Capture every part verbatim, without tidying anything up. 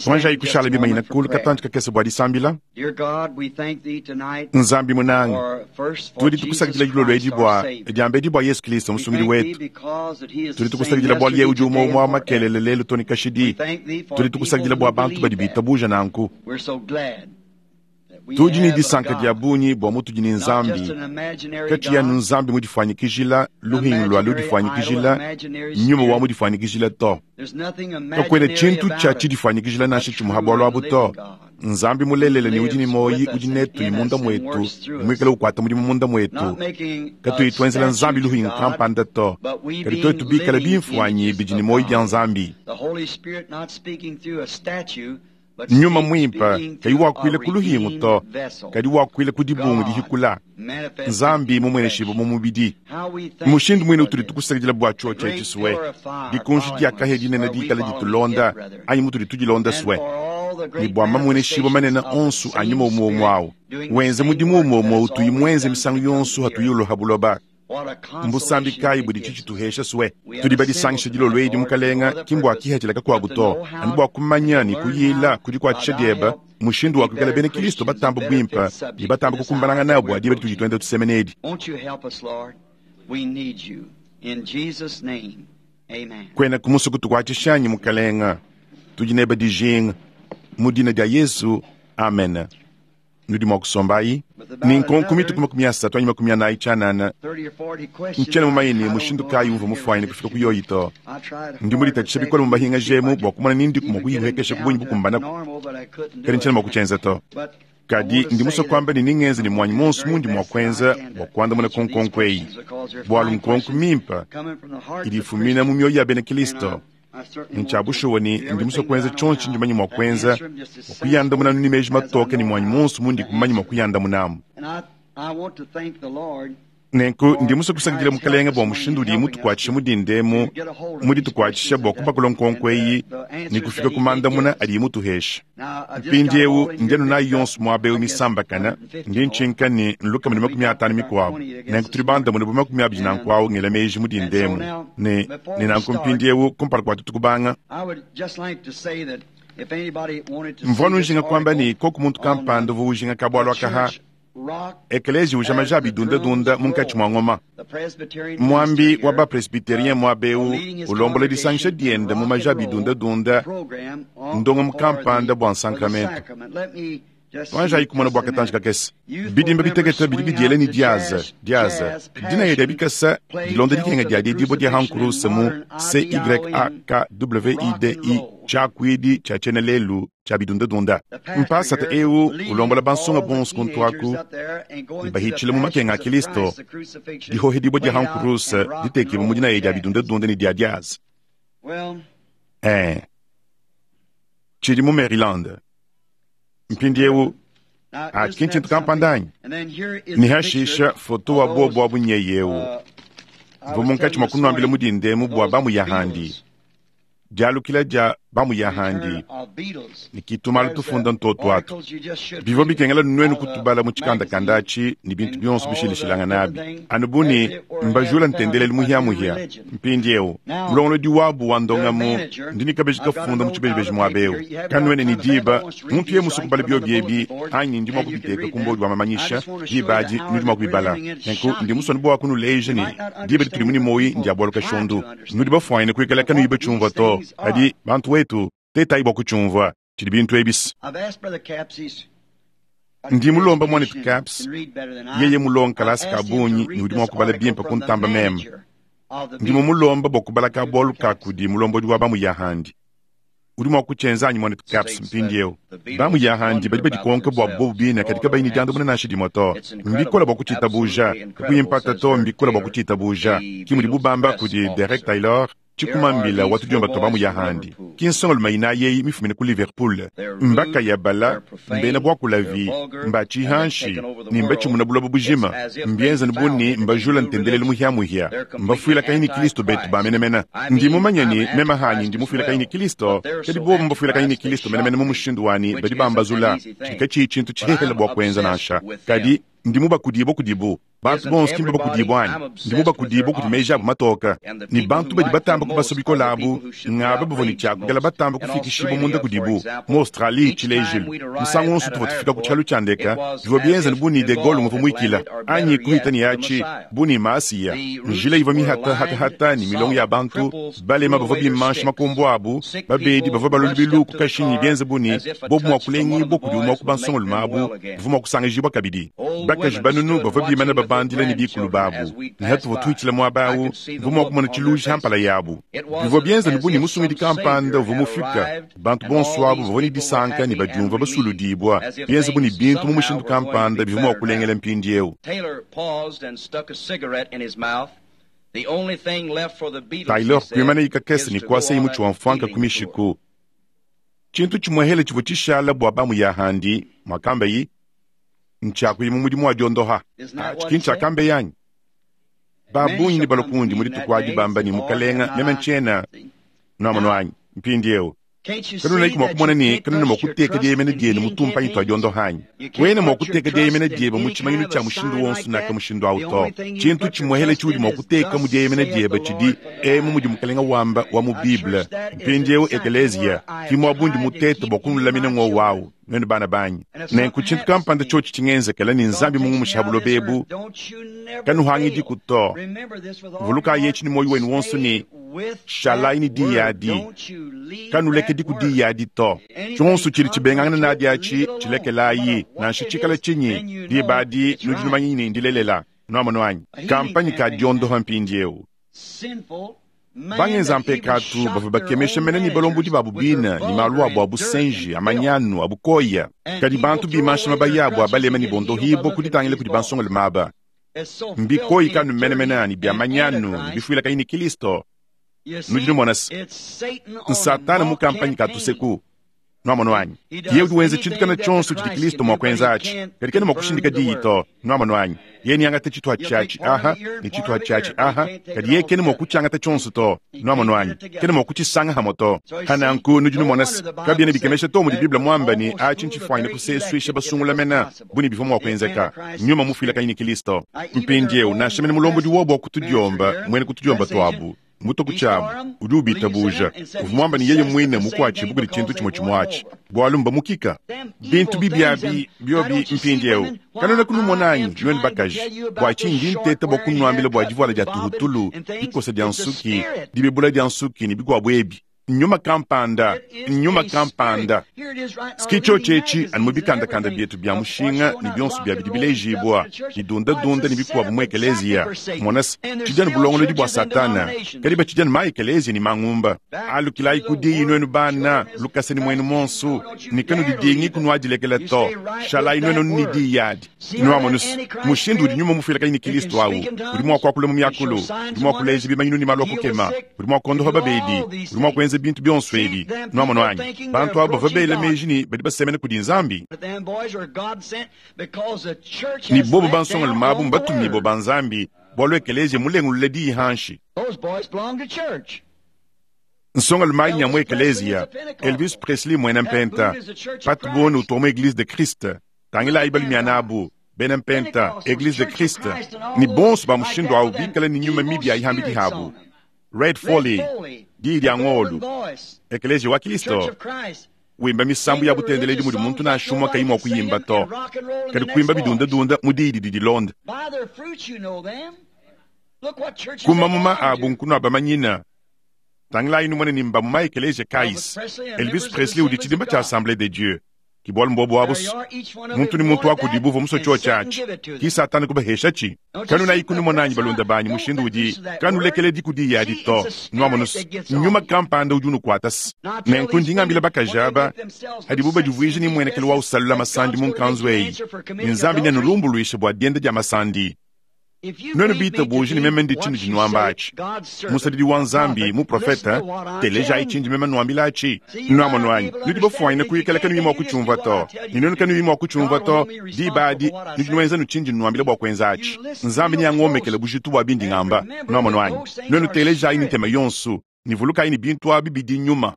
Tuanjayi kushala bimanyina kulu katantshi kakese bua disambila. Nzambi munanga, tudi tukusakidila dilolo edi bua diambedi bua Yesu Kristo musungidi wetu. Tudi tukusakidila bualu yeye udi umue umue wa makelele lelu to ne kashidi. Tudi tukusakidila bua bantu badi bitabuja nanku. Tudi ne disanka dia bungi bua mutudi ne Nzambi, katshiya anu Nzambi mudifuanyikijila luhingu lua ludifuanyikijila, nyuma wa mudifuanyikijila to. Kakuena tshintu tshia tshidifuanyikijila nansha tshimue ha bualu abu to. Nzambi mulelele ne udi ne muoyi udi netu ne munda muetu, ne muikale ukuata mudimu munda muetu. Katuyi tuenzela Nzambi luhingu kampanda to, kadi tuetu bikale bimfuanyi bidi ne muoyi bia Nzambi. Nyuma muimpe kayi wakuila ku luhingu to, kadi wakuila ku dibungu dihikula. Nzambi mumueneshibue mu mubidi. Mushindu muine utudi tukusakidila bua tshiotshi etshi sue, dikunji dia kahia dinene dikale ditulonda anyi mutudi tudilonda sue, ne bua mamueneshibue manene onso a nyuma umue umue awu wenze mudimu umue umue utuyi muenze misangu yonso hatuyi uloha buloba. Mbusambi kayi budi tshitshituhesha sue? Tudi badisangisha dilolo edi mukalenga, ki mbua kihatshila kakuabu to, anu bua kumanya ne kuyila kudikuatshisha dieba mushindu wa kuikala bena Kristo batamba buimpe ne batamba kukumbanangana nabo bua diba ditudi tuenda tusemena edi. Kuena kumusue kutukuatshisha anyi mukalenga? Tudi nebe dijinga. Mu dina dia Yesu, amen. Nudi mua kusombayi ne nkonko mituku makumi asatu anyi makumi anayi tshianana. Ntshiena mumanye ne mushindu kayi umvua mufuanyine kufika ku yoyi to. Ndi muditatshisha bikole mu mahinga jemu bua kumona ni ndiku mua kuyihuekesha ku bungi bukumbanaku, kadi ntshiena mua kutshienza to. Kadi ndi musue kuamba ne ningenze ne muanyi muonso mundi mua kuenza bua kuandamuna ku nkonko eyi, bualu nkonko mimpe idi ifumina mu mioyo ya bena Kristo. Ntshia bushuwa ne ndi musue kuenza tshionso tshindi manye mua kuenza bua kuyandamuna anu ne meji matoke ne muanyi muonso mundi kumanye mua kuyandamunamu. Nenku ndi musue kusakidila Mukalenga bua mushindu udi mutukuatshisha mu dinda emu, muditukuatshisha bua kupakula nkonko eyi ne kufika ku mandamuna adi mutuhesha. Mpindieu ndi anu nayi yonso muaba eu misambakana, ndi ntshinka ne nlukama ne makumi atanu mikuabu. Nenku tudi bandamune bu makumi abidi nanku awu ngela meji mu dinda emu. Ne, ne nanku mpindieu kumpala kua tuetu kubanga, mvua nujinga kuamba ne koku muntu kampanda uvua ujinga kabualu akaha Ekelezia uja maja bidundadunda munkatshi mua ngoma. Muambi wa bapresbiterien muaba eu ulombola disangisha diende mu maja bidundadunda ndongamu kampanda bua nsankramento. Tuanjayi kumona bua katantshi kakese. Bidimba bitekete bidi bidiela ne diaza diaza dinaya dia bikasa dilonda dikenga dia diedibua dia hankuruse mu C Y A K W I D I tshiakuidi tshia tshiena lelu tshia bidundadunda. Mpasata eu ulombola bansonga bonso kuntu aku ne bahitshila mu makenga a Kristo, dihohedibua dia hankuruse ditekibua mu dinaya dia bidundadunda ne dia diaza. Eh, tshidi mu Maryland. Mpindieu atshi ki ntshintu kampanda anyi? Ne hashisha foto wa bobo abu nyeye eu. Mvua munkatshi mua kunuambila mu dinda emu bua bamuyahandi. Dialukila dia bamuyahandi ne kitumalu tufunda ntoto atu. Bivua bikengela nuenu kutubala mu tshikandakanda atshi ne bintu bionso bishilashilangana abi. Anu bu ne mbajula ntendelelu muhiamuhia. Mpindieu mulongolodi wabu wa ndongamu ndi ne kabeji kafunda mu tshibejibeji muaba eu. Kanuene ne diba muntu ye musue kubala biobi ebi anyi ndi mua kubiteka ku mbodi wa mamanyisha diba adi nudi mua kubibala. Nenku ndi musue bua kunuleja ne diba ditudi mu ne muoyi ndia bualu kashondu. Nudi bafuanyine kuikala kanuyi batshiumvua to, kadi bantu wetu tetayi bua kutshiumvua tshidi bintu ebisi. Ndi mulomba mwanetu Caps, yeye mulonga kalasa ka bungi ne udi mua kubala bimpe kuntamba meme. Ndi mumulomba bua kubala ka bualu ka kudi mulombodi wa bamuyahandi. Udi mua kutshienza anyi mwanetu Caps mpindieu? Bamuyahandi badi badikonka bua bobu bine kadi kabayi ne diandamuna nansha dimue to. Mbikole bua kutshitabuja, kakuyi mpata to, mbikole bua kutshitabuja. Ki mudibu bamba kudi Derek Taylor, tshikumambila wa tudiomba twa bamuyahandi. Ki nsongalume inayi eyi mifumine ku Liverpool. Mbakaya bala, mbena buakulavi, mbatshihanshi ne mbatshimuna buloba bujima. Mbienzane bu ne mbajula ntendelelu muhiamuhia. Mbafuilakanyi ne Kristo betu ba menemene. Ndi mumanye ne meme hanyi ndi mufuilakanyi ne Kristo, kadi bobu mbafuilakanyi ne Kristo menemene mu mushindu wanyi badi bambazula. Tshidi katshiyi tshintu tshihehele bua kuenza nansha. Kadi Ndi mubakudibua kudibu. Bantu bonso ki mbabakudibua anyi? Ndi mubakudibua kudi meji abu matoka. Ne bantu badi batamba kubasua bikole abu ngaba bavua ne tshia kuikala batamba kufikishibua munda kudibu. Mu Australie, tshilejilu, musangu wonso tuvua tufika ku tshialu tshia ndeka, bivua bienza bu ne De Gaulle nguvua muikila, anyi kuhita ne atshi bu ne Masiya. Njila ivua mihatahatahata ne milongo ya bantu, balema bavua bimansha makombo abu, babedi bavua balua lubilu ku kashinyi bienza bu ne bobu mua kulengibua kudi umue ku bansongolume abu, bavua mua kusangijibua kabidi. Bakaji banunu bavua bimana babandila ne bikulu babu, ne hatuvua tuhitshila muaba awu, mvua mua kumona tshiluji ha mpala yabu. Bivua bienza ne bu ne musungidi kampanda uvua mufika, bantu bonso abu bavua ne disanka ne badiumvua basuludibua, bienza bu ne bintu mu mushindu kampanda bivua mua kulengela mpindieu. Taylor kuimana ikakese ne kuasa imutshi wa mfuanka ku mishiku. Tshintu tshimuehele tshivua tshishala bua bamu ya handi, mwakambayi, ntshiakuyi mu mudimu wa diondoha. Atshi ntshiakambe yanyi. Babungi ne balokundi muri tukwadi bamba ni mukalenga meme ntshiena nwamunu wanyi mpindieu. Kanuna iku mwakumona ne kanuna mwakuteka dieyemena dienu mu tumpanyi twa diondoha anyi. Wena mwakuteka dieyemena diebe mu tshimanyinu tshia mushindu wonso naka mushindu awu to. Tshintu tshimuehele tshiudi mwakuteka mu dieyemena diebe tshidi emu mudi mukalenga wamba wa mu Bible. Mpindieu ekeleziya ki mwabundi mutete bua kunulamina ng'owu wawu. Nwenu bana banyi. Nenku tshintu kampanda tshiotshi tshingenzekela ne Nzambi mungumusha buloba ebu, kanuhangidi to. Vulukayi etshi ne moyo wenu wonso ne shalayi ne diyi adi. Kanulekedi ku diyi adi to. Tshionso tshidi tshibengangana nadi atshi tshilekelayi, nansha tshikala tshinyi, diba adi nudi numanyi ne ndilelela. Nwamonu anyi? Kampanyi ka diondoha mpindieu. Bangenza mpekatu bavua bakemesha mene ne balombodi babu bina ne malu abu a busenji, a manyanu, a bukoya. Kadi bantu bimansha mabaya abu abalema ne bondohibo kuditangila kudi bansongolume aba. Mbikoyi kanu menemene ne bia manyanu ne bifuila kayi ne Kristo. Nudi numona se, Satana mu kampanyi ka tuseku. Nwamonu anyi? Ye udi wenza tshintu kana tshionso tshidi Kristo mua kuenza atshi, kadi kena mua kushindika diyi to. Nwamonu anyi? Ye niangata tshituha tshiatshi aha ne tshituha tshiatshi aha, kadi ye kena mua kutshiangata tshionso to. Nwamonu anyi? Kena mua kutshisanga hamwe to. Hananku nudi numona se, kabiena bikemesha to mudi Bible muamba ne atshi ntshifuanyine kusesuisha basungula mena bu ne bivua mua kuenzeka. Nyuma mufuila kanyi ne Kristo. Mpindieu nansha mene mulombodi wobu wa kutudiomba, mwene kutudiomba tuabu. Mutoku tshiabu udi ubitabuja uvua muamba ne yeye muine mukuatshibu kudi tshintu tshimue tshimue bwalu mbamukika bintu bibi abi biobi mpindieu. Kanuna kunumona anyi nwenu bakaji bua tshinyi nteta bua kunuambila bua divuala dia tuhutulu, dikosa dia nsuki, dibebula dia nsuki ne bikuabu ebi. Nyuma kampanda, nyuma kampanda. Ski tshetshi anu mu bikandakanda bietu bia mushinga ne bionso bia bidi bilejibua, ne dunda-dunda ne bikuabu mu ekeleziya. Mona se, tshidi anu bulongolodi bua Satana, kadi batshidi anu ma ekeleziya ne mangumba. Alukilayi ku diyi nwenu bana, lukasa ne mwenu monsu, ne kanudidingi kunuadilekela to. Shalayi nwenu ne diyi adi. Nwamonu se, mushindu udi nyuma mufuila kanyi ne Kristo awu, udi mua kuakula mu miakulu, udi mua kuleja bimanyinu ne malu a kukema, udi mua kuondoha babedi, udi mua kuenza bintu bionso ebi. Nwamonu anyi? Bantu abo bavua bela meji ne badi basemena kudi Nzambi. Ne bobo bansongolume abu mbatumibue ba Nzambi, bwalu ekeleziya mulengulule diyi hanshi. Nsongolume ayi nya mu ekeleziya, Elvis Presley mwena mpenta, Pat Boone utua mu Eglise de Christ, tangilayi balumiana abu, bena mpenta, Eglise de Christ, ne bonso ba mushindu awu bikala ne nyuma mibi ayihambidi habu. Red Foley, diyi dia ng'olu, ekeleziya wa Kristo, wimba misambu ya butendeledi mudi muntu nansha umue kayi mua kuyimba to, kadi kuimba bidundadunda mu diyi didi dilonda. Kumamuma abu nkunua bamanyina. Tangilayi numone ne mbamuma ekeleziya kaisi. Elvis Presley udi tshidimba tshia Assemblée de Dieu. Kibwalu mbobu abu muntu ne muntu wakudibu uvua musue tshio tshiatshi. Ki Satana kubaheshatshi. Kanunayi kunumona anyi balunda banyi mushindu udi kanulekeledi ku diyi adi to. Nwamonu se, nyuma kampanda udi unukuata se. Nenku ndi ngambila bakaji aba hadibu badivuije ne muenekelo wa usalula masandi mu nkanzu eyi. Ne Nzambi neanulumbuluishe bua dienda dia masandi. Nwenu bitabuji ne meme ndi tshintu tshinuamba atshi. Musadidi wa Nzambi, muprofeta, telejayi tshindi meme nuambila atshi. Nwamonu anyi? Nudi bafuanyine kuyikala kanuyi mua kutshiumvua to. Ne nwenu kanuyi mua kutshiumvua to, diba adi nudi nuenza nutshindi nuambila bua kuenza atshi. Nzambi neangomekele bujitu bua bindi ngamba. Nwamonu anyi? Nwenu telejayi ne ntema yonso, ne vulukayi ne bintu abi bidi nyuma.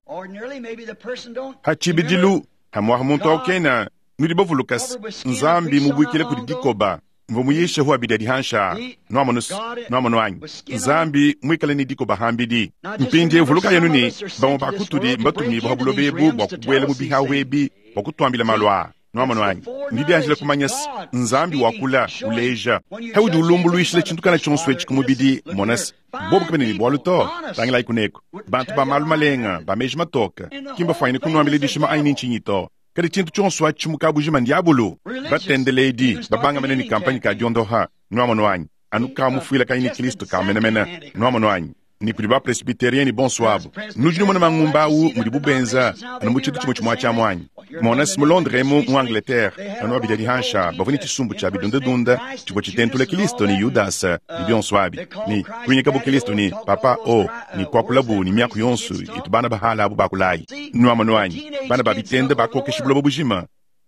Hatshibidilu, hamwaha muntu awu kena, nudi bavuluka se, Nzambi mubuikile kudi dikoba. Mvua muyishe hu abidi adi hansha. Nwamonu, nwamonu anyi. Nzambi mwikale ne dikoba hambidi. Mpindiewu vuluka yenu ne, bamue ba kutudi mbatumibue ha buloba ebu bua kubuela mu bihahu ebi bua kutuambila malu aa. Nwamonu anyi. Ndi dianjila kumanya se, Nzambi wakula, uleja. Haudi ulumbuluishila tshintu kana tshionso etshi ku mubidi, mona se, bobu kabena ne bualu to. Tangilayi kuneko. Bantu ba malu malenga, ba meji matoke, ki mbafwanyine kunuambila dishima anyi ni ntshinyi to. Kadi tshintu tshionso atshi mu kabujima ndiabulu. Batendeledi, babangamene ne kampanye ka diondoha. Nwamonu anyi. Anu ka mufuila kanyi ne Kristo ka menemene. Nwamonu anyi. Ni kudi ba presbyterien ni bonso abo. Nudi numona mangumba awu mudi bubenza, anu mu tshintu tshimue tshimue tshia mwanyi. Mona si mu Londres mu, mu Angleterre, anu abidi adi hansha, bavua ne tshisumbu tshia bidundadunda, tshivua tshitentula Kristo ne Yudas ne bionso abi. Ni kuinyika bu Kristo ni Papa O, ni kuakulabu ni miaku yonso itu bana bahala abu bakulayi. Nwamonu anyi, bana ba bitende bakokesha buloba bujima.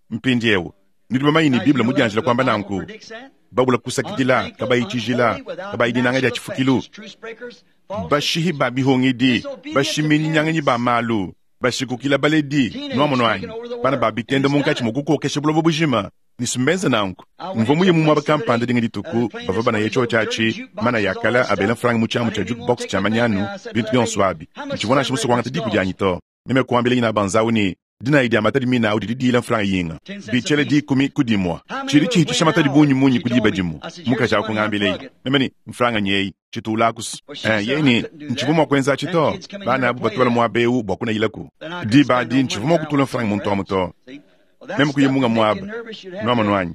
Mpindiewu, nudi bamanye ni Bible mudianjila kuamba nanku. Babula kusakidila, kabayi tshijila, kabayi dinanga dia tshifukilu. Bashihi ba bihungidi, bashiminyanganyi ba malu, bashikukila baledi, nwamonu anyi. Bana ba bitende munkatshi mua kukokesha buloba bujima. Nisumbenza nanku. Mvua muye mu muaba kampanda dinga dituku, bavua banaye tshiotshi atshi, mana yakala abela mfranga mu tshiamu tshia jukebox tshia manyanu, bintu bionso abi. Ntshivua nansha musue kuangata diku dianyi to. Meme kuambila nyina banzawu ne, dinayi dia matadi mina awu didi diyila mfranga yinga. Bitshele dikumi ku dimua. Tshidi tshihitisha matadi bungi munyi ku diba dimue. Mukaji awu kungambila. Meme ne, mfranga nyeyi, tshitula kusu. Eh, yeye ne, ntshivua mua kuenza atshi to. Bana abu batwala muaba ewu bua kunayilaku. Diba adi ntshivua mua kutula mfranga muntu amu to. Meme kuya munga muaba. Nwamonu anyi.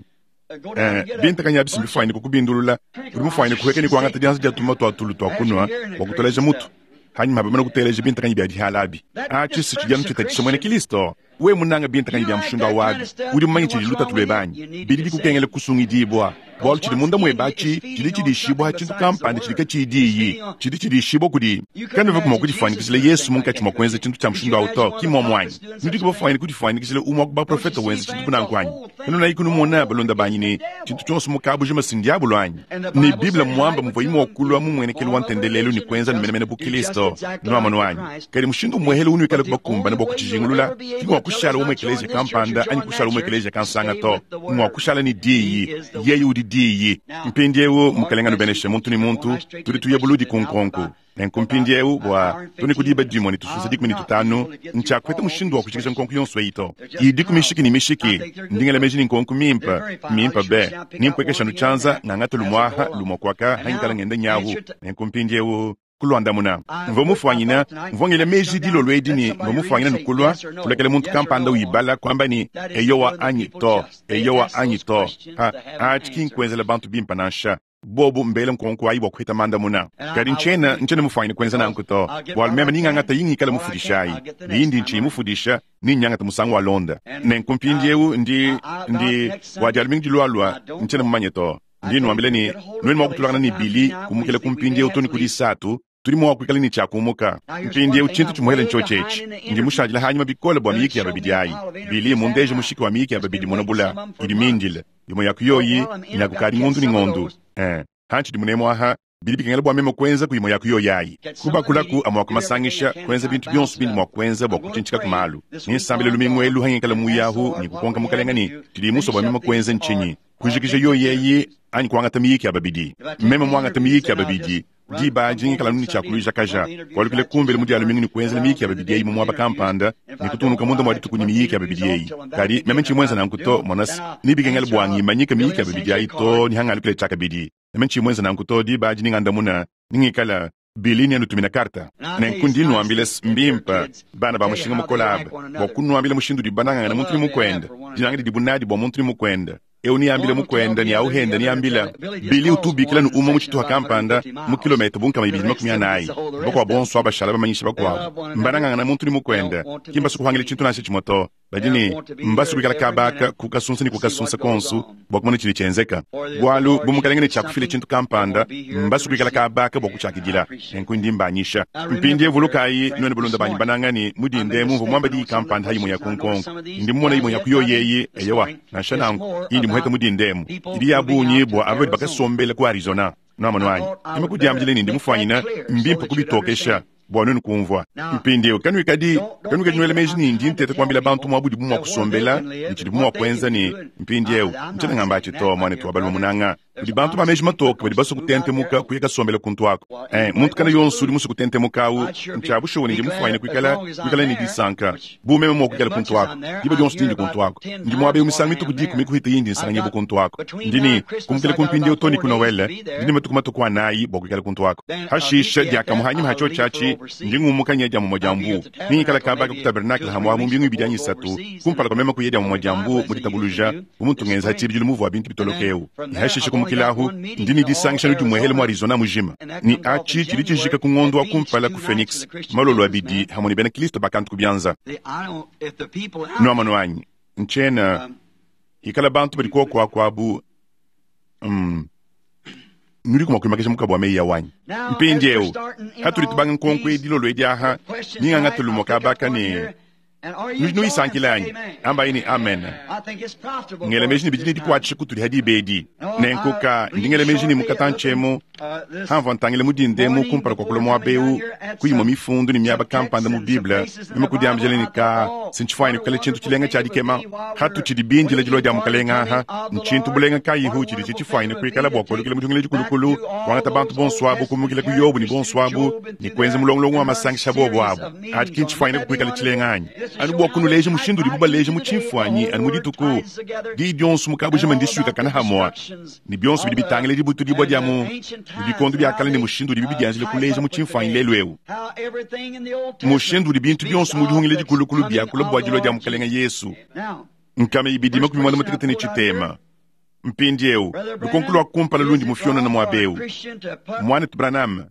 Eh, bintakanya bisimbi fwanyine kukubindulula. Udi mufwanyine kuheka ni kuangata dianza dia tuma tua tulu tua kunwa bua kuteleja mutu. Hanyuma bamana kuteleja bintakanyi bia dihala abi. Atshi si tshidi anu tshitatshisha muena Kristo. We munanga bintakanyi bia mushindu awu abi. Udi mumanye tshidi lutatu lwebe anyi. Bidi bikukengela kusungidibua. Bualu tshidi munda muebe atshi, tshidi tshidishibua tshintu kampanda tshidi katshidiyi. Tshidi tshidishibua kudi. Kanuva mua kudifanyikishila Yesu munkatshi mua kuenza tshintu tshia mushindu awu to, ki muomu anyi. Nudi kubafwanyine kudifanyikishila umue wa ku baprofeta wenza tshintu kunanku anyi. Kanunayi kunumona balonda banyi ne, tshintu tshionso mu kabujima si ndiabulu anyi. Ne Bible muamba muvua imue kulua mu mmuenekelu wa ntendelelu ne kuenza menemene bu Kristo. Nwamonu anyi. Kadi mushindu muehele unuikale kubakumbana bua kutshijingulula, ki ngua kushala umue ekeleziya kampanda anyi kushala umue ekeleziya kansanga to. Ngua kushala ne diyi. Yeye udi diyi. Mpindiewu mukalenga nubeneshe muntu ne muntu, tudi tuya buludi ku nkonko. Nenku mpindiewu bua tuni ku diba dimue ne tusunsa dikumi ne tutanu, ntshiakuheta mushindu wa kujikija nkonko yonso eyi to. Idi ku mishiki ne mishiki, ndingela meji ne nkonko mimpe, mimpe be. Nimpwekesha nu tshianza, ngangata lumuaha, lumua kuaka, hangikala ngenda nyahu. Nenku mpindiewu kulwandamuna. Mvua mufwanyina, mvua ngela meji dilolo edi ne mvua mufwanyina nukulwa, kulekela muntu kampanda uyibala kwamba ni eyowa anyi to, eyowa anyi to. Ha, atshi ki nkuenzela bantu bimpe nansha. Bobu mbele nkonko ayi bua kuheta mandamuna. Kadi ntshiena, ntshiena mufwanyine kuenza nanku to. Bualu meme ningangata yingikala mufudishayi. Yindi ntshiyi mufudisha, ninyangata musangu wa londa. Nenku mpindiewu ndi, ndi, wa dialumingu dilualua, ntshiena mumanye to. Ndi nuambila ne, nuenu mua kutulangana ne Bili, kumukela ku mpindiewu to ne ku disatu, tudi mua kuikala ne tshiakumuka. Mpindiewu tshintu tshimuhele ntshiotshi etshi. Ndi mushadile hanyuma bikole bua miyiki ya babidi ayi. Bili mundeje mushiki wa miyiki ya babidi monabula, idi mindile. Imue ya kuyoyi, nyakukadi ngondu ne ngondu. Eh, hantshidi munemu aha, bidi bikengela bua meme kuenza ku imue ya kuyoyi ayi. Kubakulaku amua kumasangisha, kuenza bintu bionso bindi mua kuenza bua kutshintshika ku malu. Ninsambile lumingu elu hangikala muyahu ni kukonka mukalenga ni tshidi musue bua meme kuenza ntshinyi. Kujikija yoyi eyi anyi kuangata miyiki ya babidi. Meme muangata miyiki ya babidi, diba adi ngikala anu ne tshiakuluija kaja. Kualukile kumbele mu dialumingu ne kuenzela miyiki ya babidi eyi mu muaba kampanda, ne kutungunuka munda mua dituku ne miyiki ya babidi eyi. Kadi meme ntshiyi muenza nanku to, mona se, nibikengela bua ngimanyike miyiki ya babidi ayi to, nihangalukile tshiakabidi. Meme ntshiyi muenza nanku to, diba adi ningandamuna, ningikala Bili nianutumina karta. Nenku ndi nuambila mbimpe, bana ba mushinga mukole aba, bua kunuambila mushindu udi banangangana muntu ne mukuende, dinanga didi bunadi bua muntu ne mukuende. Eu niambile mukuende, ni auhende niambila. Bili utubikila nu umwe mu tshituha kampanda, mu kilometa bunkama ibidi makumi anayi. Bakuabo bonso abashala bamanyisha bakuabo. Mbanangangana muntu ne mukuende, ki mbasu kuhangila tshintu nansha tshimue to. Badi ne, mbasu kuikala kabaka, kukasunsa ne kukasunsa konsu, bua kumona tshidi tshienzeka. Bualu, bu mukalenge ne tshiakufila tshintu kampanda, mbasu kuikala kabaka bua kutshiakidila. Nenku ndi mbanyisha. Mpindiewu vulukayi, nuenu balunda banyi banangani, mudinde mumvua muamba diyi kampanda imue ya ku nkonko. Ndi mumona imue ya ku yoyi eyi, eyowa, nansha nanku, indi muheta mudinde emu. Idi ya bungi bua aba badi bakasombela ku Arizona. Nwamonu anyi. Ime kudiambila ne ndi mufwanyina, mbimpe kubitokesha. Bua nuenu kumvua. Mpindieu kanuikadi kanuikadi nuela meji ne ndi nteta kuambila bantu muabu udibu mua kusombela ne tshidibu mua kuenza ne mpindieu ntshiena ngamba atshi to, muanetu wa balume munanga. Kudi bantu ba meji matoke badi basue kutentemuka kuya kasombela kuntu aku. Eh, muntu kana yonso udi musue kutentemuka awu ntshia bushuwa ne ndi mufuanyine kuikala kuikala ne disanka bu meme mua kuikala kuntu aku. Diba dionso dindi kuntu aku. Ndi muaba eu misangu mituku dikumi kuhita yindi nsanganyibua kuntu aku. Ndi ne kumukila ku mpindieu too ne ku Noele, ndi ne matuku matuku anayi bua kuikala kuntu aku. Hashisha diakamue hanyima ha tshiotshi atshi, ndi ngumuka nya dia mumue dia mbu. Ningikala kaba ka ku tabernacle hamue mu mbingu ibidi anyi isatu, kumpala kua meme kuya dia mumue dia mbu mu ditabuluja, bu muntu ngenza tshibidilu muvua bintu bitoloka eu. Ne hashisha kumukilahu, ndi ne disangisha dimuehele mu Arizona mujima. Ne atshi tshidi tshijika ku ngondo wa kumpala ku Phoenix, malolo abidi hamue ne bena Kristo bakantu ku bianza. Nuamanu anyi, ntshiena ikala bantu badi kuoku aku abu. Mm. Nudi mua kuimakisha mukabu wa meyi ya wanyi. Mpindieu hatudi tubanga nkonko edi lolo edi aha, ningangata lumue kabaka ne nudi nuyisankila anyi? Ambayi ne amen. Ngela meji ne bidi ne dikuatshisha kutudi hadi ibedi. Nenkuka ndi ngela meji ne mukatantshiemu hamvua ntangila mudindemu kumpala kua kulua muaba eu kuyimua mifundu ne miaba kampanda mu Bible, meme kudiambila ne ka sintshifuanyine kukala tshintu tshilenga tshia dikema hatutshidi bindila dilua dia mukalenga aha. Ntshintu bulenga kayihu tshidi tshitshifuanyine kuikala bua kualukila mu dihungila dikulukulu, kuangata bantu bonso abu kumukila ku Yobu ne bonso abu ne kuenza mulongolongo wa masangisha bobo abu. Adi ki ntshifuanyine kuikala tshilenga anyi? Anu bua kunuleja mushindu udibu baleja mu tshimfuanyi anu mu dituku diyi dionso mukabujima ndisuikakana hamua ne bionso bidi bitangila dibutudibua dia mu bikondo bia kale ne mushindu udibi bidianjila kuleja mu tshimfuanyi lelu eu. Mushindu udi bintu bionso mu dihungila dikulukulu biakula bua dilua dia mukalenga Yesu. Nkama ibidi makumi muanda mutekete ne tshitema. Mpindieu lukonko lua kumpala lundi mufionana muaba eu. Muanetu Branham,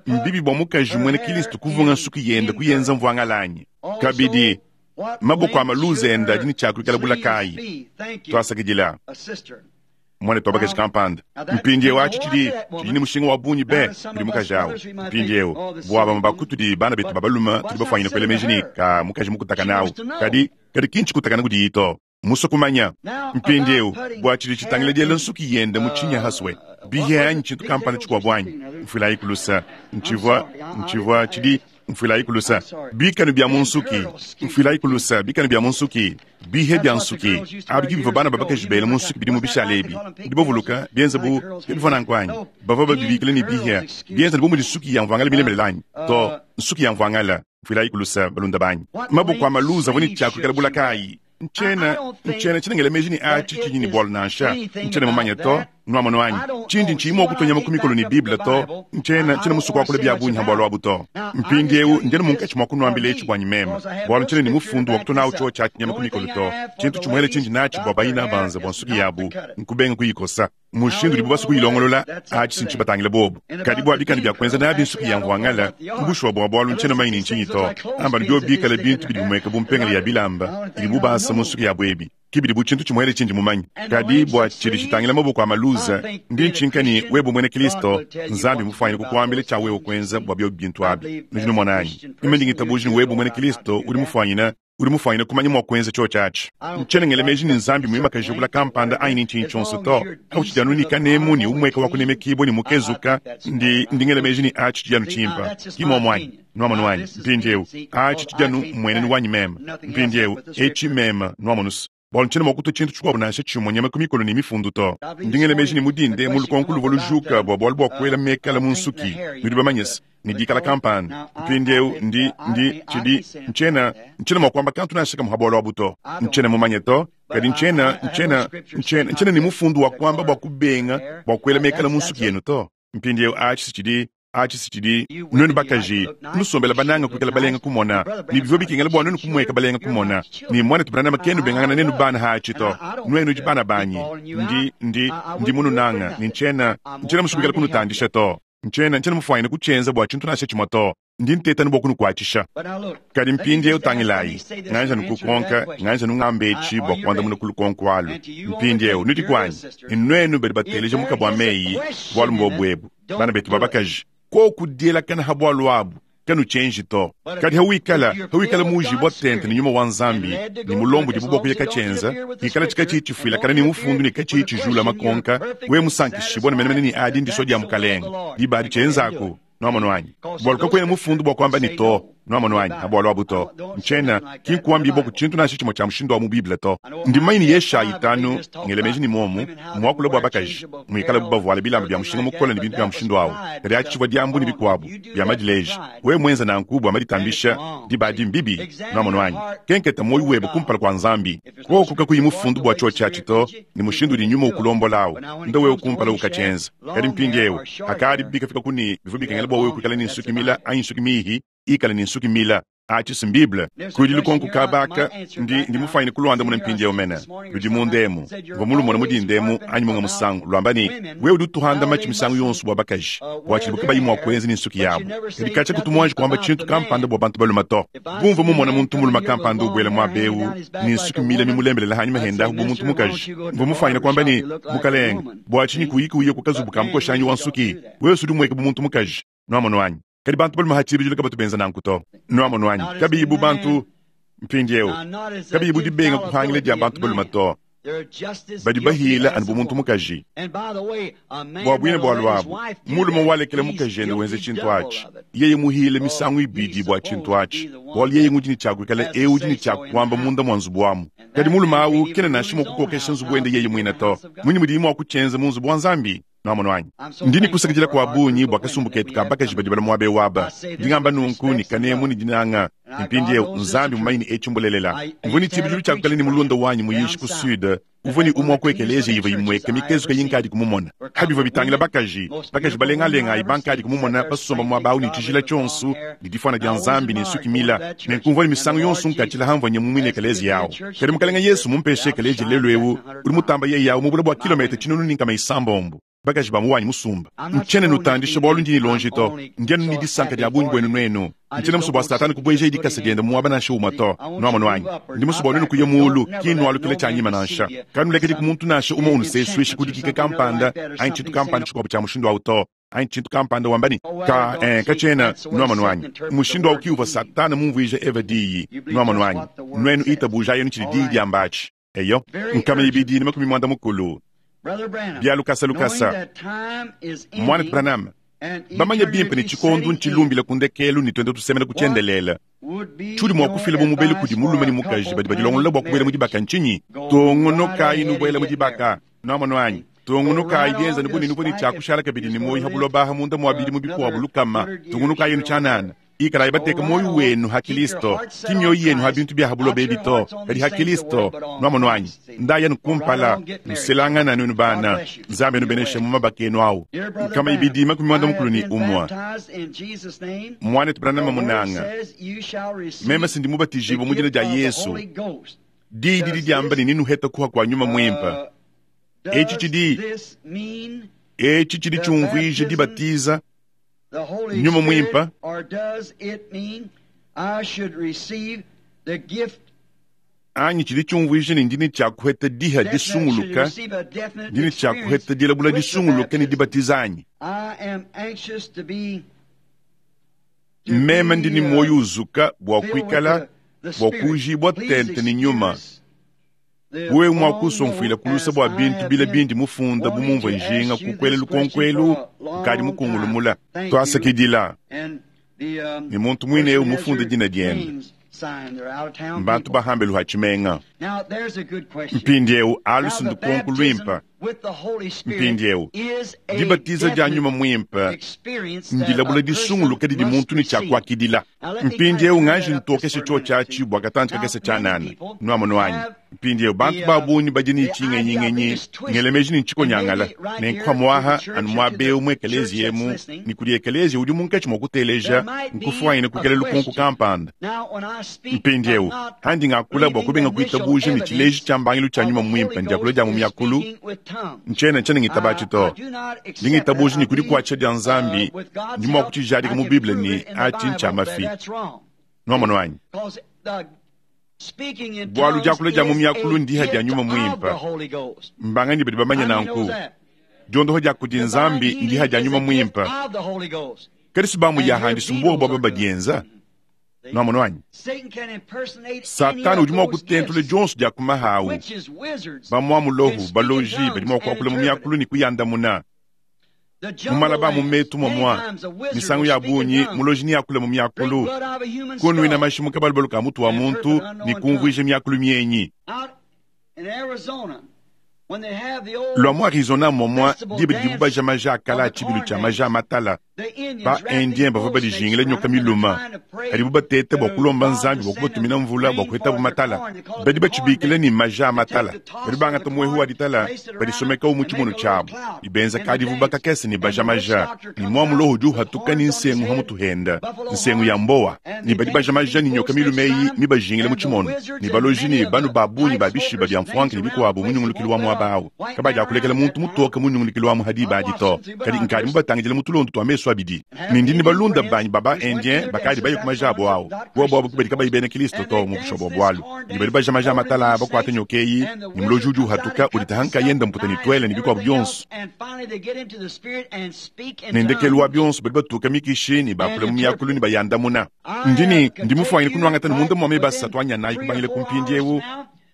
mbibi bua mukaji muena Kristo kuvunga nsuki yende kuyenza mvuangala anyi? Kabidi maboko a maluza ende adi ne tshiakuikala bulakayi. Tuasakidila muanetu wa bakaji kampanda. Mpindieu atshi tshidi tshidi ne mushinga wa bungi be kudi mukaji awu. Mpindieu bua bamue ba kutudi bana betu ba balume tudi bafuanyine kuela meji ne ka mukaji mukutakana awu, kadi kadi ki ntshikutakana kudiyi to. Musue kumanya mpindieu bua tshidi tshitangila diela nsuki yende mu tshinya haswe bihe anyi tshintu kampanda tshikuabu anyi? Mfuilayi kulusa ntshivua ntshivua tshidi mfuilayi kulusa bikanu bia mu nsuki mfuilayi kulusa bikanu bia mu nsuki bihe bia nsuki abi ki bivua bana ba bakaji bela mu nsuki bidimu bishale ebi. Ndi bavuluka bienza bu bivua nanku anyi? Bavua babibikila ne bihe bienza bu mudi nsuki ya mvuangala milemelela anyi? To, nsuki ya mvuangala. Mfuilayi kulusa balunda banyi. Maboko a maluza avua ne tshiakuikala bulakayi. Ntshiena ntshiena tshinengela meji ne atshi tshinyi ne bualu nansha. Ntshiena mumanye to, nuamonu anyi? Tshindi ntshiyi mua kutonya ku mikolo ne Bible to. Ntshiena ntshiena musue kuakula bia bungi ha bualu abu to. Mpindieu ndi anu munkatshi mua kunuambila etshi buanyi meme, bualu ntshiena ne mufundu wa kutonawu tshiotshi atshi nyama ku mikolo to. Tshintu tshimuele tshindi natshi bua bayina banza bua nsuki yabu nkubenga kuyikosa. Mushindu udibu basue kuyilongolola atshi sintshibatangile bobu. Kadi bua bikanu bia kuenza nabi nsuki ya mvuangala, kubushuwa bua bualu ntshiena mumanye ne ntshinyi to. Amba biobi bikale bintu bidi bimueka bu mpengele ya bilamba idibu basa mu nsuki yabu ebi, ki bidi bu tshintu tshimuele tshindi mumanye. Kadi bua tshidi tshitangila maboko a maluza, ndi ntshinka ne wewe muena Kristo, Nzambi mufuanyine kukuambila tshia wewe kuenza bua biobi bintu abi. Nudi numona anyi? Meme ndi ngitabuja ne wewe muena Kristo udi mufuanyine udi mufuanyine kumanya mua kuenza tshiotshi atshi. Ntshiena ngela meji ne Nzambi muimakaje bula kampanda anyi ne ntshinyi tshionso to. Awu tshidi anu ne kanemu ne umueka wa kunemekibua ne mukezuka, ndi ndi ngela meji ne atshi tshidi anu tshimpa. Ki muomu anyi? Nuamonu anyi? Mpindieu atshi tshidi anu mmuenenu wanyi meme. Mpindieu etshi meme nuamonusu. Bualu ntshiena mua kutua tshintu tshikuabu nansha tshimue nyama ku mikolo ne mifundu to. Ndi ngela meji ne mudinde mu lukonko luvua lujuka bua bualu bua kuela mekala mu nsuki. Nudi bamanye se ne dikala kampanda. Mpindieu ndi ndi tshidi ntshiena ntshiena mua kuamba kantu nansha kamue ha bualu abu to. Ntshiena mumanye to, kadi ntshiena ntshiena ntshiena ntshiena ne mufundu wa kuamba bua kubenga bua kuela mekala mu nsuki yenu to. Mpindieu atshi tshidi atshi tshidi nuenu bakaji nusombela bananga kuikala balenga kumona ne bivua bikengela bua nuenu kumueka balenga kumona ne muanetu Branham kenu bengangana nenu bana ha atshi to. Nuenu udi bana banyi, ndi ndi ndi mununanga ne ntshiena ntshiena musue kuikala kunutandisha to. Ntshiena ntshiena mufuanyine kutshienza bua tshintu nansha tshimue to. Ndi nteta bua kunukuatshisha. Kadi mpindieu tangilayi, nganja nukukonka, nganja nungamba etshi bua kuandamuna ku lukonko alu. Mpindieu nudi kuanyi ne nuenu badi bateleja mukabu wa meyi bualu mbobu ebu. Bana betu ba bakaji, koku dielakana ha bualu abu kanutshienji to. Kadi hawikala hawikala muujibua tente ne nyuma wa Nzambi ne mulombo udibu bua kuya katshienza, ikala tshikatshi tshifuilakana ne mufundu ne katshi tshijula makonka, we musankishibua ne menemene ne adi ndisua dia mukalenga. Diba adi tshienzaku. Nwamonu anyi? Bwalu kakwena mufundu bwa kwamba ne to. Nwamonu anyi? Ha bwalu abu to. Ncyena, ki nkwambibwa ku cintu nansha cimwe cya mushindu wa mu Bible to. Ndi mumanye ne Yeshaya itanu, ngela meji ne mwomu, mwakula bwa bakaji, mwikale bu bavwala bilamba bya mushinga mukole ne bintu bya mushindu awu. Kadi aci civwa dyambu ne bikwabo, bya madileji. Wewe mwenza nanku bwa maditambisha, diba adi mbibi. Nwamonu anyi? Kenketa mwoyo webe kumpala kwa Nzambi. Koko kakuyi mufundu bwa cyoci aci to, ne mushindu udi nyuma ukulombola awu. Nda wewe kumpala ukacenza. Kadi mpindiewu, hakadi bikafika kuni bivwa bikengela bwa wewe kwikala ne nsuki mila anyi nsuki mihi, ikala ne nsuki mila. Aci si Bible. Kudi lukonko kabaka, ndi, ndi mufwanyine kulwandamuna mpindiewu mene. Ludi munda emu. Mvwa mulumona mudinda emu anyi munga musangu. Lwamba ne, wewe udi utuhanda maci misangu yonso bwa bakaji. Bwa cidi bukabayi mwa kwenza ne nsuki yabo. Kadi kaca kutu mwanji kwamba cintu kampanda bwa bantu baluma to. Bumvwa mumona muntu muluma kampanda ubwela mwaba ewu, ne nsuki mila mimulembelele hanyima hendahu bu muntu mukaji. Mvwa mufwanyine kwamba ne, Mukalenge, bwa cinyi kuyiki uye ku kazubu ka mukoshanyi wa nsuki. Wewe udi mweke bu muntu mukaji. Nwamonu anyi? Kadi bantu baluma ha cibidilo kabatu benza nanku to. Nwamonu anyi? Kabiyi bu bantu mpindiewu. Kabiyi bu dibenga kuhangila dia bantu baluma to. Badi bahila anu bu muntu mukaji. Bwa bwine bwa lwabu, mulume walekela mukaji ende wenze cintu aci. Yeye muhile misangu ibidi bwa cintu aci. Bwalu yeye ngudi ne cya kwikala ewu udi ne cya kwamba munda mwa nzubu wamu. Kadi mulume awu kena nansha mwa kukokesha nzubu wende yeye mwine to. Munyi mudiye mwa kucenza mu nzubu wa Nzambi? Nwamonu anyi? Ndi ne kusakidila kwa bungi bwa kasumbu ketu ka bakaji badi bala mwaba ewu aba. Ndi ngamba nunku ne kanemu ne dinanga. Mpindiewu Nzambi mumanyi ne eci mbulelela. Mvwa ne cibidilu cya kukala ne mulunda wanyi muyishi ku sud, uvwa ne umwe wa ku ekeleziya ivwa imweka mikezuka yinkadi kumumona. Ha bivwa bitangila bakaji, bakaji balengalenga ayi bankadi kumumona basomba mwaba awu ne cijila cyonso, ne difwana dya Nzambi ne nsuki mila. Nenku mvwa ne misangu yonso nkacila hamvwa nye mu mwine ekeleziya awu. Kadi Mukalenge Yesu mumpeshe ekeleziya lelu ewu, udi mutamba yeye awu mu bule bwa kilometa cinunu ne nkama isambombo. Bakaji ba mu wanyi musumba. Ncyena nutandisha bwalu ndi ne lonji to. Ndi anu ne disanka dya bungi bwenu nwenu. Ncyena muswe bwa Satani kubweja idikasa dyende mwaba nansha umwe to. Nwamonu anyi? Ndi muswe bwa nwenu kuya mulu, ki nwalukila cyanyima nansha. Kanulekedi ku muntu nansha umwe unuseswisha kudikika kampanda, anyi cintu kampanda cikwabo cya mushindu awu to. Anyi cintu kampanda wamba ne, ka, eh, kacena, nwamonu anyi? Mushindu awu ki uvwa Satani mumvwije Eva diyi. Nwamonu anyi? Nwenu itabuja yenu cidi diyi dyamba aci. Eyo, nkama ibidi ne makumi mwanda mukulu. Bya lukasa lukasa. Mwana Branham, bamanye bimpe ne cikondo ncilumbila ku ndekelu ne twende tusemena ku cyendelela. Cudi mwa kufila bu mubelu kudi mulume ne mukaji badi badilongolola bwa kubwela mu dibaka ncinyi? Tungunukayi nubwela mu dibaka. Nwamonu anyi? Tungunukayi byenza ne bunene bune cya kushala kabidi ne mwoyo ha buloba ha munda mwa bidimu bikwabo lukama. Tungunukayi nu cyanana. Ikalayi bateka mwoyo wenu ha Kristo. Ki myoyo yenu ha bintu bya ha buloba ebi to, kadi ha Kristo. Nwamonu anyi? Ndaya nukumpala, nuselangana nwenu bana. Nzambi nubeneshe mu mabaka enu awu. Nkama ibidi makumi mwanda mukulu ne umwe. Mwanetu Branham munanga. Meme sindi mubatijibwa mu dina dya Yesu. Diyi didi dyamba ne ninuheta kuha kwa nyuma mwimpe. Eci cidi, eci cidi cyumvwije dibatiza nyuma mwimpe. Anyi cidi cyumvwije ne ndine cya kuheta diha disunguluka, ndine cya kuheta dilabula disunguluka ne dibatiza anyi. Meme ndi ne mwoyo uzuka bwa kwikala, bwa kujibwa tente ne nyuma. Wewe mwa kusomfwila kulusa bwa bintu bila bindi mufunda bu mumvwe njinga kukwela lukonkwelu, nkadi mukungulumula. Twasakidila. Ne muntu mwine ewu mufunda dina dyende. Mbantu bahambe luha cimenga. Mpindiewu alusi ndukonko lwimpe. Mpindiewu dibatiza dya nyuma mwimpe ndilabula disunguluka didi muntu ne cya kwakidila. Mpindiewu nganji ntokeshe cyo cyaci bwa katanji kakese cyanana. Nwamonu anyi? Mpindiewu bantu ba bungi badi ne cingenyingenyi ngelemeji ne ncikonyangala. Ne nkuha mwaha anu mwaba ewu mu ekeleziya emu, ne kudi ekeleziya udi munkatshi mwa kuteleja, nkufwanyine kukela lukonko kampanda. Mpindiewu handi ngakula bwa kubenga kuitabuja ne cileji cya mbangilu cya nyuma mwimpe ndyakula dya mu myakulu. Ncyena ncyena ngitabaci to. Ndi ngitabuja ne kudi kwaca dya Nzambi, ndi mwa kucijadika mu Bible ne aci ncya mafi. Nwamonu anyi? Bwalu dyakula dya mu myakulu ndiha dya nyuma mwimpe. Mbanganyi badi bamanya nanku. Dyondoho dya kudi Nzambi ndiha dya nyuma mwimpe. Kadi sibamu yahandisa mbuwa bwa baba dyenza. Nwamonu anyi? Satani udi mwa kutentula dyonso dya kumahawu. Bamwa mulohu, baloji, badi mwa kwakula mu myakulu ne kuyandamuna. Mu malaba mu metu momwa, misangu ya bungi muloji neakule mu miakulu, kunwina mashi mu kabalubalu ka mutu wa muntu ne kumvuija miakulu mienyi. Lua mu Arizona momwa, diba didibu baja maja a kala a tshibilu tshia maja a matala, ba Indien bavua badijingila nyoka miluma, kadibu bateta bua kulomba Nzambi bua kubatumina mvula bua kuhetabu matala. Badi batshibikila ne maja a matala. Badi bangata muehu wa ditala, badisomekawu mu tshimono tshiabu, ne benza kadivu bakakese ne baja maja, ne mwa muloho udi uhatuka ne nsengu ha mutu henda, nsengu ya mbowa, ne badi baja maja ne nyoka milume eyi mibajingile mu tshimono, ne baloji ne banu ba bungi ba bishiba bia mfuanka ne bikuabu mu nyungulukilu wa muaba awu. Kabadi akulekela muntu mutoke mu nyungulukilu wa muhadi badi to. Kadi nkadi mubatangidile mu tulondu tua mesu abidi. Ne ndi ne balunda banyi baba Indien bakadi baye ku maja abo awu. Bobo abo kubadi kabayi bena Kristo to mu bushobo bualu. Ne badi baja maja matala bakuata nyoka eyi, ne muloji udi uhatuka uditaha nkayenda mputa ne tuele ne bikuabu bionso. Ne ndekelu wa bionso badi batuka mikishi ne bakula mu miakulu ne bayandamuna. Ndi ne ndi mufuanyine kunuangata ne munda mua meba asatu anyanayi kubangila ku mpindiewu.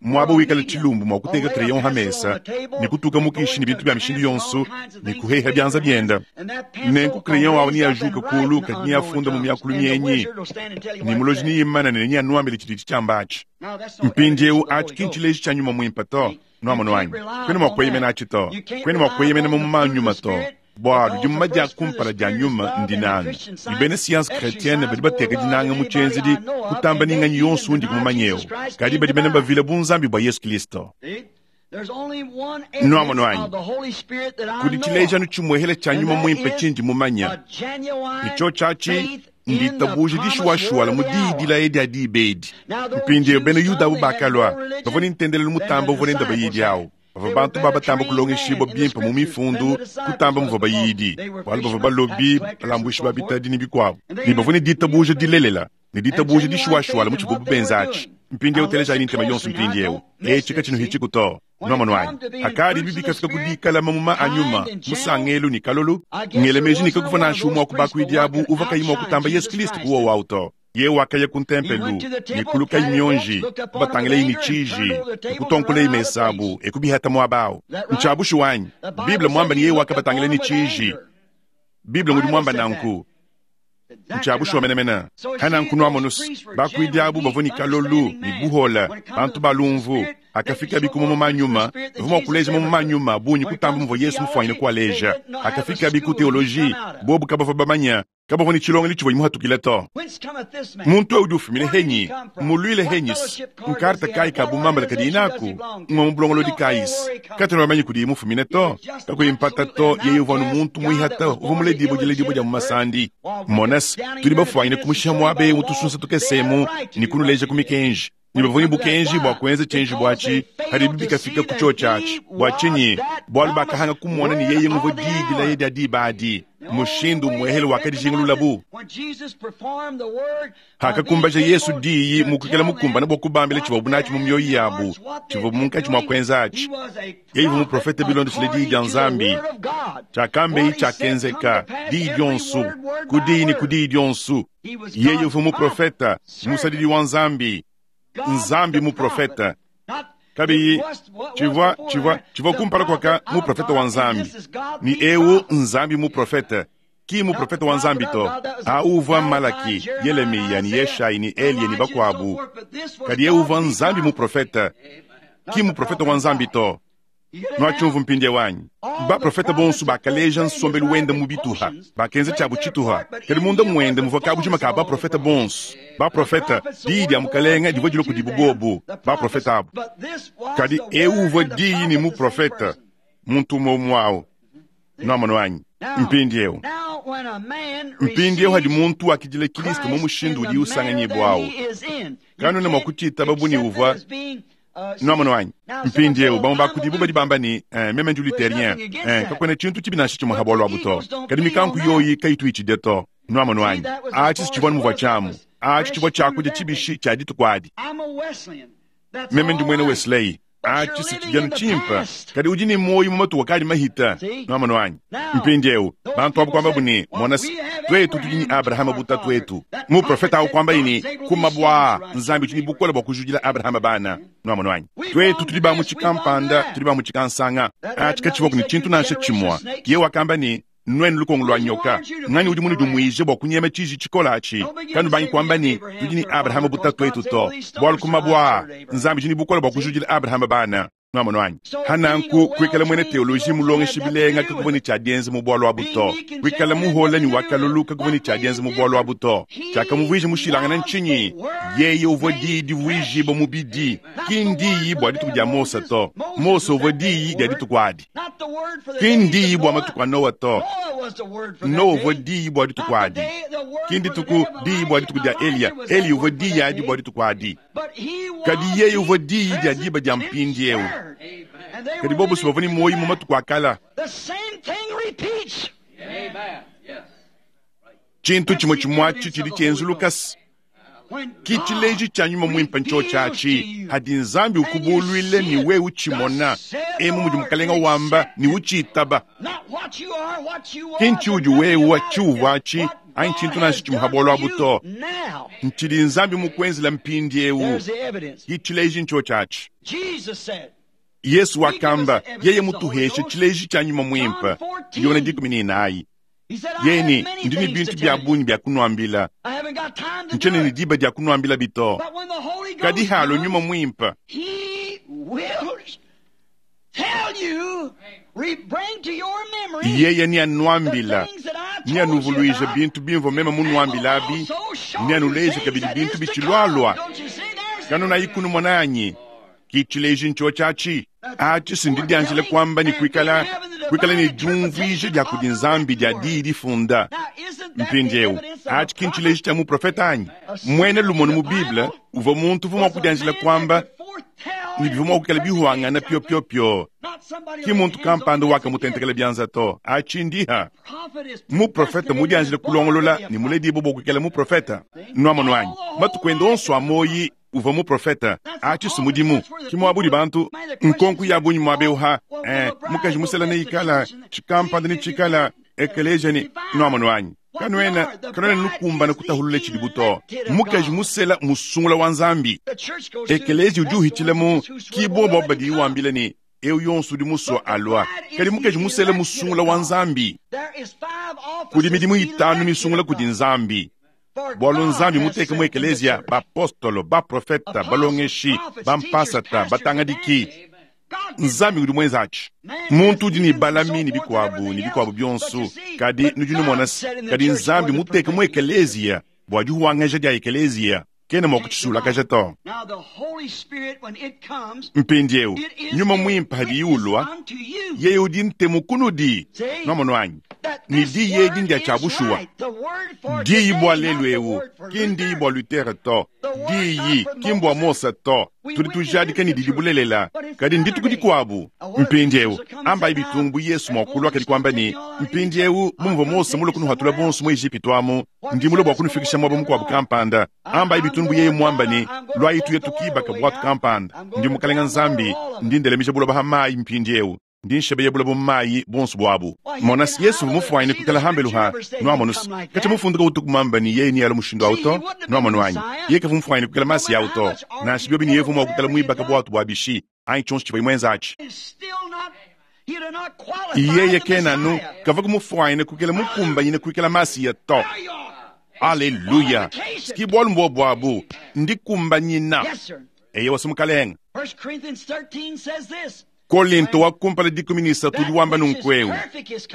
Muaba wikala tshilumbu mua kuteka crayon ha mesa ne kutuka mukishi ne bintu bia mishindu yonso ne kuheha bianza bienda. Nenku crayon awu neajuke kulu kadi neafunda mu miakulu mienyi ne muloji neyimana ne neanuambile tshidi tshiamba atshi. Mpindiewu atshi ki ntshileji tshia nyuma muimpe to, nuamono anyi? Kwena mua kueyemena atshi to, kwena mua kueyemena mu manyuma to. Bualu dimuma dia kumpala dia nyuma ndinanga. Ne bena science chrétienne badi bateka dinanga mu tshienzedi kutamba ninganyi yonso undi kumumanyeu. Kadi badi bena bavila bunzambi bua Yesu Kristo. Nuamono anyi? Kudi tshilejianu tshimuehele tshia nyuma muimpe tshindi mumanya. Ne tshio tshiatshi nditabuja dishuwashuwala mu diyi dilaya dia diba edi. Mpindiewu bena Yuda abo bakalua, bavua ne ntendelelu mutamba uvua nende bayidi awu. Bavua bantu babatamba kulongeshibua bimpe mu mifundu, kutamba muvua bayidi, bualu bavua balobi, balambuishi ba bitadi ne bikuabu. Ne bavua ne ditabuja dilelela, ne ditabuja dishuwashuwala mu tshivuabu benza atshi. Mpindiewu telejayi ne ntema yonso mpindiewu. Etshi katshinuhitshiku to. Nuamono anyi? Hakadi bibi bikafika ku dikala mamuma a nyuma, musangelu ne kalolu, ngele meji ne kakuvua nansha umue wa ku bakuidi abu uvua kayi mua kutamba Yesu Kristo kuwowa awu to. Ye wakaya ku ntempelu, ne kulukayi mionji, kubatangilayi ne tshiji, ne kutonkolayi mesa abu, e kubihata muaba awu. Ntshiabushuwa anyi? Bible muamba ne ye wakabatangila ne tshiji. Bible ngudi muamba nanku. Ntshiabushuwa menemene. Hananku nuamono se, bakuidi abu bavua ne kalolu ne buhola, bantu ba lumvu. Hakafika biku mamuma a nyuma, bavua mua kuleja mamuma a nyuma bungi kutamba muvua Yesu mufuanyine kualeja. Hakafika biku teoloji, bobu kabavua bamanya, kabavua ne tshilongelo tshivua muhatukile to. Muntu ewu udi ufumine henyi, muluile henyisi, nkarta kayi ka bumambala kadi inaku, ngwa mu bulongolodi kayisi. Katwena bamanye kudi mufumine to, kakuyi mpata to, yeye uvua anu muntu muihata, uvua muledibue diledibue dia mu masandi. Monasi, tudi bafuanyine kumushiha muaba ewu tusunsa tukesemu ne kunuleja ku mikenji. Ne bavua ne bukenji bua kuenza tshienji buatshi, hadibi bikafika ku tshio tshiatshi. Bua tshinyi? Bualu bakahanga kumona ne yeye muvua diyi dilaya dia diba adi. Mushindu muehele wakadijingululabu. Hakakumbaja Yesu diyi mu kuikala mukumbane bua kubambila tshivuabu natshi mu mioyo yabu, tshivuabu munkatshi mua kuenza atshi. Yeye uvua muprofete bilondeshile diyi dia Nzambi. Tshiakambeyi tshiakenzeka, diyi dionso, ku diyi ne ku diyi dionso. Yeye uvua muprofete, musadidi wa Nzambi. Nzambi muprofete. Kabiyi tshivua tshivua tshivua kumpala kwaka muprofete wa Nzambi. Ni ewu Nzambi muprofete, ki muprofete wa Nzambi to. Awu uvua Malaki, Yeremiya ni Yeshayi ni Eliya ni bakuabu. Kadi ewu uvua Nzambi muprofete, ki muprofete wa Nzambi to. Nuatshumvu mpindiewu wanyi. Baprofete bonso bakaleja nsombelu wende mu bituha, bakenza tshiabu tshituha. Kadi munda muende muvua kabujima ka baprofete bonso. Baprofete, diyi dia mukalenga divua dilua kudibu bobu, baprofete abu. Kadi ewu uvua diyi ne muprofete, muntu umue umue awu. Nuamono anyi? Mpindiewu. Mpindiewu hadi muntu wakidila Kristo mu mushindu udi usanganyibua awu. Kanwena mua kutshitaba bu ne uvua Nuamono anyi? Mpindiewu bamue ba kudibu badi bamba ne, eh, meme ndi luterien. Eh, kakuena tshintu tshibi nansha tshimue ha bualu abu to. Kadi mikanku yoyi kayitu itshidya to. Nuamono anyi? Atshi si tshivua muvua tshiamu. Atshi tshivua tshiakudia tshibishi tshia dituku adi. Meme ndi muena Wesley. Atshi si tshidianu tshimpe. Kadi udi ne muoyo mu matuku akadi mahita. Nuamono anyi? Mpindiewu bantu abu kuambabu ne, mona se, tuetu tudi ne Abrahama bu tatuetu. Muprofete awu kuambaye ne, ku mabua Nzambi udi ne bukole bua kujudila Abrahama bana. Nuamono anyi? Tuetu tudi ba mu tshikampanda, tudi ba mu tshikansanga. Atshi katshivua ne tshintu nansha tshimue. Yeye wakamba ne, Nuenu lukongo lwa nyoka, nganyi udi munudimwije bua kunyema tshiji tshikola atshi? Kanubangi kuamba ne tudi ne Abrahama bu tatuetu to, bualu ku mabue aa Nzambi udi ne bukole bua kujudila Abrahama bana. Nwamonu anyi? Hananku kuikala mwena teoloji mulongeshi bilenga kakuvua ne tshia dienza mu bualu abu to. Kuikala muhola ne wakalulu kakuvua ne tshia dienza mu bualu abu to. Tshiakamuvuija mushilangana ntshinyi? Yeye uvua diyi divuijibua mubidi, ki ndiyi bua dituku dia Mose to. Mose uvua diyi dia dituku adi, ki ndiyi bua matuku a Noa to. Noa uvua diyi bua dituku adi, ki ndituku diyi bua dituku dia Eliya. Eliya uvua diyi adi bua dituku adi, kadi yeye uvua diyi dia diba dia mpindieu. Kadi bobo bavua ne muoyo mu matuku a kala. Tshintu tshimue tshimue atshi tshidi tshienzulukasa ki tshileji tshia nyuma muimpe ntshotshatshi hadi Nzambi ukubuluile ne wewe utshimona emu mudi mukalenga wamba ne utshitaba. Ki ntshiudi wewe tshiuvua atshi anyi tshintu nansha tshimue ha bualu abu to. Ntshidi Nzambi mukuenzela mpindieu ki tshileji ntshotshatshi. Yesu wakamba yeye mutuheshe tshileji tshia nyuma muimpe Yona dikumi ne inayi. Yeye ne ndi ne bintu bia bungi bia kunuambila, ntshiena ne diba dia kunuambila bito. Kadi halo nyuma muimpe yeye neanuambila, neanuvuluije bintu bimvua meme munuambilabi, neanuleje kabidi bintu bitshilualua. Kanunayi kunumona anyi? Ki tshileji ntshotshatshi atshi sindi dianjila kuamba ne kuikala kuikala ne diumvuija dia kudi Nzambi dia diyi difunda. Mpindieu atshi ki ntshileji tshia muprofeta anyi? Muena lumonu mu Bible uvua muntu uvua mua kudianjila kuamba ne bivua mua kuikala bihuangana piopiopio. Ki muntu kampanda wakamutentekela bianza to. Atshi ndiha muprofeta mudianjila kulongolola ne muledibue bua kuikala muprofeta. Nwamonu anyi? Matuku ende onso a muoyi uvua muprofeta. Atshi si mudimu ki muabudi bantu nkonku ya bungi muabeuha eh, mukaji musela ne ikala tshikampanda ne tshikala ekeleja ne nwamonu anyi? Kanuena kanuena nukumbana kutahulula tshidibu to. Mukaji musela musungula wa Nzambi. Ekeleja udi uhitshila mu kibobo badi wambila ne eu yonso udi musua alua. Kadi mukaji musela musungula wa Nzambi. Kudi midimu itanu misungula kudi Nzambi. Bualu Nzambi muteke mu ekelezia bapostolo, baprofeta, balongeshi, bampasata, batangadiki. Nzambi udi muenza atshi. Muntu udi ne balami ne bikuabu ne bikuabu bionso, kadi nudi numona kadi Nzambi muteke mu ekelezia bua dihuangaja dia ekelezia kena mua kutshisulakaja to. Mpindieu nyuma muimpe hadi ulua, yeye udi ntemu kunudi. Nwamonu anyi? Ni diyi edi ndia tshia bushuwa. Diyi bua lelu eu ki ndiyi bua Luther to, diyi ki mbua Mose to. Tudi tujadika ne didi bulelela, kadi ndituku dikuabu. Mpindieu ambayi bitungu bu Yesu mua kulua kadi kuamba ne mpindieu bumvua Mose mulue kunuhatula bonso mu Ejipitu amu, ndi mulue bua kunufikisha muaba mukuabu kampanda. Ambayi bitungu bu yeye muamba ne lwayi tuye tukibaka bwatu kampanda. Ndi mukalenga Nzambi, ndi ndelemija buloba ha mayi mpindieu. Ndi nshebeye buloba mu mayi bonso buabu. Mona Yesu mufuanyine kuikala hambelu ha nwamonu kacha mufunduka utuku mamba ni yeye ni alo mushindu awu to. Nwamonu anyi? Yeye kavu mufuanyine kuikala masi yawu to. Nansha biobi ni yevu mua kuikala muibaka bwatu bua bishi anyi tshionso tshivua imwenza atshi. Yeye kenanu kava kumufuanyine kuikala mukumbanyine kuikala masiya to. Aleluya! Ski bualu mbua buabu ndikumbanyina. Eye wasumukalenga. Kolinto wa kumpala dikumi ne isatu udi wamba nunku eu,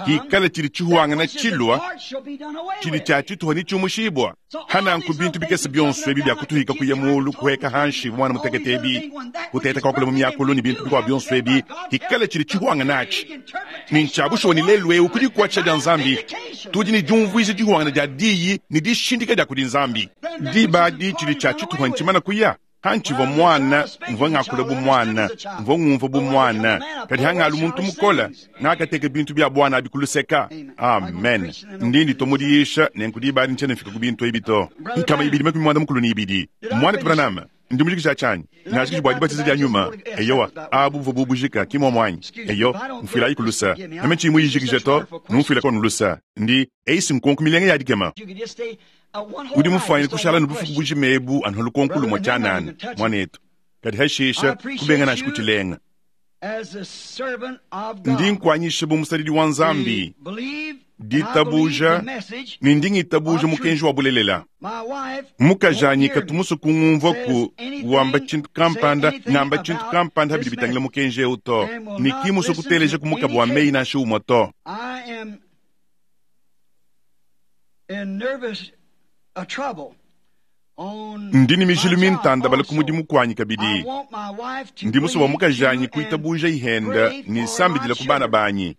kikala tshidi tshihuangana tshilua tshidi tshia tshituha ne tshiumushibua. Hananku bintu bikese bionso ebi bia kutuhika kuya mulu kuheka hanshi mwana mutekete ebi kuteta kwakula mu miakulu ne bintu bikuabu bionso ebi kikala tshidi tshihuangana atshi ni ntshia bushuwa ne lelu eu kudi kuatshisha dia Nzambi tudi ne diumvuija dihuangana dia diyi ne dishindika dia kudi Nzambi. Diba adi tshidi tshia tshituha ntshimana kuya. Hantshivua mwana mvua ngakula bu mwana, mvua ngumvua bu mwana, kadi hangalu muntu mukola ngakateka bintu bia bwana abi kuluseka. Amen. Ndi nditwa mudiyisha ne nkudiba adi ntshiena mfika ku bintu ebi to. Nkama ibidi makumi muanda mukulu ne ibidi. Mwana Branham, ndi mujikija tshianyi ngajikiji bua dibatiza dia nyuma. Eyowa, abu buvua bubujika ki muomu anyi? Eyo, mfuilayi kulusa. Meme tshiyi muyijikije to, numfuila kono lusa. Ndi eisi nkonko milenga ya dikema. Udi mufuanyine kushala ne bufuku bujima ebu anu lukonko lumue tshianana mwanetu, kadi hashisha kubenga nansha kutshilenga. Ndi nkuanyisha bu musadidi wa Nzambi. Ditabuja ne ndi ngitabuja mukenji wa bulelela. Mukajanyi katu musue kungumvua ku wamba tshintu kampanda ngamba tshintu kampanda bidi bitangila mukenji eu to, ne ki musue kuteleja ku mukaba wa meyi nansha umue to. Ndi ne mijilu mintandabala ku mudimu kuanyi kabidi. Ndi musue bua mukajanyi kuitabuja ihenda ne sambidila ku bana banyi.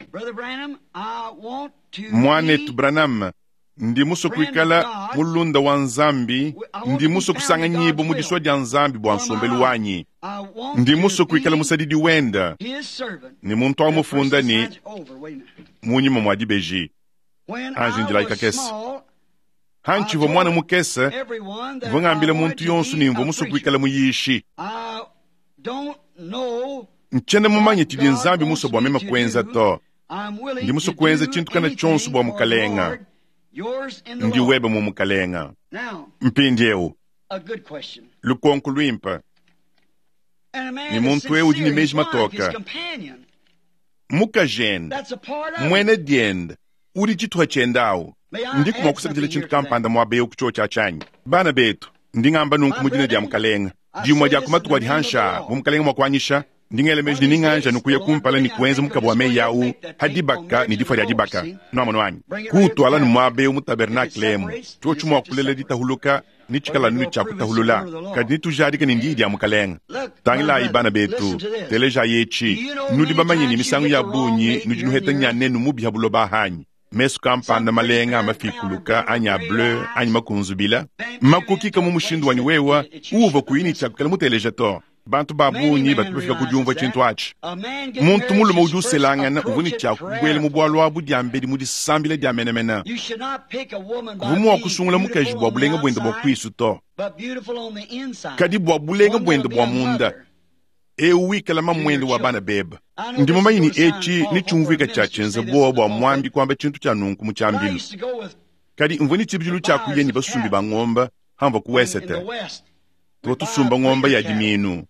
Mwanetu Branham, ndi musue kuikala mulunda wa Nzambi, ndi musue kusanganyibwa mu disua dia Nzambi bua nsombelu wanyi. Ndi musue kuikala musadidi wenda ne muntu amufunda ne munyima mua dibeji. Anji ndilayi kakese. Hantshivua mwana mukese, mvua ngambila muntu yonso ne mvua musue kuikala muyishi. Ntshiena mumanye tshidi Nzambi musue bua meme kuenza to. Ndi musue kuenza tshintu kana tshionso bua mukalenga. Ndi webe mu mukalenga. Mpindieu lukonko luimpe. Ne muntu eu udi ne meji matoka. Mukajende, mwene diende, udi tshituha tshiende awu. Ndi kumua kusakidila tshintu kampanda muaba eu ku tshiotshia tshianyi. Bana betu, ndi ngamba nunku mu dina dia mukalenga. Dimue dia ku matuku adi hansha bu mukalenga mua kuanyisha, ndi ngela meji ne ninganja nukuya kumpala ne kuenza mukaba wa meyi awu ha dibaka ne difua dia dibaka. Nuamono anyi? Kuutwala ne muaba eu mu tabernakle emu, tshiotshi mua kulela ditahuluka ne tshikala nunu tshia kutahulula, kadi nitujadike ne ndiyi dia mukalenga. Tangilayi bana betu, telejayi etshi. Nudi bamanye ne misangu ya bungi nudi nuheta nyanenu mubi ha buloba hanyi. Mesu kampanda malenga mafikuluka anyi a bleu anyi makunzubila makukika mu mushindu wanyi wewa uva kuyini tshia kukala muteleja to. Bantu ba bungi batu bafika ku diumvua tshintu atshi. Muntu mulume udi uselangana uvua ne tshia kubuela mu bualu abu diambedi mu disambila dia menemene. Kuvua mua kusungula mukaji bua bulenga buende bua kuisu to, kadi bua bulenga buende bua munda. Eu wikala mamwende wa bana beba. Ndi mumanyi ni etshi ni tshiumvuika tshia tshienza bowa bua mwambi kuamba tshintu tshia nunku mu tshiambilu. Kadi mvua ne tshibidilu tshia kuya ne basumbi ba ngomba hamvua ku wesete. Tuvua tusumba ngomba ya diminu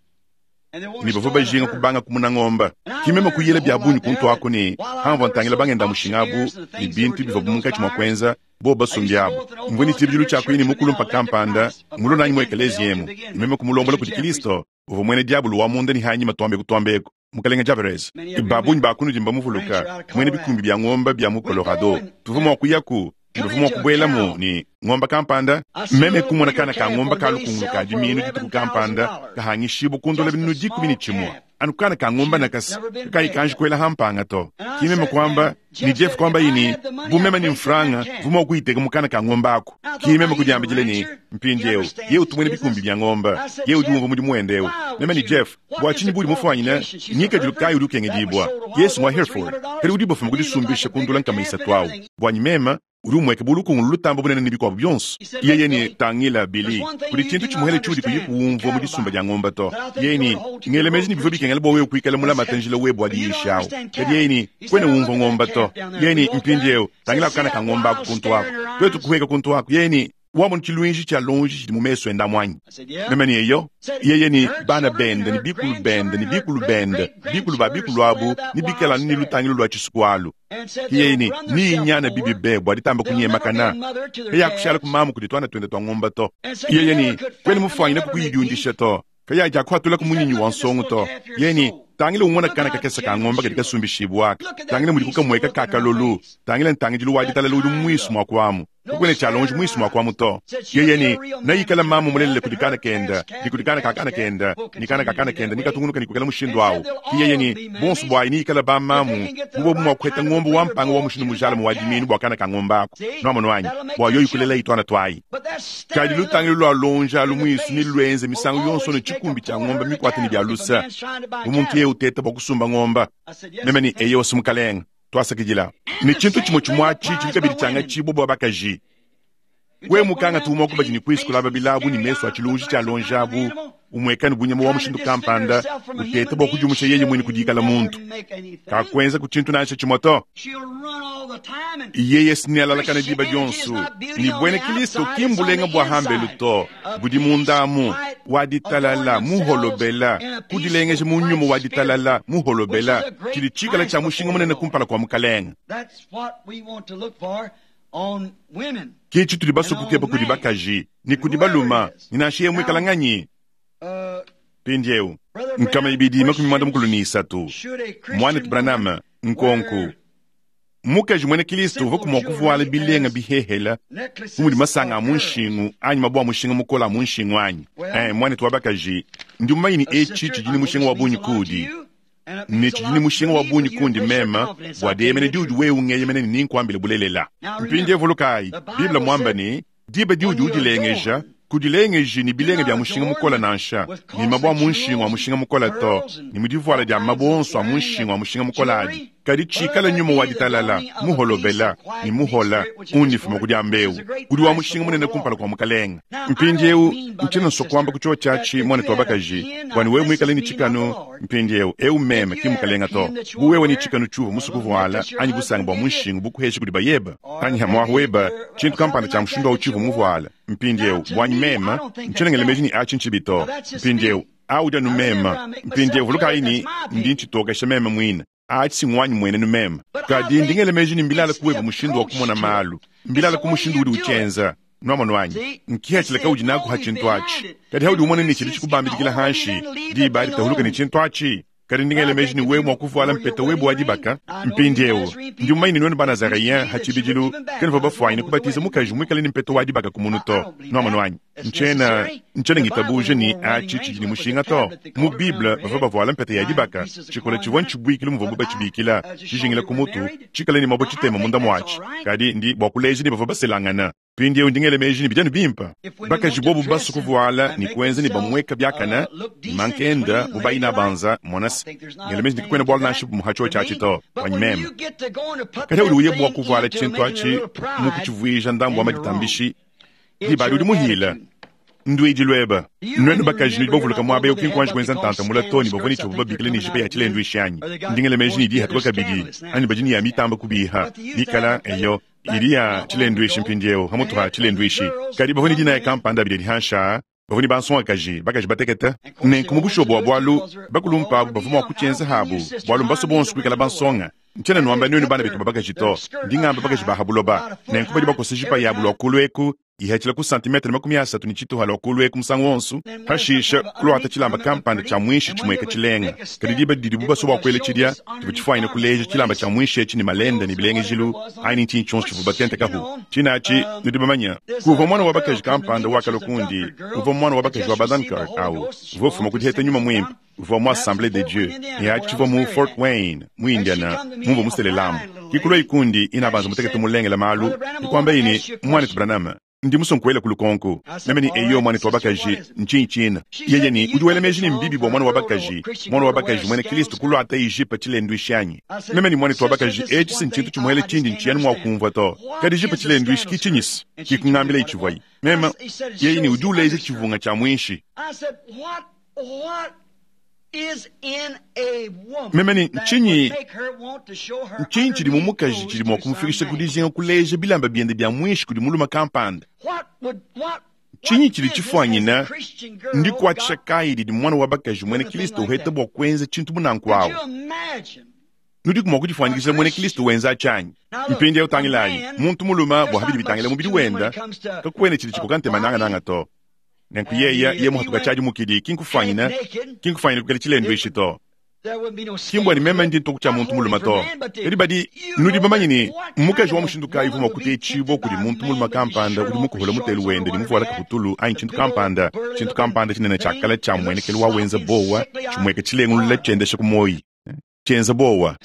ne bavua bajinga kubanga kumuna ngomba. Kimema kuyela bia bungi kuntu aku ne hamvua ntangila bangenda mushinga abu ne bintu bivua munkatshi mua kuenza bo basumbi abu. Mvua ne tshibidilu tshia kuya ne mukulumpa kampanda mulonanyi mu ekeleziya emu. Meme kumulombola kudi Kristo. Uvua mwene diabulu wa munda ne hanyima twambe kutwambeko mukalenga Javares. Babunyi bakunudi mbamuvuluka mwene bikumbi bia ngomba bia mu Colorado. Tuvua mua kuyaku bavua mua kubuelamu ne ngomba kampanda. Meme kumona kana ka ngomba ka lukungulu ka diminu dituku kampanda kahangishibwa kundola binunu dikumi ne tshimue. Anu kana ka ngomba nakasa kakayi kanji kuela hampanga to. Kimeme kwamba ni Jeff kwamba yini bu meme ni mfranga vua mua kuyiteka mu kana ka ngomba aku. Kimeme kudiambidile ni mpindieu ye utumwene bikumbi bia ngomba ye udi umvua mudimu wende eu. Meme ni Jeff bua tshinyi budi mufwanyine nyikadilu kayi udi ukengedibwa Yesu mwa Hereford kadi udi bafuma kudisumbisha kundula nkama isatu awu. Bwanyi mema uri umweke bulukungulu lutamba bunene ne bikuabu byonso. Yeye ni tangila Bili kuli tshintu tshimuhele tshiudi kuyi kuumvua mu disumba dia ngomba to. Yeye ni ngele meji ni bivua bikengela bua wewe kuikala mulamate njila webu adiyishawu. Kadi yeye ni kwene umvua ngomba to. Yeye ni mpindieu tangila kana ka ngomba aku kuntu ako. Twetu kuheka kuntu ako. Yeye ni wamona tshilwinji tshia lonji tshidi mu meso enda mwanyi. Meme ni eyo yeye ni bana bende ni bikulu bende ni bikulu bende bikulu ba bikulu abu ni bikala ni lutangilu lwa tshisuku alu. Yeye ni ni inyana bibi bebwa ditamba kunyemakana kaya kushala kumamu kudi twana twende twa ngomba to. Yeye ni kwene mufwanyine kukuyidyundisha to kaya ja kuhatula kumunyinyi wa nsongo to. Yeye ni tangile umona kana kakesa ka ngomba kadi kasumbishibwaka. Tangile mudi kukamweka kakalolu. Tangile ntangidilu wa ditalala udi mwisu mwa kwamu. Kukwene tshialonji mwisu mwa kwamu to. Yeye ni nayikala mamu mulelele kudi kana kenda ni kudi kana kakana kenda ni kana kakana kenda ni katungunuka ni kukela mushindu awu. Yeye ni bonso bwayi niyikala ba mamu bubo bumwa kuheta ngomba wa mpanga wa mushindu mujala mu wadiminu bua kana ka ngomba ako. Nuamono anyi bua yoyi kulela itwana twayi. Kadi lutangilu lwa lonja alu mwisu ni lwenze misangu yonso ne tshikumbi tshia ngomba mikwate ni bia lusa. Umuntu ye uteta bua kusumba ngomba. Meme ni eyo osumukalenga twasakidila. Ni tshintu tshimue tshimue atshi tshidi kabidi tshianga tshibo bua bakaji. We mukanga tumwa kubaji ni kwisu kulaba bilabu ni meso a tshilunji tshia lonjabu umwekani bunyama wa mushindu kampanda uteta bua kudiumusha yeye mwene kudikala muntu. Kakwenza ku tshintu nansha tshimue to. Yeye sinealalakana diba dionso ne bwena Kristo ki mbulenga bwa hambelu to budi mundamu wa ditalala muholobela kudilengeja mu nyuma wa ditalala muholobela tshidi tshikala tshia mushinga munene kumpala kua mukalenga. Ke tshitudi basukukepa kudi bakaji ne kudi baluma ne nansha ye muikala nganyi. Mpindieu nkama ibidi makumi mwanda mukulu ne isatu mwanetu Branham nkonku mukaji mwene Kristo uvua kumua kuvuala bilenga bihehela bu mudi masanga a mu nshingu anyi mabua mushinga mukola a mu nshingu anyi. Eh, mwanetu wa bakaji ndi mumanye ne etshi tshidi ne mushinga wa bungi kudi ne tshidi ne mushinga wa bungi kundi mema bua dieyemene diudi wewe ungeyemene ne ninkuambile bulelela. Mpindieu vulukayi Bible mwamba ne diba diudi udilengeja kudilengeji ni bilenga bya mushinga mukola nansha ni mabua mu nshingu wa mushinga mukola to ni mudivuala dia mabua onso a mu nshingu wa mushinga mukola adi kadi tshikala nyuma wa ditalala muholobela ni muhola undifuma kudia mbeu udi wa mushinga munene kumpala kua mukalenga. Mpindieu ntshiena nsua kuamba ku tshio tshiatshi mwanetu wa bakaji bwani wewe muikale ni tshikanu mpindieu eu meme ki mukalenga to bu wewe ni tshikanu tshiuva musu kuvuala anyi busanga bua mu nshingu bukuhesha kudi bayeba anyi hamwahu weba tshintu kampanda tshia mushindu wa utshiuva muvuala mpindieu bwanyi mema ntshienengele meji ni atshi ntshibi to mpindieu audia nu mema mpindieu vulukayi ni ndi ntshitokesha meme mwina atshi singwanyi mwene nu mema kadi ndingele meji ni mbilala kuweba mushindu wa kumona malu mbilala ku mushindu udi uchenza nwamonu wanyi nkihatshila udi naku ha tshintu atshi kadi haudi umone ni tshidi tshikubambidikila hanshi diba litahuluka ni tshintu atshi kadi ndingele meji ni wewe mua kuvuala mpeta webu wa dibaka. Mpindieu ndi mumanyi ni nwenu banazareyen ha tshibidilu kenuvua bafuanyine kubatiza mukaji muikale ni mpeta wa dibaka ku munu to nwamonu wanyi ntshiena ntshiena ngitabuja ni atshi tshidi ni mushinga to. Mu Bible bavua bavuala mpeta ya dibaka tshikola tshivua ntshibuikile muvuabu batshibikila tshijingila ku mutu tshikale ni mabue tshitema munda muatshi kadi ndi bua kuleja ni bavua baselangana. Mpindieu ndingele meji ni bidianu bimpa bakaji bobu basu kuvuala ni kuenza ni bamweka biakana mankenda bubayina banza monasi ngele meji ndikukwena bwala nansha muhatsho tshiatshi to wanyi meme kadi udi uye bua kuvuala tshintu atshi mukutshivuija ndambu wa maditambishi dibali udi muhila nduidi lweba nwenu bakaji nudi bavuluka muaba eu kinkuanji kuenza ntanta mula to ni bavua ni tshivu babikile ni jipe ya tshilendu ishanyi ndingele meji ni dihatuka kabidi anyi badi ni ya mitamba kubiha nikala eyo idi ya tshilendu ishi mpindieu hamutu ha tshilendu ishi kadi bavua ni dina ya kampanda bidi dihansha bavua ni bansongakaji bakaji batekete nenku mu bushobo bua bualu bakulumpa abu bavua mua kutshienza habu bualu mbaso bonso kuikala bansonga. Ntshiena nuamba nwenu bana betu babakaji to ndi ngamba bakaji ba habuloba nenku badi bakosa jipa yabu lua kulu eku ihatshila ku santimetre makumi asatu ni tshituha lua kulu eku musangu wonso hashisha kuluata tshilamba kampanda tshia mwinshi tshimueka tshilenga kadi diba didibu baso bua kuela tshidia tshivua tshifuanyine kuleja tshilamba tshia mwinshi etshi ni malenda ni bilengejilu anyi ntshinyi tshionso tshivua batentekahu tshinatshi nudi bamanya kuvua mwana wa bakaji kampanda wakalua kundi uvua mwana wa bakaji wa Badankirk awu uvua ufuma kudiheta nyuma mwimpe uvua mu Assemblée de Dieu ne atshivua mu Fort Wayne mu Indiana mumvua muselelamu kikulua ikundi inabanza mutekete mulengela malu ikuamba ini mwanetu Branham ndi musonkuela kulukonko meme ni eyo mwanetu wa bakaji ntshinyi tshina yeye ni udi wela meji ni mbibi bua mwana wa bakaji mwana wa bakaji mwene Kristo kuluata ijipa tshilendu ishanyi meme ni mwanetu wa bakaji etshi si ntshintu tshimuele tshindi ntshiyanu mua kumvua to kadi ijipa tshilendu ishi kitshinyisi kikungambila itshivuayi meme yeye ni udi uleja tshivunga tshia mwinshi. Meme ni ntshinyi ntshinyi tshidi mu mukaji tshidi mua kumufikisha ku dijinga kuleja bilamba biende bia mwinshi kudi muluma kampanda ntshinyi tshidi tshifuanyina ndikuatshisha kayi didi mwana wa bakaji mwene Kristo uheta bua kuenza tshintu munanku awu nudi mua kudifuanyikisha mwene Kristo wenza tshanyi. Mpindieu tangilayi muntu muluma bua habidi bitangila mubidi wenda kakuene tshidi tshikoka ntema nangananga to nenku yeya ye muhatuka tshiadi mukidi kinkufanyina kinkufanyina kukela tshilendu ishi to kimbwa ni meme ndi ntoku tshia muntu muluma to kadi badi nudi bamanyi ni mukaji wa mushindu kayi uvua mua kutetshibua kudi muntu muluma kampanda udi mukuhula mutelu wende ni muvuala kaputulu anyi tshintu kampanda tshintu kampanda tshinene tshiakala tshia muenekelu wa wenza bowa tshimueka tshilengulula tshiendesha ku moyi tshienza bowa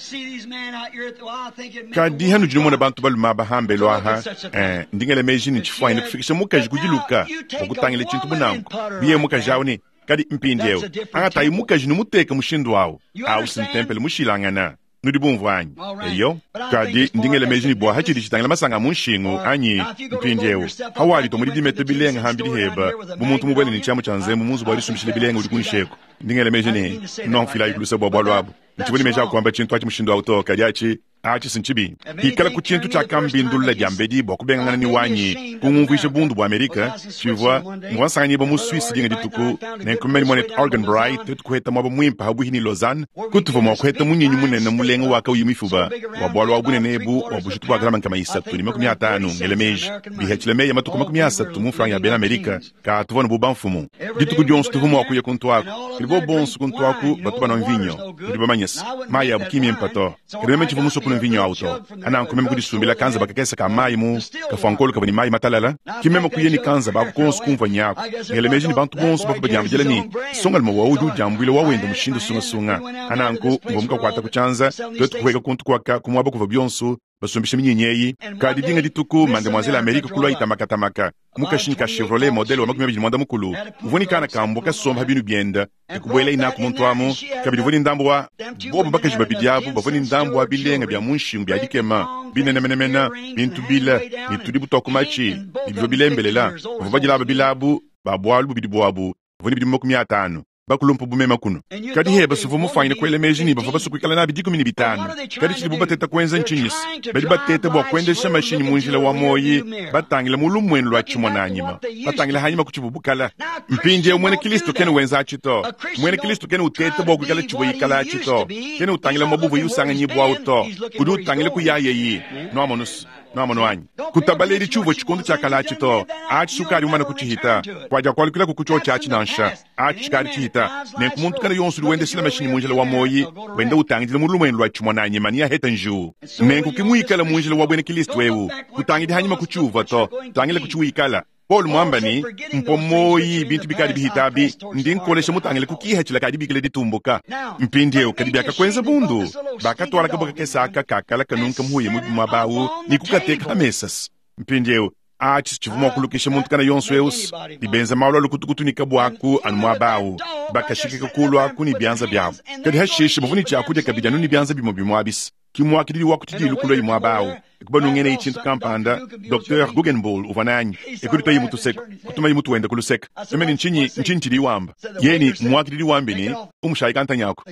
kadi hanu didi mona bantu baluma bahambelo aha eh, ndingele meji ni tshifuanyine kufikisha mukaji kudiluka bua kutangila tshintu munanku biye mukaji awu ni kadi mpindieu angatayi mukaji numuteka mushindu awu awu sintempele mushilangana nudi bumvua anyi eyo kadi ndingele meji ni bua hatshidi tshitangila masanga mu nshingu anyi mpindieu hawali to mudi dimete bilenga hambidi heba bu muntu mubwele ni tshiamu tshia nzembu munzu bua disumbishile bilenga udi kunsheko ndingele meji ni nonfilayi kulusa bua bualu abu ntshibuni meji akuamba tshintu atshi mushindu awu to kadi atshi Achi nchibi ikala ku tshintu tshiakambindulula diambedi bua kubengangana ni wanyi kungumvuisha bundu bua Amerika tshivua mvua nsanganyibua mu Suisse dinga dituku nenkumeni mwanetu Arganbright twetu kuheta mwaba mwimpe habuhi ni Lausanne kutuvua mua kuheta munyinyi munene mulenga wa kauyi mifuba wa bwalu wa bunene ebu wa bujitu bwa grama nkama isatu ni makumi atanu ngele meji bihachile meya matuku makumi asatu mu franga ya bena Amerika ka tuvua no buba mfumu dituku dionso tuvua mua kuya kuntu aku kadi bo bonso kuntu aku batu banwa mvinyo ndi bamanyisa mayi abu kimimpa to kadi meme tshivua musue kunwa mvinyo awu to ananku meme kudisumbila kanza bakakesa ka mayi mu kafuankolo kavua ni mayi matalala kimeme kuya ni kanza baku konso kumvua nyaku ngele meji ni bantu bonso bavua badiambidila ni songalima wawu udi udiambuila wawenda mushindu sungasunga ananku mvua mukakuata ku tshianza twetu kuhweka kuntu kuaka kumuaba kuvua bionso basumbisha minyinyi eyi kadi dinga dituku mademoiselle Amerika kulwa itamakatamaka mukashinyi ka Chevrolet modele wa makumi abidi mwanda mukulu uvua ni kana kambo kasomba binu bienda ekubuela inaku muntu amu kabidi uvua ni ndambo wa bobo bakaji babidi abu bavua ni ndambo wa bilenga bya mu nshingu bya dikema binenemenemena bintu bila ni tudi butwa ku matshi ni bivua bilembelela bavua badilaba bilabu ba bwalu bubidi bwabu bavua ni bidimu makumi atanu bakulumpa bumema kuno kadi heba suvua mufanyine kuela meji ni bavua basukuikala nabi dikumi ni bitanu kadi tshidi bateta kuenza ntshinyisi badi bateta bua kuendesha mashinyi mu njila wa moyi batangila mu lumwenu lua tshimona anyima batangila hanyima ku tshibubukala mpindiewu mwene Kristo kene wenza atshi to mwene Kristo kene uteta bua kuikala tshivua ikala atshi to kene utangila mabuvu yusanganyibwawu to udi utangila ku yayeyi nuamonusu nuamono anyi kutabaleli tshiuvua tshikondo tshiakala atshi to atshi sukali umana kutshihita kuadia kualukila kukutsho tshiatshi nansha atshi tshikali tshihita nenku muntu kana yonso udi wendesela mashinyi mu njila wa moyi wenda utangidila mu lumwenu lua tshimona anyima ni aheta njiwu nenku kimuikala mu njila wa bwene Kristo ewu kutangidi hanyima kutshiuvua to tangila kutshiwikala Paul mwamba ni mpo moyi bintu bikali bihitabi ndi nkolesha mutangile kukiha kadi bikile ditumbuka mpindiewu kadi byakakwenza bundu bakatwala kaboka kesaka kakala kanunka muhuye mubi mwabawu ni kukateka hamesasi mpindiewu atshi tshivua mua kulukisha muntu kana yonso eusi dibenza malu alukutukutu ni kabwaku anu mwabawu bakashikika kulu aku ni byanza byabu kadi hashishe bavua ni tshiakudia kabidi anu ni byanza bimue bimue abisi kimwakidili wakutidila kulwa imwe abawu ekubanungene ichintu kampanda Docteur Guggenbuhl uvua nanyi ekuditoyi mutuseka kutumayi mutu wenda kuluseka emene nchinyi nchinyi tshidi wamba yeni mwakidili wambi ni umushayi kantanyako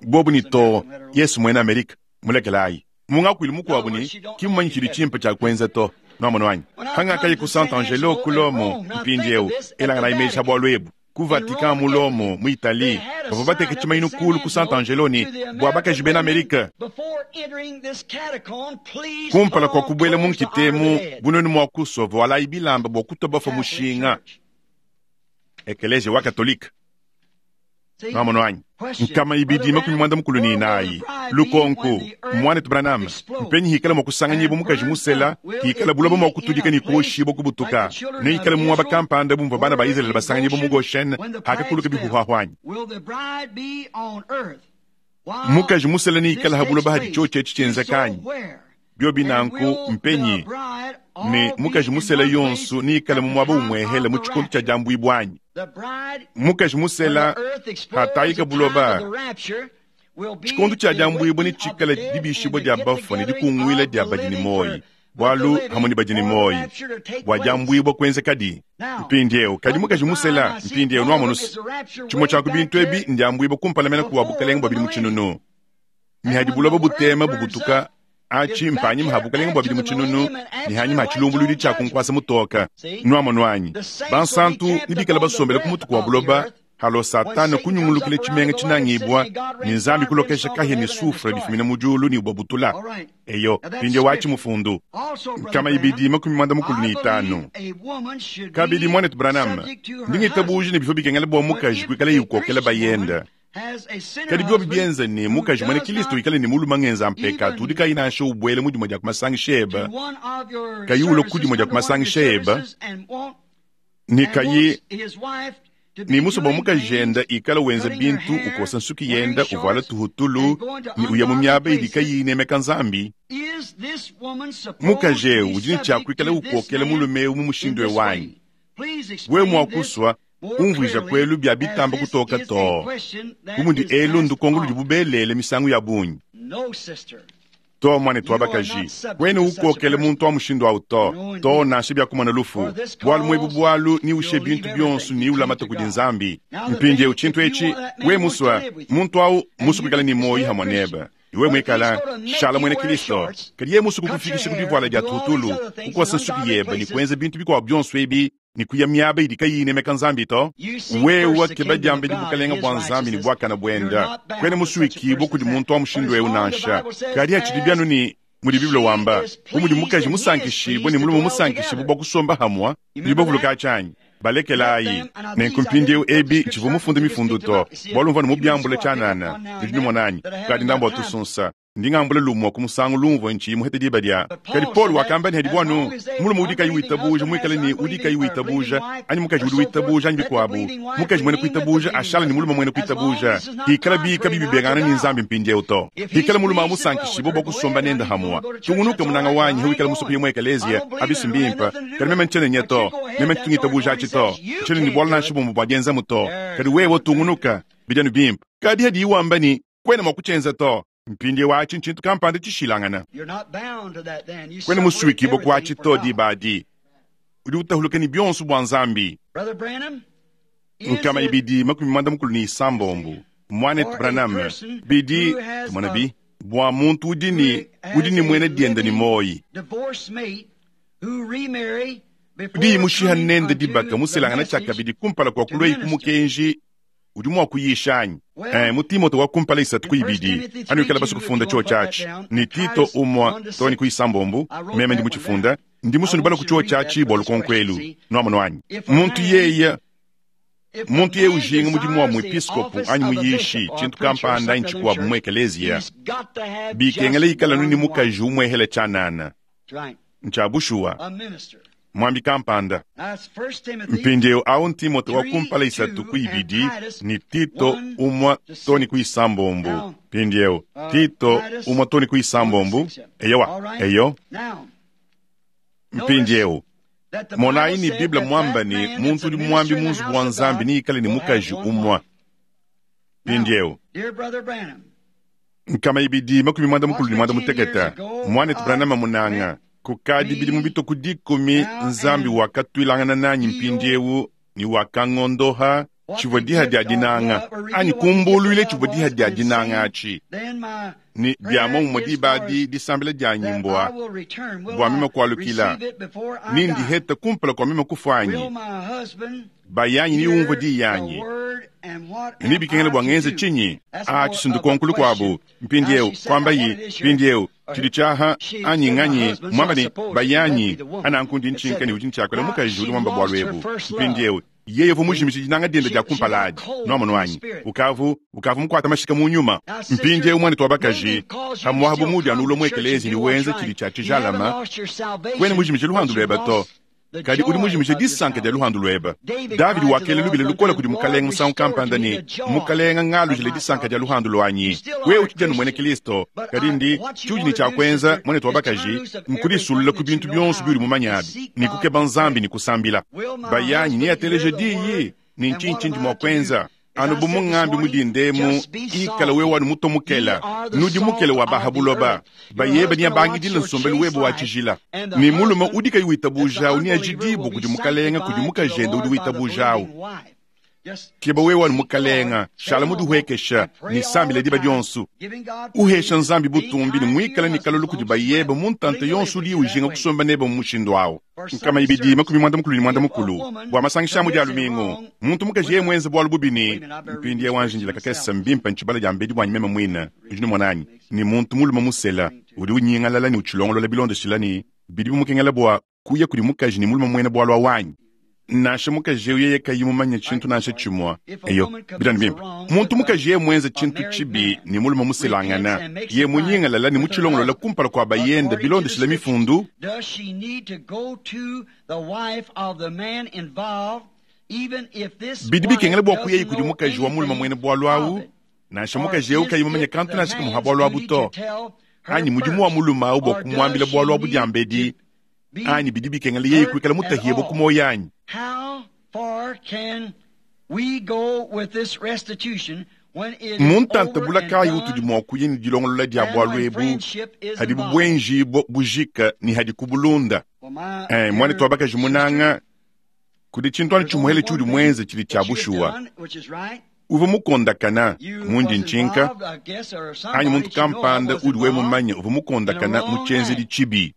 bobu ni to Yesu mwene Amerika mulekelayi mungakwili mukuabu ni kimumanyi tshidi tshimpe tshia kuenza to nuamono wanyi hangakayi ku Sant'Angelo ku Lomo mpindiewu elangana imeji bwalu ebu ku Vatican mu Lomo mu Italie bavua bateka tshimayinu kulu ku Sant'Angelo ni bua bakaji bena Amerika kumpala kua kubuela mu nkitemu bunenu mua kusua vualayi bilamba bua kutoba mushinga ekelesia wa katolika nuamono anyi nkama ibidi makumi mwanda mukulu ni inayi lukonku mwanetu Branham mpenyi hikala mua kusanganyibo mukaji musela hikala buloba mua kutudika ni kuoshibo kubutuka ne hikala muaba kampanda bumva bana ba Israeli basanganyibo mu Goshen hakakuluka bihuhahwanyi mukaji musela ni hikala habuloba hadi choche etshi tshienzekanyi byobi nanku mpenyi ne mukaji musela yonso ni ikala mu mwaba umwehele mu tshikondo tshia diambuibwanyi mukaji musela hatayika buloba tshikondo tshia diambuibwa ni tshikala dibishibwa dia bafua ne dikunguila dia badi ni moyi bwalu hamwe ni badi ni moyi bua diambuibwa kuenzekadi mpindiewu kadi mukaji musela mpindiewu nuamonusi tshimue tshia ku bintu ebi ndiambuibwa kumpala mena kuwa bukalenga bua bidi mu tshinunu ni hadi buloba butema bubutuka achi mpanyima ha bukalenga bua bidi mu tshinunu ni hanyima ha tshilumbuludi tshia kunkuasa mutoka nuamono anyi bansantu ni bikala basombela ku mutuku wa buloba halo satana kunyungulukile tshimenga tshinangibwa ni nzambi kulokesha kahia ni sufre bifumina mu diulu ni ubabutula eyo pindie wachi mufundu nkama ibidi makumi mwanda mukulu ni itanu kabidi mwanetu Branham ndingitabuji ni bifo bikengela bua mukaji kuikala yukokela bayenda kadi biobi bienza ni mukaji mwene Kristo ikale ni muluma ngenza mpekatu udi kayi nansha ubwele mu dimue dia kumasangisha eba kayi ulo ku dimue dia kumasangisha eba ni kayi ni musoba mukaji enda ikala wenza bintu ukosa nsuki yenda uvuala tuhutulu ni uya mu miaba idi kayi inemeka nzambi mukaji ewu udi ni tshiakuikala ukokela mulume ewu mu mushindu ewanyi we mua kusua umvuija kwelu bya bitamba kutoka to kumudi elu ndukongo ludi bubelele misangu ya bungi to mwanetu wa bakaji kwene ukokele muntu wa mushindu awu to to nansha byakumona lufu bwalu mwebu bwalu ni ushe bintu byonso ni ulamata kudi nzambi mpindiewu tshintu etshi we musua muntu awu musu kuikala ni moyi hamwe neba Iwe mwikala shala mwene Kristo. Kadi ye musuku kufikisha ku divuala dia tutulu, kukosa nsuki yeba ni kuenza bintu bikuabu bionso ebi ni kuya miaba idi kayiyi inemeka Nzambi to. Wewe keba diambedi bukalenga bua Nzambi ne buakana buenda. Kwena musuikibue kudi muntu wa mushindu eu nansha. Kadi atshidi bianu ni mudi Bible wamba, bu mudi mukaji musankishibue ne mulume musankishibue bua kusomba hamwa, nudi bavuluka tshianyi. Balekelayi nenku mpindieu ebi tshivua mufunde mifundu to, bualu mvua ne mubiambula tshianana. Nudi numona anyi? Kadi ndambu wa tusunsa ndi ngambula lumue ku musangu lumvua ntshiyi muhete diba dia. Kadi Paul wakamba ne hadi buanu mulume udi kayi witabuja muikale ne udi kayi witabuja anyi mukaji udi witabuja anyi bikuabu, mukaji mwene kuitabuja ashala ne mulume mwene kuitabuja, hikala bika bibibengana ne Nzambi mpindieu to. Hikala mulume amusankishibue bua kusomba nende hamwa. Tungunuka munanga wanyi hawikala musuku yemwe ekelezia abisi mbimpa. Kadi meme ntshiena nye to, meme ntungitabuja atshi to, ntshiena ne bualu nansha bumue bua dienzamu to. Kadi wewe tungunuka bidianu bimpe. Kadi hadi iwamba ni kwena mua kutshienza to. Mpindieu atshi ntshintu kampanda tshishilangana. Kwena musuikibue ku atshi to diba adi. Udi utahuluka ne bionso bua Nzambi. Nkama ibidi makumi muanda mukulu ne isambombo. Mwanetu Branham bidi tumona bi bua muntu udi ne udi ne mwene dienda ne moyi. Udi mushiha nende dibaka muselangana tshiakabidi kumpala kua kulua ku mukenji udi mua kuyisha anyi? Eh, mu Timote wa kumpala isatu ku ibidi anuikala basu kufunda chio tshiatshi ni Tito umwa to ni kuisambombo meme ndi muchifunda ndi musoni bala ku chio tshiatshi bua lukonkwelu nuamono anyi muntu yeye muntu yeye ujinga mudimu wa muepiskopo anyi muyishi tshintu kampanda anyi tshikuabu mu ekelezia bikengela ikala nuni mukaji umwehela tshianana ntsha bushuwa mwambi kampanda. Mpindieu au Timote wa kumpala isatu ku ibidi ni Tito umwa to ni kuisambombo. Mpindieu Tito umwa to ni kuisambombo. Eyowa, eyo. Mpindieu monayi ni Bible mwamba ni muntu udi mwambi mu nzubu wa Nzambi ni ikale ni mukaji umwa. Mpindieu nkama ibidi makumi muanda mukulu ne muanda mutekete mwanetu Branham munanga kukadi bidi mu bituku dikumi Nzambi wakatuilangana nanyi mpindieu ni wakangondoha tshivua diha dia dinanga anyi kumbuluile tshivua diha dia dinanga atshi ni bia momumue diba adi disambila dia nyimbua bua meme kualukila ni ndiheta kumpala kua meme kufa anyi bayanyi ni umvua diyi yanyi ni bikengela bua ngenze tshinyi a tshisundukonkulu kuabu mpindieu kwamba yi mpindieu tshidi tshiaha anyi nganyi mwamba ni bayanyi ananku ndi ntshinka ni udi ntshiakola mukaji udi mwamba bualu ebu mpindieu yeye uvua mujimisha dinanga diende dia kumpala adi nuamono anyi ukavu ukavu mukuata mashika mu nyuma mpindieu mwanetu wa bakaji hamuabu mudi anu ulua mu ekelezi ni wenza tshidi tshia tshijalama kwena mujimisha luhandu lueba to kadi udi mujimisha disanka dia luhandu lueba. Davidi wakela lubila lukola kudi mukalenga musangu kampanda ni mukalenga ngalujile disanka dia luhandu lwanyi wewe utshidi anu mwene Kristo kadi ndi tshiudi ne tshiakwenza mwanetu wa bakaji nkudisululela ku bintu bionso biudi mumanyabi ni kukeba Nzambi ni kusambila bayanyi ni ateleje diyi ni ntshinyi ndi mua kuenza anu bu mungambi mudindemu ikala wewe wanu mutomukela nudi mukele wa bahabuloba bayeba ni abangidila nsombelu webe wa tshijila ni mulume udi kayi witabuja ni ajidibu kudi mukalenga kudi mukajende udi witabujawu keba wewe wanu mukalenga shala mudihuekesha ni sambila diba dionso uhesha Nzambi butumbi ni muikala ni kalulu kudi bayeba muntante yonso udi ujinga kusomba nebe mu mushindu awu nkama ibidi makumi muanda mukulu ni muanda mukulu bua masangisha mu dia lumingu muntu mukaji yeye mwenze bualu bubi ni mpindi wanjindila kakesa mbimpa ntshibala dia mbedi bwanyi meme mwina udi numona anyi ni muntu mulume musela udi unyingalala ni utshilongolola bilondeshila ni bidi bimukengela bua kuya kudi mukaji ni mulume mwene bualu awanyi nansha mukaji eu yeye kayi mumanye tshintu nansha tshimue eyo bidani bimpe muntu mukaji yeye mwenze tshintu tshibi ni mulume muselangana ye munyingalala ni mutshilongolola kumpala kua bayende bilondeshila mifundu bidi bikengela bua kuyeyi kudi mukaji wa mulume mwene bualu awu nansha mukaji eu kayi mumanye kantu nansha kamuha bualu abu to anyi mudimu wa mulume awu bua kumuambila bualu abu diambedi anyi bidi bikengela yeye kuikala mutahiye ku moyo anyi. Muntanta bulakayi utudi mua kuya ni dilongolola dia bualu ebu hadi bubwenji bujika ni hadi kubulunda. Eh, mwanetu wa bakaji munanga kudi tshintu anu tshimuhele tshiudi mwenze tshidi tshia bushuwa. Uvua mukondakana mundi ntshinka anyi muntu kampanda udi wewe mumanye uvua mukondakana mu tshienzedi tshibi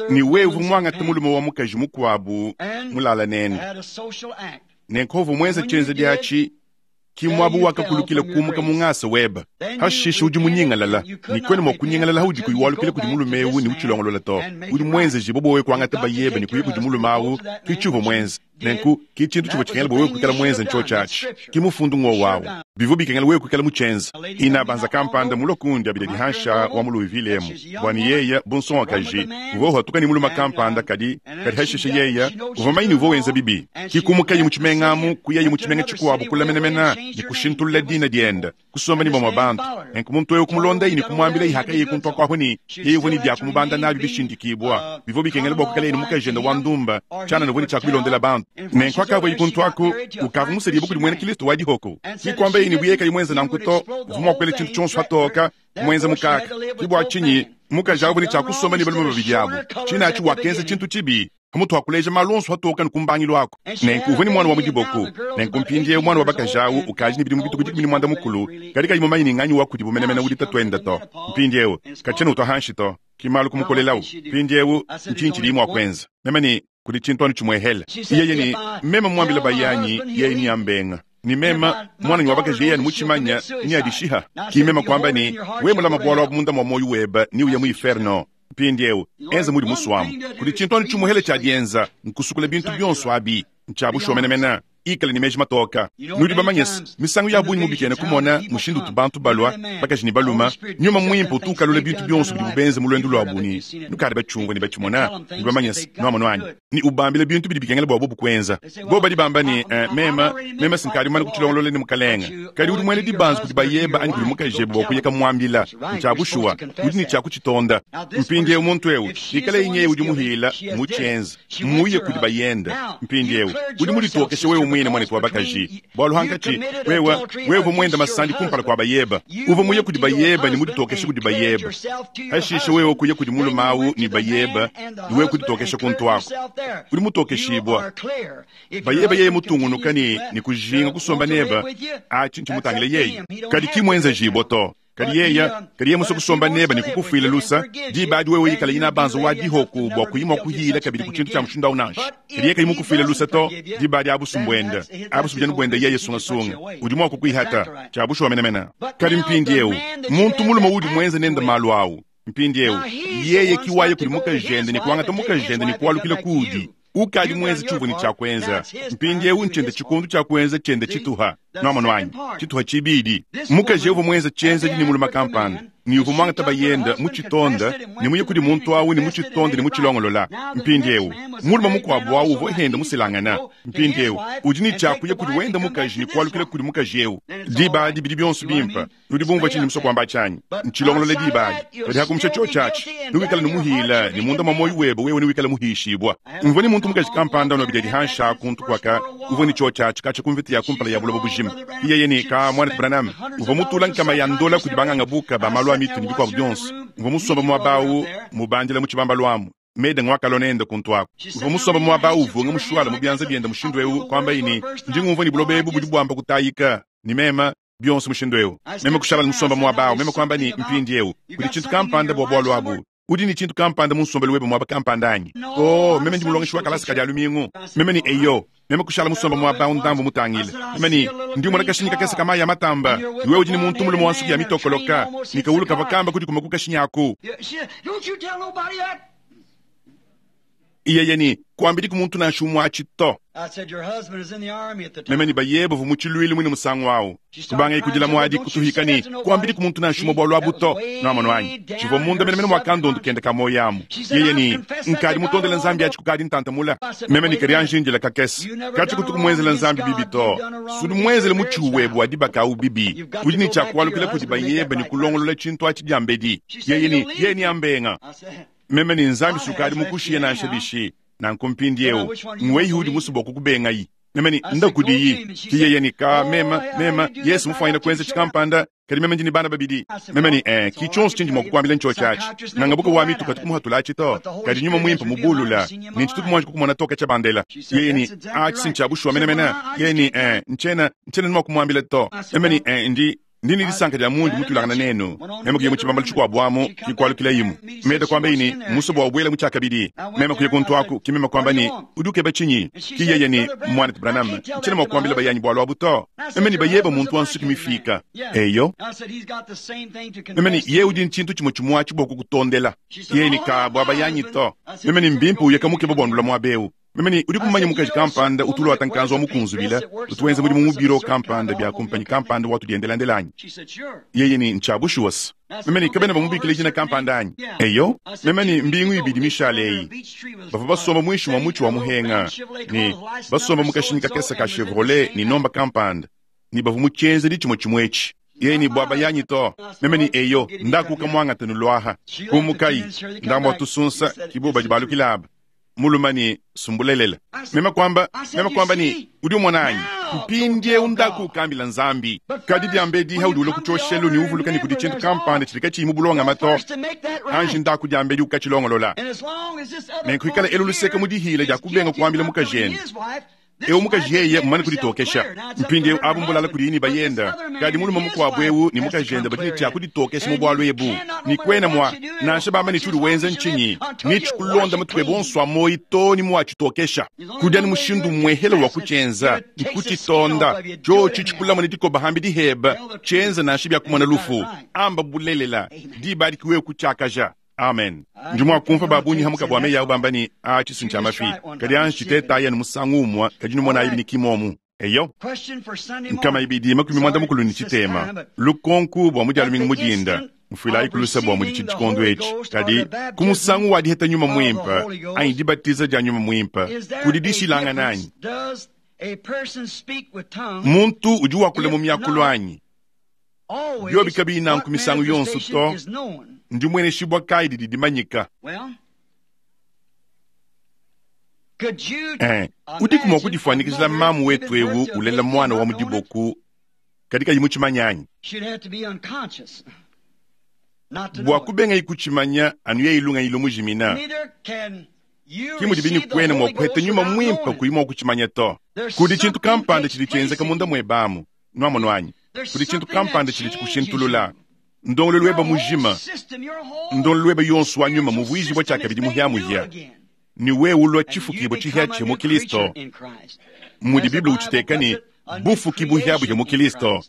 ne wewe uvua muangate mulume wa mukaji mukuabu mulala nende nenku uvua muenza tshienzedi atshi ki muabu wakakulukila kumuka mu ngasa weba hashishe udi munyingalala ne kwena mua kunyingalala haudi kuyi walukila kudi mulume ewu ne utshilongolola to udi muenzeji bo wewe kuangata bayebe ne kuyi kudi mulume awu ki tshiuvua muenze nenku ki tshintu tshivua tshikengela bua wewe kuikala muenze ntshio tshiatshi ki mufundu ng'wo wawu bivua bikengela wewe kuikala mutshienze ina banza kampanda mulua kundi abidi dihansha wa mu Louisville emu bua ne yeya bu nsongakaji uvua uhatuka ne mulume kampanda kadi kadi hashishe yeya uvua manyi ne uvua wenza bibi ki kumukaye mu tshimenga amu kuyaye mu tshimenga tshikuabu kula menemene ne kushintulula dina diende kusomba ne bamue bantu nenku muntu ewu kumulondaye ne kumuambila ihakaye kuntua kuahu ne yeye uvua ne bia kumubanda nabi bishindikibua bivua bikengela bua kuikalaye ne mukajende wa ndumba tshianana uvua ne tshia kubilondela bantu nenku akavua kuntu aku ukavua musedibue kudi muena Kristo wa dihoko kikwamba yeye ne buye kayi muenze nanku to uvua mua kuela tshintu tshionso hatoka muenze mukaka ki bua tshinyi mukaji awu ne tshia kusomba ne balume babidi abu tshina atshi wakenza tshintu tshibi pamutu wakuleja malu onso hatoka ne kumbangilu ako nenku uvua ne mwana wa mu diboko nenku mpindiewu mwana wa bakaji awu ukaji ne bidimu bituku dikumi ne mwanda mukulu kadi kayi mumanyi ne nganyi wa kudibu menemene udi tatuende to mpindiewu katshiena utwa hanshi to ki malu kumukolelawu mpindiewu ntshinyi tshidi mua kuenza meme ne kudi tshintu anu tshimuehele yeye ne meme muambile bayanyi yeye ni ambenga ni mema mwana wa bakaji yeye mutshimanya ni adishiha ki mema kwamba ni we mulama bwalo munda mwa moyo weba ni uya mu inferno mpindiewu enza mudi muswamu kudi tshintu anu tshimuhele tshia dienza nkusukula bintu bionso abi ntshiabushuwa menemene ikale ne meji matoka nudi bamanyese misangu ya bungi mubikene kumona mushindu utu bantu balua bakaji ne baluma nyuma mwimpe utu ukalula bintu bionso bidi bubenze mu lwendo lwa buni nukadi batshumvua ne batshimona nudi bamanyese nuamono anyi ni ubambile bintu bidi bikengela bua bobu kuenza bo badi bamba ne eh, mema mema sinkadi mumane kutshilongolola ne mukalenga kadi udi muena dibanza kudi bayeba anyi kudi mukajebe bua kuyeka muambila ntshiabushuwa udi ne tshia kutshitonda mpindiewu muntu ewu ikale inyeye udi muhila mutshienza muye kudi bayenda mpindiewu udi mulitokeshe wewe mwine mwanetu wa bakaji bwalu hankatshi wewe wewe mwenda masandi kumpala kwa bayeba uva muye kudi bayeba ni mulitokeshe kudi bayeba hashishe wewe kuye kudi mulume awu ni bayeba ni wewe kuditokesha kuntu ako udi mutokeshibwa bayeba yeye mutungunuka ni ni kujinga kusomba neba atshi ntshimutangile yeye kadi kimwenzejibwa to kadi yeya kadi ye muso kusomba neba ni kukufuila lusa diba adi wewe ikala ina banza wa dihoku bua kuyima kuhila kabidi ku tshintu tshia mushindu awu nansha kadi ye kayi mukufuila lusa to diba adi abusumbwenda abusubujani bwenda yeye sungasunga udi mua kukuihata tshiabushuwa menemene kadi mpindiewu muntu mulume udi muenze nende malu awu mpindiewu yeye kiwaye kudi mukajende ne kuangata mukajende ne kualukila kudi ukadi muenze tshiuvua ne tshia kuenza mpindiewu ntshiende tshikundu tshia kuenza tshiende tshituha nuamono anyi tshituha tshibidi mukaji uvua muenze tshienzedi ne mulume kampanda ni uvua muangata bayenda mutshitonda ne muye kudi muntu awu ne mutshitonda ne mutshilongolola mpindiewu mulume mukuabu awu uvua henda muselangana mpindiewu udi ne tshia kuya kudi wenda mukaji ne kualukila kudi mukaji ewu diba adi bidi bionso bimpe nudi bumvua tshinyi musua kuamba tshianyi ntshilongolola diba adi kadi hakumusha tshio tshiatshi nuwikala numuhila ne munda mwa moyo webe wewe niwikala muhishibwa mvua ne muntu mukaji kampanda unobidi dihansha kuntu kwaka uvua ne tshio tshiatshi katshia kumvita ya kumpala ya buloba bujima yeye ne ka mwana Branham uvua mutula nkama ya ndola kudi banganga buka ba malu a mitu ne bikuabu bionso uvua musomba muaba awu mubandila mu tshibamba lwamu mede ngwakalona nende kuntu ako uvua musomba muaba awu uvunga mushuala mu bianza biende mushindu ewu kwamba ini ndi ngumvua ne buloba ebu budi buamba kutayika ni mema bionso mushindu ewu meme kushala musomba muaba awu meme kwamba ni mpindi ewu kudi tshintu kampanda bua bualu abu udi ni tshintu kampanda mu nsombelu webe muaba kampanda anyi oh meme ndi mulongeshi wa kalasa kadi alumingu meme ni eyo meme kushala musomba muaba awu ndambu mutangile meme ni ndi umona kashinyi kakese ka mayi ya matamba iwe udi ni muntu mulume wa nsuki ya mitokoloka nikawulu kava kamba kudi kuma kukashinyaku iyeye ni kuambidi ku muntu nansha umue atshi to meme ni bayeba uvua mu tshiluilu mwine musangu awu kubanga ikudila muadi kutuhika ni kuambidi ku muntu nansha umue bualu abu to nuamono anyi tshivua munda menemene mua kandondu kende ka moyo amu yeye ni nkadi mutondela nzambi atshi kukadi ntantamula meme ni kadi anjindila kakese katshi kutuku muenzela nzambi bibi to sudi muenzele mutshiuwebu wa dibaka awu bibi udi ni tshia kualukila kudi bayeba ni kulongolola tshintu atshi diambedi yeye ni yeye ni ambenga meme ni nzambi sukadi mukushiye nansha bishi nanku mpindiewu ngweyi udi musu bua kukubengayi Meme ne, nda kudiyi. Ki yeye ne, ka mema, mema, Yesu mufwanyine kwenza tshikampanda, kadi meme ndi ne bana babidi. Meme ne, eh, ki tshionso tshindi mua kukuambila ntshiotshi atshi. Nanga buka wa mitu katu kumuhatula atshi to. Kadi nyuma mwimpe mubulula, ne ntshituku muanji kukumona toka tshia bandela. Yeye ne, atshi si ntshia bushuwa menemene. Yeye ne, eh, ntshena, ntshena ni mua kumuambila to. Meme ne, eh, ndi, ndi ne disanka dia mundi mutulangana nenu. Meme kuya mu tshibambalu tshikuabu amu, kikualukila imu. Meda kuamba ini, muso bua ubwela mu tshiakabidi. Meme kuya kuntu aku, ki meme kuamba ni, udi ukeba tshinyi? Ki yeye ni, mwana Branham, ntshena mua kuambila bayanyi bualu abu to. Meme ni bayeba muntu wa nsuki mifika. Eyo. Meme ni, ye udi ntshintu tshimue tshimue atshi bua kukutondela. Yeye ni ka bua bayanyi to. Meme ni mbimpe uyeka mukeba bua ndula muaba eu. Meme ni udi kumanya mukaji kampanda utulwa ata nkanzu wa mukunzubila, utuwenza mudimu mu biro kampanda bya kumpanyi kampanda watu diendelandela anyi. Yeye ni ntsha bushuwa. Meme ni kabena bamubikile jina kampanda anyi. Eyo, meme ni mbingu ibidi mishale eyi. Bavua basomba mwishi wa mutshi wa muhenga, ni basomba mu kashinyi kakese ka Chevrolet ni nomba kampanda, ni bavua mu tshienzedi tshimue tshimue etshi. Yeye ni bwaba yanyi to. Meme ni eyo, ndakuka mwangata nulwaha. Kumukai, ndambo tusunsa kibo badi balukila aba. Muluma ni sumbulelela. Mema kwamba, mema kwamba ni udi umona anyi. Mpindie undaku kambila nzambi. Kadi diambedi haudi ule kuchoshelu ni uvuluka ni kudi tshintu kampanda tshidi katshiyi mu bulonga mato. Anji ndaku diambedi ukatshilongolola. Nenkuikala elu luseka mu dihila dia kubenga kuambila mukajende. Eu mukaji yeye mmane kuditokesha. Mpindie abu mbulala kudi ni bayenda. Kadi muluma mukuabu eu ni mukajende badi tshia kuditokesha mu bwalu ebu. Ni kwena mwa nansha bamba ni tshudi wenza ntshinyi. Ni tshikulonda mutwe bonso amoyi to ni mwa tshitokesha. Kudia ni mushindu mwehela wa kutshenza, ni kutshitonda. Tshotshi tshikulama ni dikoba hambi diheba. Tshenza nansha bya kumona lufu. Amba bulelela. Diba dikiwe kutshiakaja. Amen. Ndi mua kumva babunyi hamuka bua meyi abu bamba ni a tshisu ntshia mafi. Kadi anji tshiteta ya ni musangu umua, kadi numona ibi ni kimomu. Eyo. Nkama ibidi makumi mwanda mukulu ni tshitema. Lukonku bua mudialu mingi mudinda. Mfuila ikulusa bua mudi tshikondo etshi. Kadi kumusangu wa diheta nyuma mwimpa, anyi dibatiza dia nyuma mwimpa, kudi dishilanga nanyi. Muntu udi wakula mu miakulu anyi. Biobi kabiyi nanku misangu yonso to. Ndi mwene shibwa kai didi dimanyika. Eh, udiku mua kudifuanikizila mamu wetu ewu ulela mwana wa mudiboku kadi kayi mutshimanya anyi. Bua kubenga ikutshimanya anu ye ilunga ilo mujimina. Ki mudi bini kwena mua kuheta nyuma mwimpa kuyi mua kutshimanya to. Kudi tshintu kampanda tshidi tshienzeka munda muebamu, nuamono anyi. Kudi tshintu kampanda tshidi tshikushintulula. Ndongolo lweba mujima, ndongolo lweba yonso wa nyuma muvuizi bwa tshiakabidi muhiamuhia. Ni wewe ulwa tshifukibo tshihia tshia mu Kristo. Mudi Biblia utshiteka ni bufuki buhiabuhia mu Kristo.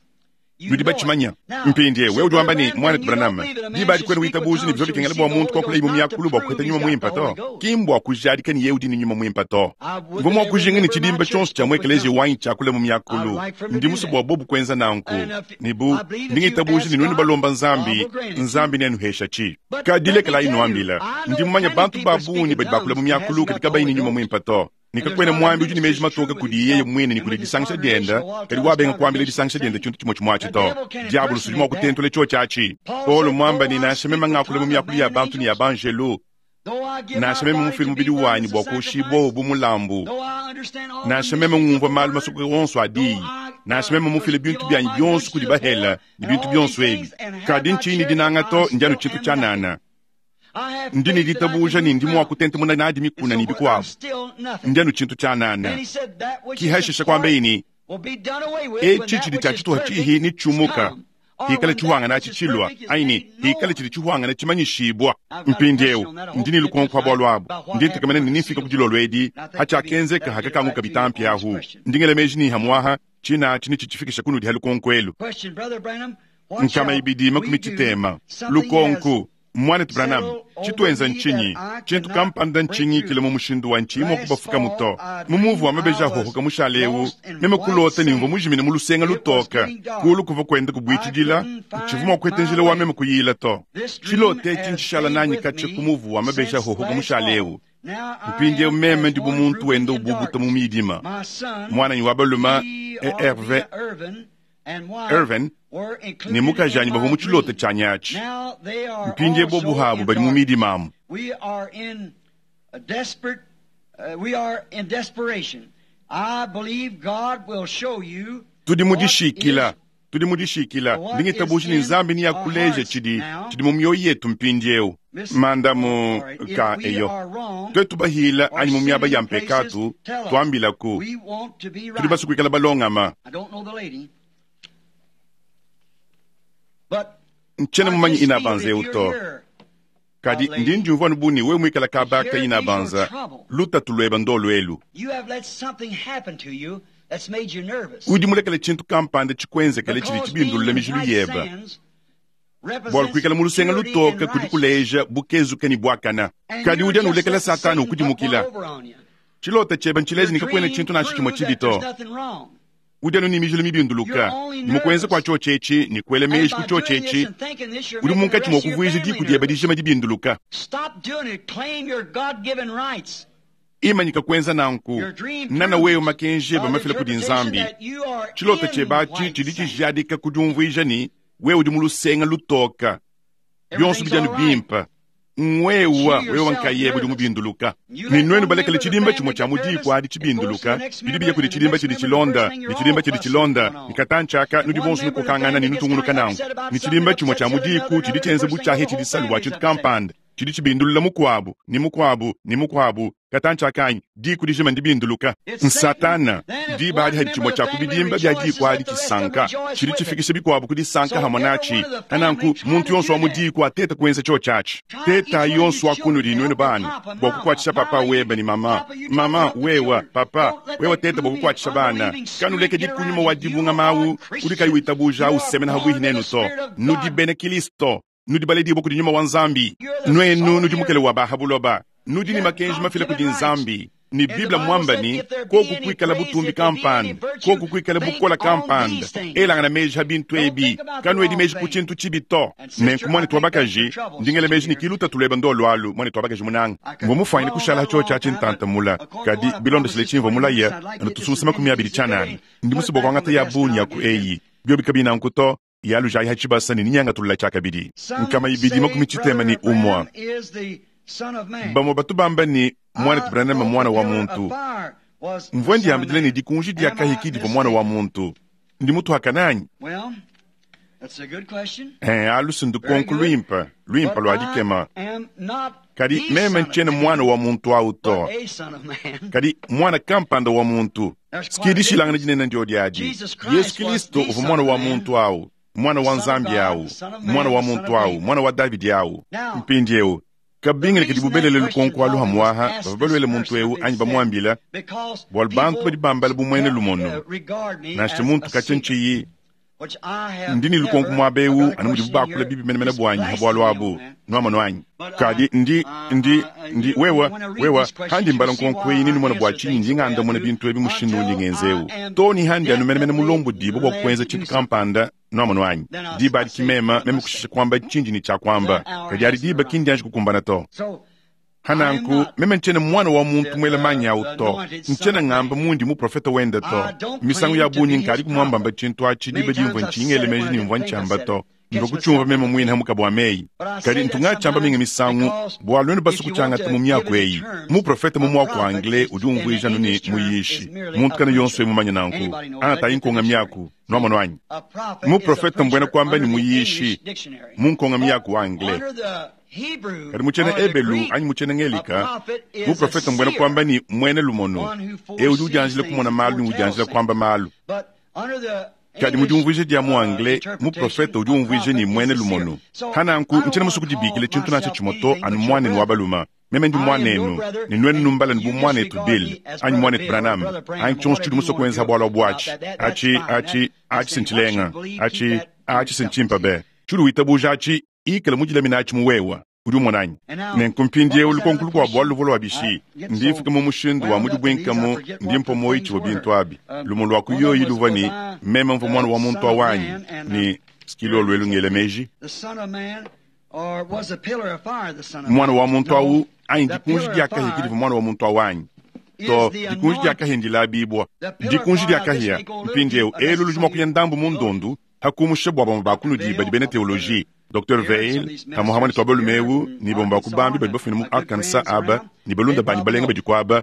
Nudi batshimanya. Mpindie wewe udi wamba ni mwana Branham. Diba adi kwenu witabuji ni bivyo bikengela bua muntu kwakula imu miakulu bua kuheta nyuma mwimpa to. Ki mbua kujadika ni yewe udi ni nyuma mwimpa to. Mvua mua kujinga ni tshidimba tshionso tshia mu ekelezia wanyi tshiakula mu miakulu. Ndi musu bua bobu kuenza nanku. Ni bu ndingitabuji ni nwenu balomba nzambi, nzambi nenuhesha tshi. Kadi lekela inuambila. Ndi mumanya bantu babungi badi bakula mu miakulu kadi kabayi ni nyuma mwimpa to. Nikakwena mwambi udi ni meji matoka kudi yeye mwene ni kudi disangisha dienda, kadi wabenga kuambila disangisha dienda tshintu tshimue tshimue atshi to. Diabolo sudi mua kutentula tshio tshiatshi. Paulo mwamba ni nansha meme ngakula mu miakulu ya bantu ni ya banjelu, nansha meme mufile mubidi wanyi bua kuoshibua bu mulambu, nansha meme ngumvua malu masuka onso a diyi, nansha meme mufile bintu byanyi bionso kudi bahela ni bintu bionso ebi, kadi ntshinyi dinanga to ndianu tshintu tshianana. Ndi ni ditabuja ni ndi mua kutentemuna nadi mikuna ni bikuabu. Ndianu tshintu tshianana. Kihashisha kwamba ini etshi tshidi tshia tshituha tshihi ni tshumuka. Hikale tshihuangana atshi tshilwa. Aini hikale tshidi tshihuangana tshimanyishibwa. Mpindiewu ndi ni lukonko bua lwabo. Ndi ntekamene ni nifika ku dilolo edi hatshiakenzeka hakakanguka bitampi ahu. Ndi ngela meji ni hamwaha tshina atshi ni tshitshifikisha kunudi ha lukonko elu. Nkama ibidi makumi tshitema. Lukonko mwana Branham, tshituenza ntshinyi, tshintu kampanda ntshinyi kile mu mushindu wa ntshinyi mua kubafuka muto. Mu muvu wa mabeji ahohoka mushale ewu, meme kulota ni mvua mujimine mu lusenga lutoka. Kulu kuva kwenda kubuitshidila, ntshivu mua kueta njila wa meme kuyila to. Tshilote etshi ntshishala nanyi katshia ku muvu wa mabeji ahohoka mushale ewu. Mpindiewu meme ndi bu muntu wenda ububuta mu midima. Mwananyi wa baluma, Herve, Irvin, ne mukajanyi bavua mu tshilota tshianyi atshi. Mpindiewu bobu habu badi mu midima amu. Tudi mu dishikila, tudi mu dishikila. Ndi ngitabuja ne Nzambi ne akuleja tshidi tshidi mu mioyo yetu mpindieu. Mandamu ka eyo. Twetu bahila anyi mu miaba ya mpekatu, tuambilaku. Tudi basue kuikala balongama. Ntshiena mumanyi ina banza eu to. Kadi ndi ndiumvua anu bu ne wewe muikala kaba ka ina banza, lutatu lueba ndolu elu. Udi mulekele tshintu kampanda tshikuenzekele tshidi tshibindulula mijilu yeba. Bualu kuikala mu lusenga lutoka kudi kuleja bukezuke ne buakana. Kadi udi anu ulekela Satana ukudimukila. Tshilota tshiebe ntshileja ne kakuena tshintu nansha tshimue tshibi to. Udi anu ne mijilu mibinduluka, ne mu kuenza kua tshiotshi etshi ne kuela meji ku tshiotshi etshi, udi munkatshi mua kuvuija diku diebe dijima dibinduluka. Imanyika kuenza nanku, nana wewe makenji ebe mafila kudi Nzambi. Tshilota tshiebe atshi tshidi tshijadika ku diumvuija ne wewe udi mu lusenga lutoka. Bionso bidi anu bimpe. Ngwewa wewe nkayebe udi mubinduluka. Ne nuenu balekele tshidimba tshimue tshia mu diku adi tshibinduluka, bidi biya kudi tshidimba tshidi tshilonda, ne tshidimba tshidi tshilonda, ne katantshaka nudi bonso nukokangana ne nutungunuka nanku. Ne tshidimba tshimue tshia mu diku tshidi tshienza bu tshiahi tshidi salu bua tshintu kampanda, tshidi tshibindulula mukuabu, ne mukuabu, ne mukuabu, katantshaka anyi, diku dijima ndibinduluka. Nsatana, diba adi hadi tshimue tshia ku bidimba bia diku adi tshisanka, tshidi tshifikisha bikuabu ku disanka hamue natshi. Nanku, muntu yonso wa mu diku ateta kuenza tshiotshi atshi. Teta yonso wa kunudi nuenu bana bua kukuatshisha papa webe ne mama. Mama wewa, papa wewa teta bua kukuatshisha bana. Kanulekedi kunyuma wa dibunga mawu udi kayi witabuja usemena habuihi nenu to. Nudi bena Kristo, nudi baledibue kudi nyuma wa Nzambi. Nuenu nudi mukele wa bahabuloba. Nudi ne makenji mafila kudi Nzambi. Ni Biblia mwamba ni koku kuikala butumbi kampanda, koku kuikala bukola kampanda, elangana meji ha bintu ebi, kanuedi meji ku tshintu tshibi to. Nenku mwanetu wa bakaji, ndingele meji ni kiluta tuleba ndolu alu, mwanetu wa bakaji munanga. Mvua mufwanyine kushala ha tshiotshi atshi ntantamula, kadi bilondeshile tshimvua mulaya, anu tusunsa makumi abidi tshianana. Ndi musue bua kuangata ya bungi ya ku eyi. Biobi kabina nku to, yalujayi ha tshibasa ne ninyangatulula tshiakabidi. Nkama ibidi makumi tshitema ne umua. Bamue batu bamba ni mwanetu Branham mwana wa muntu. Mvua ndiambidila ne dikunji dia kahiki divua mwana wa muntu. Ndi mutuhakana anyi? Eh, alu ndukonko luimpe, luimpe lua dikema. Kadi meme ntshiena mwana wa muntu awu to. Kadi mwana kampanda wa muntu. Sikidishilangana dinene ndio diadi. Yesu Kristo uvua mwana wa muntu awu, mwana wa Nzambi awu, mwana wa muntu awu, mwana wa Davidi awu. Mpindieu kabingile kadi bubelele lukonko alu hamwaha bavua balwele muntu eu anyi bamuambila bualu bantu badi bambala bumuene lumono. Nansha muntu katshia ntshiyi ndi ne lukonko muaba eu anu mudibu bakula bibi menemene buanyi ha bualu abu nuamonu anyi. Kadi ndi ndi ndi wewa wewa handi mbala nkonko eyi ninumona bua tshinyi ndi ngandamuna bintu ebi mushindu undi ngenza eu to ni handi anu menemene mulombo dibo bua kuenza tshintu kampanda nuamonu anyi. Diba adi kimema meme kushisha kuamba tshindi ne tshia kuamba, kadi adi diba kindi anji kukumbana to. Hananku meme ntshiena mwana wa muntu muela manyi awu to. Ntshiena ngamba mundi muprofeta wenda to. Misangu ya bungi nkadi kumuambamba tshintu atshi diba dimvua ntshingele meji nimvua ntshiamba to. Ndivua kutshiumva meme muine hamuka bua meyi. Kadi ntungatshiamba minga misangu bualu nuenu basu kutshiangata mu miaku eyi. Muprofeta mu muaku wa anglais udi umvuija anu ne muyishi. Muntu kana yonso emumanya nanku. Angatayi nkonga miaku nuamonu anyi. Muprofeta mbuena kuamba ni muyishi mu nkonga miaku wa anglais. Kadi mutshiena ebelu anyi mutshiena ngelika, muprofeta mbuena kuamba ni muene lumono. Eu udi udianjila kumona malu ne udianjila kuamba malu. Kadi mu diumvuija dia mu anglais, muprofeta udi umvuija ni muene lumono. Hananku ntshiena musue kudibikila tshintu nansha tshimue to anu muanenu wa baluma. Meme ndi muanenu, ne nuenu numbala ne bu muanetu Bill, anyi muanetu Branham, anyi tshionso tshidi musue kuenza bualu buatshi. Atshi, atshi, atshi sintshilenga, atshi, atshi sintshimpa be. Tshidi witabuja atshi, ikala mudilamina atshi mu wewa. Udi umona anyi? Nenku mpindieu lukonko lukuabu bualu luvua lua bishi. Ndi mfika mu mushindu wa mudibwenkamu, ndi mpua muoyo tshivua bintu abi. Lumu lua ku yoyi luvua ni meme mvua mwana wa muntu awanyi, ni sikilo luelu ngele meji. Mwana wa muntu awu anyi dikunji dia kahia divua mwana wa muntu awanyi. To dikunji dia kahia ndilabibwa. Dikunji dia kahia mpindieu elu ludi mua kuya ndambu mu ndondu hakumusha bua bamue bakunudi badi bena theologie. Docteur Veil, hamuhamwe ne twaba lumeu, ni bomba kubambi badi bafumina mu Arkansas aba, ni balunda banyi balenga badi kuaba,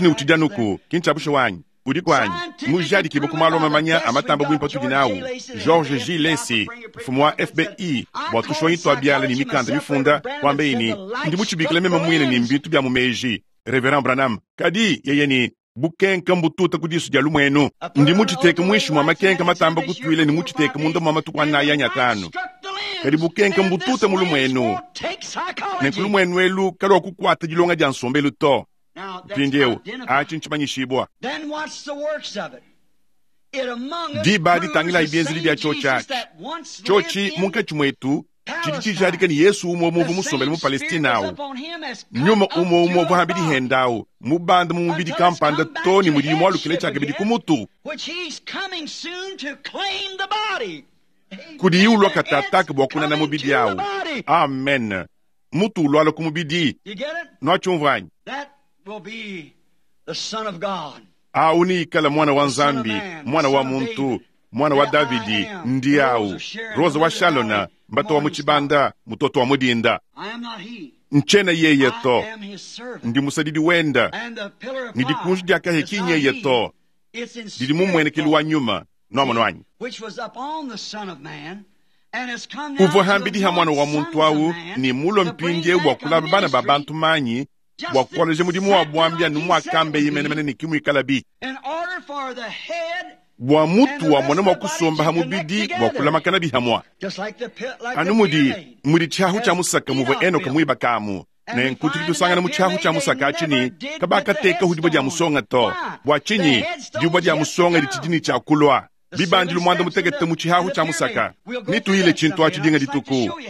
Meeji ne ucidi anuku, ki ncya bushuwa anyi? Udi kwanyi mujadikibwe ku malu amamanya amatamba bwimpa tudi nawu George J. Lacy mfumu wa F B I bwa tushonyi twa biala ni mikanda mifunda kwambe ini ndi muchibikila meme mwine ni mbintu bya mumeji Reverend Branham kadi yeye ni bukenka mbututa kudisu dia lumwenu ndi muchiteka mwishi mwa makenka matamba kutwile ni muchiteka munda mwa matuku anayi anyatano kadi bukenka mbututa mu lumwenu ne elu kalwa kukwata dilonga dia nsombelu to mpindieu achi nchimanyishibwa diba ditangila ibienzeli bya chochachi chochi munkatshi mwetu chidi chijadika ni Yesu umwe umuvu musombele mu Palestina awu nyuma umwe umwe vuhambili hendawu mubanda mu mubili kampanda toni mudi mwalukile chakabidi kumutu kudi iulwa katataka bwa kunana mubili awu amen mutu ulwala ku mubidi nwachumvanyi awu ni ikala mwana wa Nzambi mwana wa muntu mwana wa Davidi ndi awu Rosa wa Shalona mbato wa muchibanda mutoto wa mudinda nchena yeye to ndi musadidi wenda ni dikunji diakahe kinyeye to didi mumwenekeli wa nyuma nomono wanyi uvua hambidi ha mwana wa muntu awu ni mulo mpindie bwa kulaba bana ba bantu manyi bwa kukoleja mudimu wa bwambia numwakambe yimenemene ni kimwikala bi bwa mutu wa mwana mwa kusomba ha mubidi bwa kulamakana bihamwa anu mudi mudi tshiahu tshia musaka muvua Enoka mwiba kamu ne nkutu tusangana mu tshiahu tshia musaka atshini kabakateka hudibwa dia musonga to bwa tshinyi dibwa dia musonga ditshidini tshia kulwa bibandilu mwanda mutekete mu tshihahu tshia musaka nituyile tshintu atshi dinga dituku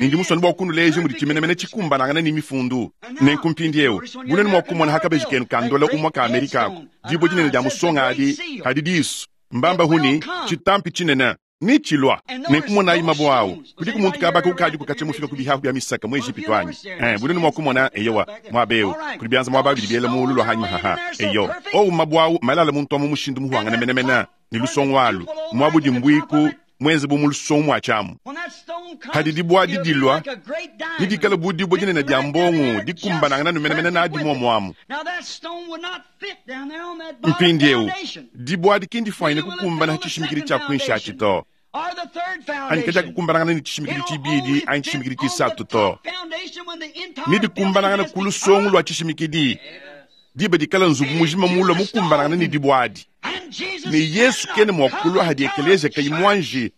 nindi musoni bwa kunuleje mudi tshimenemene tshikumbanangana ni mifundu nenku mpindiewu bunene mwa kumona hakabeji kenu kandola umwa ka Amerika ako dibwa dinene dia musonga adi adi disu mbamba huni tshitampi tshinene ni chilwa nenkumona imabo awu kudi kumuntu kabaka ukadi kukacha mufika ku bihahu bya misaka mu Egipto anyi eh bunene mwa kumona eyowa mwabeu kuli byanza mwaba bidi biela mulu lwa hanyuma haha eyo owu mabo awu malala muntu amu mushindu muhuangana menemene ni lusongo alu mwabudi mbwiku mwenze bu mulusongo mwachamu hadi dibwa didilwa nidikala budibwa dinene dia mbongo dikumbanangana numenemene na adi momwamu mpindiewu dibwa dikindifwanyine kukumbana tshishimikili tshia kuinshi atshi to anyi kadia kukumbanangana ni tshishimikili tshibidi anyi tshishimikili tshisatu to nidikumbanangana ku lusongo lwa tshishimikili diba dikala nzubu mujima mulwa mukumbanangana ni dibwadi ne Yesu kene mwakulwa hadi ekelezia kayi mwanji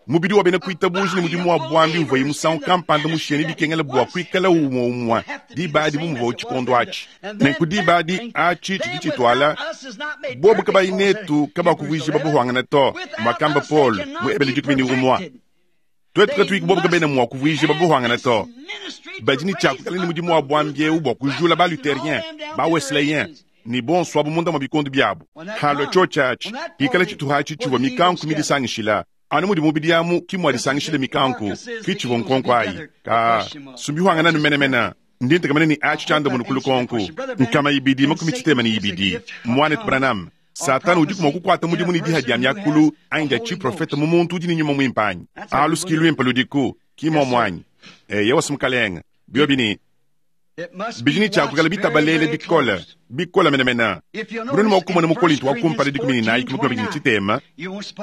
mubidi wa bena kuitabuji ni mudimu wa bwambi uva musangu kampanda musheni bikengela bwa kuikala umwe umwe diba adi bumuva utshikondo atshi nenku diba adi atshi tshidi tshitwala bobu kabayi netu kabakuvuija babuhwangana to mwakamba Paul mu ebele dikumi ni umwa twetu katuiki bobu kabena mwa kuvuija babuhwangana to badi ni tshakukala ni mudimu wa bwambi eu bwa kujula ba luthérien ba wesleyen ni bonso abu munda mwa bikondo byabo halo chochachi ikala tshituha tshivua mikanku midisangishila anu mudi mubidi amu kimwa disangishile mikanku kichivua nkonko ayi ka sumbihwangana numenemena ndi ntekamene ni achi tshanda munu kulukonku nkama ibidi makumi tshitema ni ibidi mwanet Branham Satana udi kumwa kukwata mudimu ni diha dia myakulu anyi dia tshiprofeta mu muntu udi ni nyuma mwimpanyi alu sikilu impa ludiku kimwa mwanyi e yewa simukalenga biobini bijini tshakukala bitabalele bikola bikola menemena bunene mwakumona mu Korinto wa kumpala dikumi ni nayi kumakumi abidi ni tshitema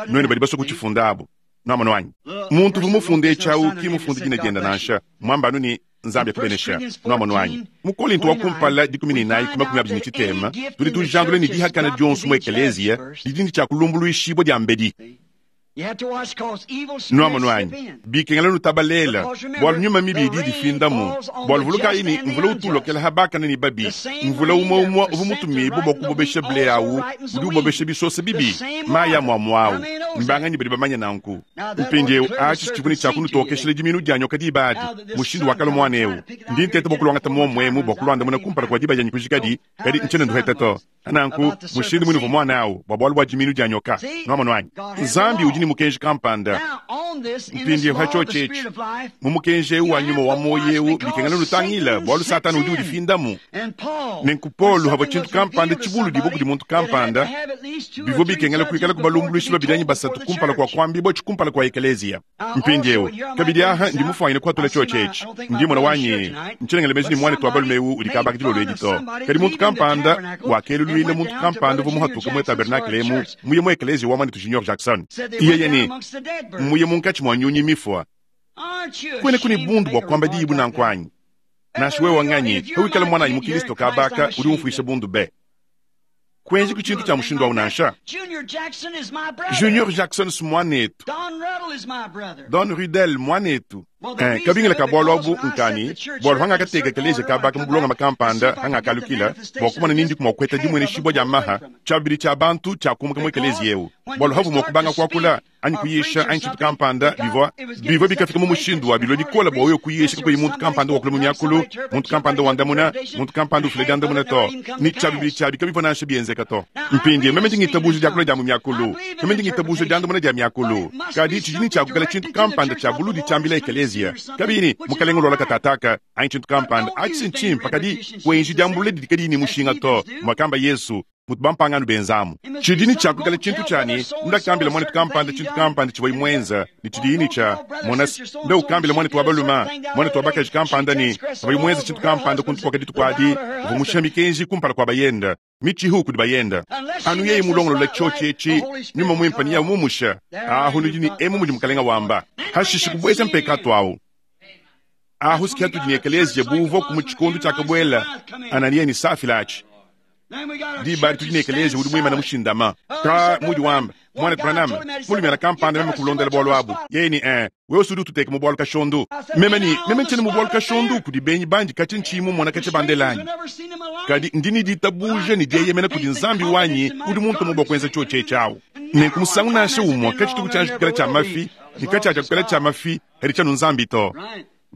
nwene badi baswa kutshifunda abo nwamona wanyi muntu vumufunde tshawu kimufunde dina dienda nansha mwambanu ni Nzambi akubenesha nwamona wanyi mu Korinto wa kumpala dikumi ni nayi kumakumi abidi ni tshitema tudi tujandule ni dihakana dionso mu ekelezia didini tshia kulumbuluishibwa dia mbedi nwamona wanyi bikengela nutabalela bwalu nyuma mibi idi difindamu bwalu vuluka ini mvula utulokela habakana ni babi mvula umwe umwe uvu mutumibu bwa kubobesha ble awu udi ubobesha bisosa bibi maya mwamwawu mbanganyi badi bamanya nanku mpindiewu atshi tshivuni tshia kunutokeshela diminu dia nyoka diba adi mushindu wakala mwana ewu ndi ntete bwa kulwangata momwemu bwa kulwandamuna kumpala kua diba dianyi kujikadi kadi ntshene nduheta to ananku mushindu mwinu vua mwana awu bwa bwalu bua diminu dia nyoka nwamona wanyi Nzambi udi ni mukenji kampanda mpindiewu hatshotshetshi mu mukenji ewu wa nyuma wa moyo ewu bikengela lutangila bwalu Satana udi udifindamu nenku Paulo havua tshintu kampanda tshibulu dibua kudi muntu kampanda bivua bikengela kuikala kubalumbuluishi babidi anyi basatu asatu kumpala kua kuambibua tshikumpala kua ekeleziya. Mpindieu kabidi aha ndi mufuanyine kuatula tshiotshi etshi. Ndi mona wanyi ntshilengele meji ne muanetu wa balume eu udi kabaka dilolo edi to. Kadi muntu kampanda wakeluluila muntu kampanda uvua muhatuka mu tabernakle emu muye mu ekeleziya wa muanetu Junior Jackson. Yeye ne muye munkatshi mua nyunyi mifua. Kwene kuni bundu bua kuamba diyi bunanku anyi? Nansha wewe wanganyi, hawikala mwananyi mu Kristo kabaka udi umfuisha bundu be. Kwenji ku tshintu tshia mushindu awu nansha. Junior Jackson si mwanetu. Don Rudel mwanetu. Eh, kabingila ka bwalu abu nkani, bwalu hangakateka ekeleziya kabaka mu bulonga makampanda hangakalukila, bua kumona nindi kumua kueta dimwene shibwa dia maha, tshiabidi tshia bantu tshia kumuka mu ekeleziya eu. Bwalu havu mua kubanga kuakula, anyi kuyisha, anyi tshintu kampanda, bivua, bivua bikafika mu mushindu wa bilua bikola bua wewe kuyisha kakuyi muntu kampanda wakula mu miakulu, muntu kampanda wandamuna, muntu kampanda ufila diandamuna to. Ni tshiabidi tshiabi kabivua nansha bienzeka to. Mpindie, meme ndi ngitabuja diakula dia mu miakulu, meme ndi ngitabuja diandamuna dia miakulu. Kadi tshidi tshiakukala tshintu kampanda tshia buludi tshiambila ekeleziya. Kabini, mukalenga ulola katataka, anyi tshintu kampanda, atshi ntshimpa kadi kwenji diambulula didi kadi ni mushinga to, mwakamba Yesu. Mutu bampangano benzamu. Tshidini tshiakukala tshintu tshiani, ndakambila mwanetu kampanda tshintu kampanda tshivua imwenza, ni tshidini tsha monas, nda ukambila mwanetu wa baluma, mwanetu wa bakaji kampanda ni, uvua imwenza tshintu kampanda kuntu kwa kaditu kwadi, uvua musha mikenji kumpala kwa bayenda, michihu kudi bayenda. Anu yeye mulongolola tshiotshi etshi, nyuma mwimpa ni ya mumusha, ahu nudi ni emu mudi mukalenga wamba. Hashishi kubweza mpekatu awu. Ahu sikia tudi ni ekeleziya buvua ku mu tshikondu tshiakabwela, Ananiya ni Safila atshi. Diba tudi ne ekeleziya udi muimana mushindama. Ka mudi wamba, mwana Branham, mulumyana kampanda meme kulondela bwalu abu. Yeye ni eh, wewe usudi ututeka mu bwalu kashondu. Meme ni, meme ntshene mu bwalu kashondu kudi benyi bandi katshi ntshimu mona katshi bandelanyi. Kadi ndi ni ditabuja ni dieyemena kudi Nzambi wanyi udi muntu mu bwa kuenza tshiotshi tshiawu. Nenku musangu nansha umwe katshi tuku tshanji kukela tsha mafi, ni katshi acha kukela tsha mafi, heri tsha Nzambi to.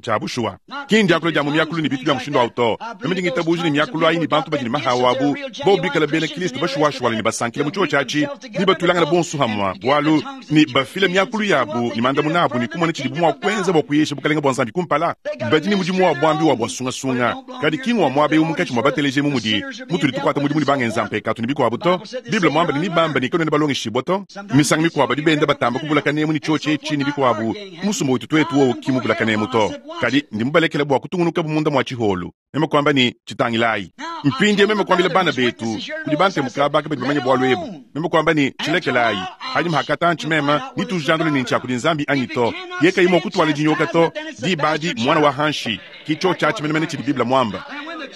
Tshiabushuwa. Kindi akula dia mu miakulu ni bitu bya mushindu awu to. Meme ndi ngitabuja ni miakulu ayi ni bantu badi ni mahawu abu, bo bikala bena Kristo bashuwashuwala ni basankila mu tshiotshi atshi, ni batulangana bonso hamwa, bwalu ni bafila miakulu yabu ni mandamuna abu ni kumona tshidi bumwa kwenza bwa kuyesha bukalenga bwa Nzambi kumpala. Badi ni mudimu wa bwambi wa bwasungasunga. Kadi kingwa mwabe umukatshi mwa bateleje mu mudi, mutuli tukwata mudimu ni bangenza mpekatu ni bikwabu to. Biblia mwamba ni bamba ni konene balongeshibwa to. Misango mikwabo dibenda batamba kubulaka nemu ni tshiotshi etshi ni bikwabu. Musumba wetu twetu wo kimubulaka nemu to. Kadi ndi mubalekela bwa kutungunuka bumunda mwa tshiholu. Meme kwamba ni tshitangilai. Mpindie meme kwambila bana betu, kudi bante mukabaka badi bamanye bwalu ebu. Meme kwamba ni tshilekelai. Hadi mhakata ntshi mema, ni tujandule ni ntshia kudi Nzambi anyi to. Yeka imo kutwala dinyoka to, dibadi mwana wa hanshi. Kicho tshatshi menemene tshidi Biblia mwamba.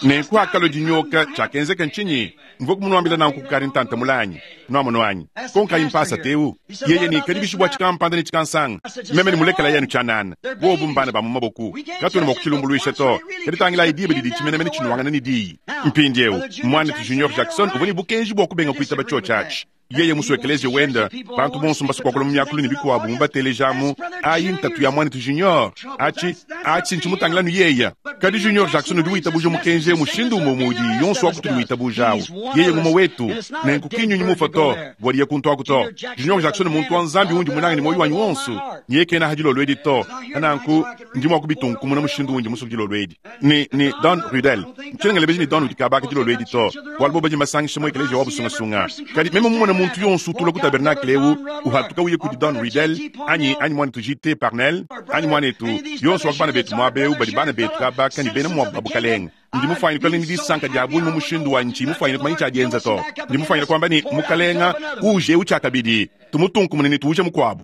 Nenku akalo dinyoka tshiakenzeka ntshinyi? Mvua kumunuambila nanku kukari ntanta mulanyi. Nwamono anyi. Konka impasa teu. Yeye ni kadi bishibwa tshikampanda ni tshikansanga. Meme ni mulekela yenu tshanana. Bobu mbana ba mu maboku. Katwene mwa kutshilumbuluisha to. Kadi tangila idiba didi tshimenemene tshinuangana ni diyi. Mpindiewu, mwanetu Junior Jackson uvua ni bukenji bwa kubenga kuitaba tshiotshi atshi. Yeye musu ekeleziya wenda, bantu bonso mbasukwa mu miakulu ni bikwabu mubatelejamu, ayi ntatu ya mwanetu Junior. Atshi, atshi ntshimutangilanu yeya. Kadi Junior Jackson udi witabuja mukenje mushindu umwe mudi yonso wa kutudi witabujawu. Yeye ngumwe wetu, nenku kinyunyi mufa to, bwadiye kuntu aku to. Junior Jackson muntu wa Nzambi undi munange ni moyo wanyi wonso. Niye kena hadilo lwedi to. Nanku ndi mwa kubitunkumuna mushindu undi musu dilo lwedi. Ni ni Don Rudel. Ntshengele beji ni Don udi kabaka dilo lwedi to. Bwalu bo baji masangisha mu ekeleziya wa busungasunga. Kadi meme mumona muntu yonso utula ku tabernacle eu, uhatuka uye kudi Don Rudel, anyi anyi mwanetu J T Parnell, anyi mwanetu yonso wa bana betu mwabe badi bana betu kabaka ni bena mwa babukalenga. Ndi mufanyine kala ni disanka dia bungi mu mushindu wa nchi, mufanyine kumanya tshiadienza to. Ndi mufanyine kwamba ni mukalenga uje utshiakabidi, tumutunkumune ni tuuje mukwabu.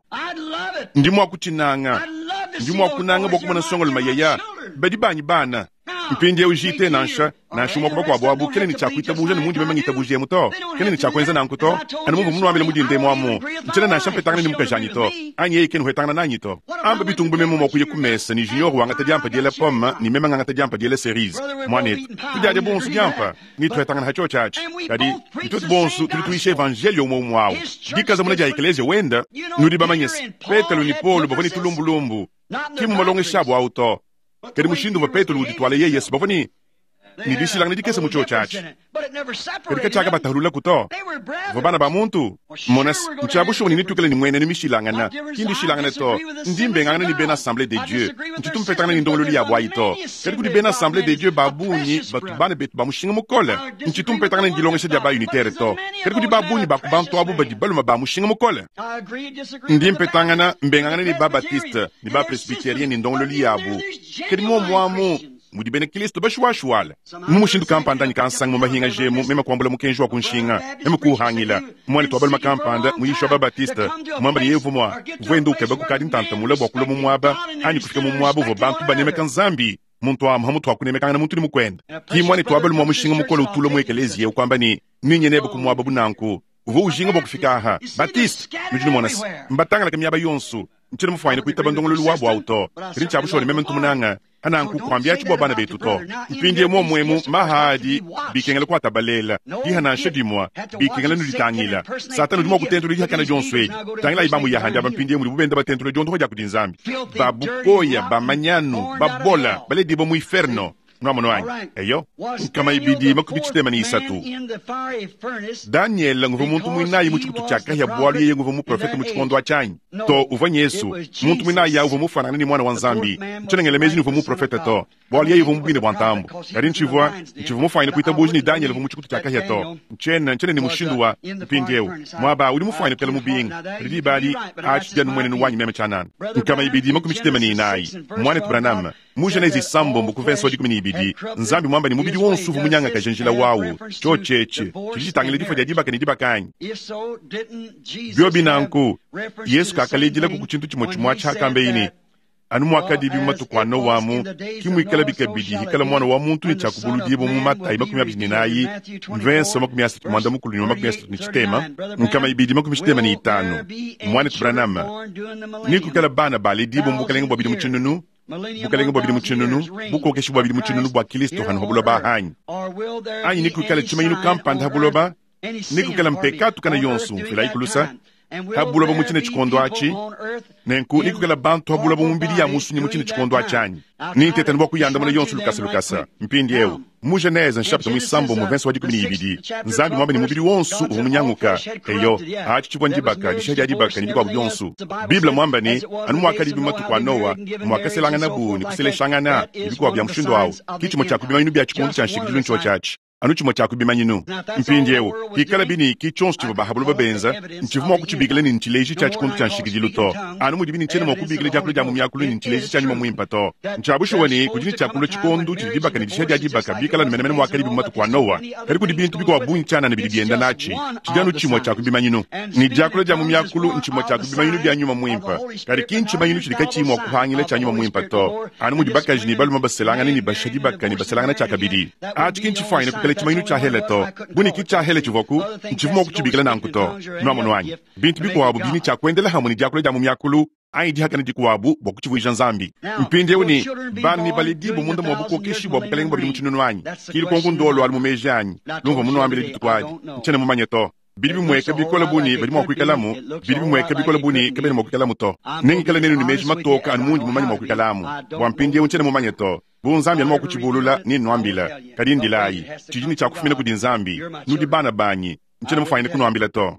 Ndi mwa kutshinanga, ndi mwa kunanga bwa kumona songolo mayeya, badi banyi bana. Mpindiewu J T nansha, nansha umwe kuba kwabu abu, kene ni tshiakuitabuja ni mundi meme ngitabuja emu to. Kene ni tshiakwenza nanku to. Anu mumvu munuambila mudi ndemu amu. Ntshena nansha mpetangana ni mukajanyi to. Anyi yeye kene huetangana nanyi to. Amba bitungu meme mwa kuya kumesa ni Junior wangata diampa diela pomme, ni meme ngangata diampa diela cerise. Mwanetu, tudiadya bonso diampa, ni tuhetangana hacho tshatshi. Kadi, nituetu bonso tudi tuisha evangelio umwe umwe awu. Dikaza muna dia ekeleziya wenda, nudi bamanyese. Petelo ni Paulo bavua ni tulumbulumbu. Ki mu malongesha abu awu to. Kadi mushindu wa Petelo udi twala yeye Yesu bavua ni Ne dishilangana dikese mu tshiotshi atshi. Kadi katshiakabatahululaku to. Bavua bana ba muntu. Mona, ntshia bushuwa ne netuikale ne mmuenenu mishilangana. Ki ndishilangane to. Ndi mbengangana ne bena Assemblee de Dieu. Ntshitu mpetangana ne ndongoluelu yabu ayi to. Kadi kudi bena Assemblee de Dieu ba bungi batu bana betu ba mushinga mukole. Ntshitu mpetangana ne dilongesha dia ba-unitaire to. Kadi kudi ba bungi ba ku bantu abu badi balume ba mushinga mukole. Ndi mpetangana mbengangana ne ba-Baptiste ne ba-Presbyterien ne ndongoluelu yabu. Kadi muomu amu mudi bena Kristo bashuwashuwala mu mushindu kampanda anyi kansanga mu mahinga jemu, meme kuambula mukenji wa ku nshinga, meme kuuhangila muanetu wa balume kampanda muyishi wa Babatiste muamba ne yevu mua uvua enda ukeba kukadi ntantamula bua kulua mu muaba anyi kufika mu muaba uvua bantu banemeka Nzambi. Muntu amu hamutu wa kunemekangana muntu ne mukuende. Ki muanetu wa balume wa mushinga mukole utulua mu ekeleziya ukuamba ne ninye nebe ku muaba bunanku uvua ujinga bua kufika aha. Batiste nudi numona se mbatangalaka miaba yonso. Ntshiena mufuanyine kuitaba ndongoluelu wabu awu to. Kadi ntshia bushuwa ne meme ntu munanga ananku kuambiatshi bua bana betu to. Mpindie muomuemu maha adi bikengela kuatabalela diha nansha dimua bikengela nuditangila. Satana udi mua kutentula dihakana dionso edi. Tangilayi bamuyaha ndiaba mpindie mudi bubenda batentula diondoho dia kudi Nzambi. Babukoya bamanyanu babola baledibwa mu inferno. Nuamono anyi? Eyo nkama ibidi makumi tshitema ne isatu. Daniel nguvua muntu muinayi mu tshikutu tshia kahia bualu yeye nguvua muprofete mu tshikondo atshanyi to. Uvua Yesu muntu muinayi uvua mufanana ne mwana wa Nzambi. Ntshiena meji uvua muprofete to, bualu yeye uvua mubine bua ntambu. Kadi ntshivua ntshivua mufuanyine kuitabuja ne Daniel uvua mu tshikutu tshia kahia to. Ntshiena ntshiena ne mushindu wa mpindiewu muaba udi mufuanyine kuikala mubinga. Kadi diba adi atshi dia mmuenenu wanyi meme tshianana. Nkama ibidi makumi tshitema ne inayi. Muanetu Branham mu Genese isambombo ku verse wa dikumi ne ibidi Nzambi mwamba ne mubidi wonso uvua munyangakaje njila wawu. Tshiotshi tshidi tshitangila difua dia dibaka ne dibaka anyi? Biobi nanku Yesu kakaledila ku tshintu tshimue tshimue atshi ne anu muakadibi mu matuku a Noa amu ki muikala bikabidi hikala mwana wa muntu ne tshiakubuludibwa mu Matayi makumi abidi ne nayi mvenso makumi asatu muanda mukulu ne makumi asatu ne tshitema nkama ibidi makumi tshitema ne itanu. Muanetu Branham ni kuikala bana baledibwa mu bukalenge bua bidimu tshinunu bukalenge bua bidimu tshinunu bukokeshi bua bidimu tshinunu bua Kristo hanu ha buloba hanyi anyi ni kuikala tshimanyinu kampanda ha buloba ni kuikala mpekatu kana yonso mfilayi kulusa ha buloba mu tshine tshikondo atshi nenku ni kuikala bantu ha buloba mu mbili ya musunyi mu tshine tshikondo atshi anyi ni ntetani bua kuyandamuna yonso lukasa lukasa. Mpindiewu mu Genese nshapita muisambo mu verse wa dikumi ne ibidi Nzambi mwamba ne mubidi wonso uvua munyanguka. Eyo atshi tshivua ndibaka disha dia dibaka ne bikuabu bionso. Bible mwamba ne anu muakadibi matuku a Noa muakaselangana bu ne kuseleshangana ne bikuabu bia mushindu awu ki tshimue tshia kubimanyinu bia tshikondo tshia nshikidilu ntshiotshi atshi anu tshimue tshia kubimanyinu. Mpindiewu hikala bini ki tshionso tshivua bahabuloba benza ntshivua mua kutshibikila ne ntshileji tshia tshikondo tshia nshikidilu to. Anu mudi bini ntshiena mua kubikila diakula dia mu miakulu ne ntshileji tshia nyuma muimpe to. Ntshia bushuwa ne kudi ne tshiakulua tshikondo tshidi dibaka ne disha dia dibaka bikala ne menemene muakadibi mu matuku a Noa. Kadi kudi bintu bikuabu bungi tshianana bidi bienda natshi tshidi anu tshimue tshia kubimanyinu. Ne diakula dia mu miakulu ntshimue tshia kubimanyinu bia nyuma muimpe. Kadi ki ntshimanyinu tshidi katshiyi mua kuhangila tshia nyuma muimpe to. Anu mudi bakaji ne balume baselangane ne basha dibaka ne baselangana tshiakabidi. Atshi ki ntshifuanyine kuikala tshimanyinu tshia hele to. Buni ki tshia hele tshivuaku ntshivua mua kutshibikila nanku to. Nuamono anyi? Bintu bikuabu bidi ne tshia kuendela hamwe ne diakula dia mu miakulu anyi dihakana dikuabu bua kutshivuija Nzambi. Mpindiewu ne bana ne baledibwa munda mua bukokeshi bua bukalenge bua bidimu tshinunu anyi ki lukonko ndolo alu mu meji anyi lumvua munuambile dituku adi ntshiena mumanye to. Bidi bimueka bikole buni badi mua kuikalamu, bidi bimueka bikole buni kabena mua kuikalamu to. Nengikale nenu ne meji matoka anu mundi mumanye mua kuikalamu. Bua mpindiewu ntshiena mumanye to. Bu Nzambi anu mua kutshibulula ne nuambila. Kadi ndilayi tshidi ne tshiakufumina kudi Nzambi. Nudi bana banyi ntshiena mufuanyine kunuambila to.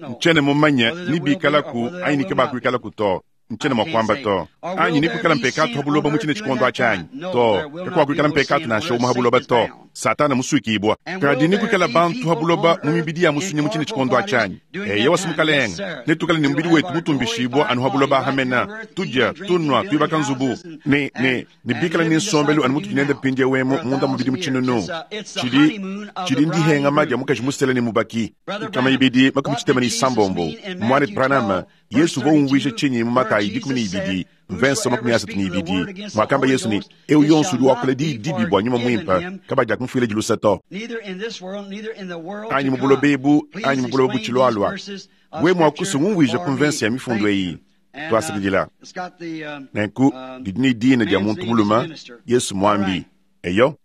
Ntshiena mumanye ni bikalaku anyi ni kabakuikalaku to. Ntshiena mua kuamba to. Anyi ni kuikala mpekatu ha buloba mu tshine tshikondo atshi anyi to. Kakuakuikala mpekatu nansha umue ha buloba to. Satana musuikibwa. Kadi ni kuikala bantu ha buloba mu mibidi ya musunyi mu tshine tshikondo atshi anyi. Eya wasimukalenga netukale ne mubidi wetu mutumbishibwa anu ha buloba hamena tudia tunwa tuibaka nzubu ne ne ne bikala ne nsombelu anu mutu nende mpindiewu emu munda mubidi mu tshinunu tshidi tshidi ndihengama dia mukaji musele ne mubaki. Nkama ibidi makumi tshitema ne isambombo. Muanetu Branham Yesu uvua umvuija tshinyi mu Matayi dikumi ne ibidi mvenso makumi asatu ne ibidi mwakamba Yesu ne eu yonso udi wakula diyi dibi bua nyuma muimpe kabadi akumfuila dilusa to. Anyi mu buloba ebu anyi mu buloba butshilualua we muakusa ngumvuija ku mvenso ya mifundu eyi. Twasakidila nenku didi ne dina dia muntu mulume Yesu mwambi. Eyo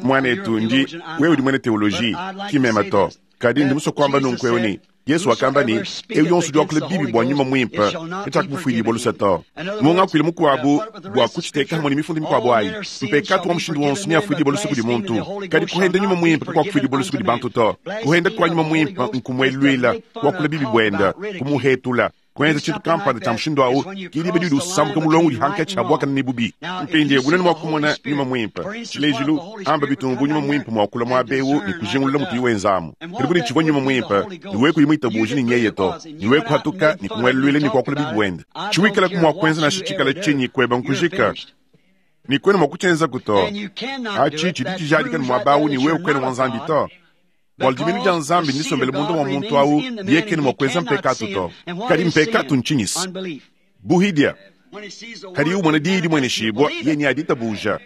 mwanetu ndi wewe udi mwene teoloji ki mema to. Kadi ndi musue kuamba nunku eu ne Yesu wakamba ne, eu yonso udi wakula bibi bua nyuma muimpe katshiakufuidibua luse to. Mu ngakuilu mukuabu bua kutshiteka hamwe ne mifundu mikuabu ayi, mpekatu wa mushindu wonso neafuidibue luse kudi muntu, kadi kuhenda nyuma muimpe kakuakufuidibua luse kudi bantu to. Kuhenda kua nyuma muimpe nkumueluila, kuakula bibi buenda, kumuhetula. Kuenza tshintu kampanda tshia mushindu awu kilibe didi usambuka mulongo udi hankatshi abuakana ne bubi. Mpindiewu bunene mua kumona nyuma muimpe, tshilejilu amba bitumbu nyuma muimpe muakula muabewu ne kujingulula mutu iwenzamu. Kadi kudi tshivua nyuma muimpe niwe kuyimuita buji ne nyeye to, niwe kuhatuka ne kumueluila ne kuakula bibi buenda. Tshiwikala kumua kuenza nansha tshikala tshinyi kueba nkujika. Ni kwenu mwa kuchenza kuto. Achi chidi tshijadika ne muabawu ni wewe kwenu mwa Nzambi to. Bua diminu dia Nzambi nisombele mundu wa muntu awu yekene mwa kuenza mpekatu to. Kadi mpekatu ntshinyisi. Buhidia. Kadi umona diyi dimwene shibwa ye ni aditabuja.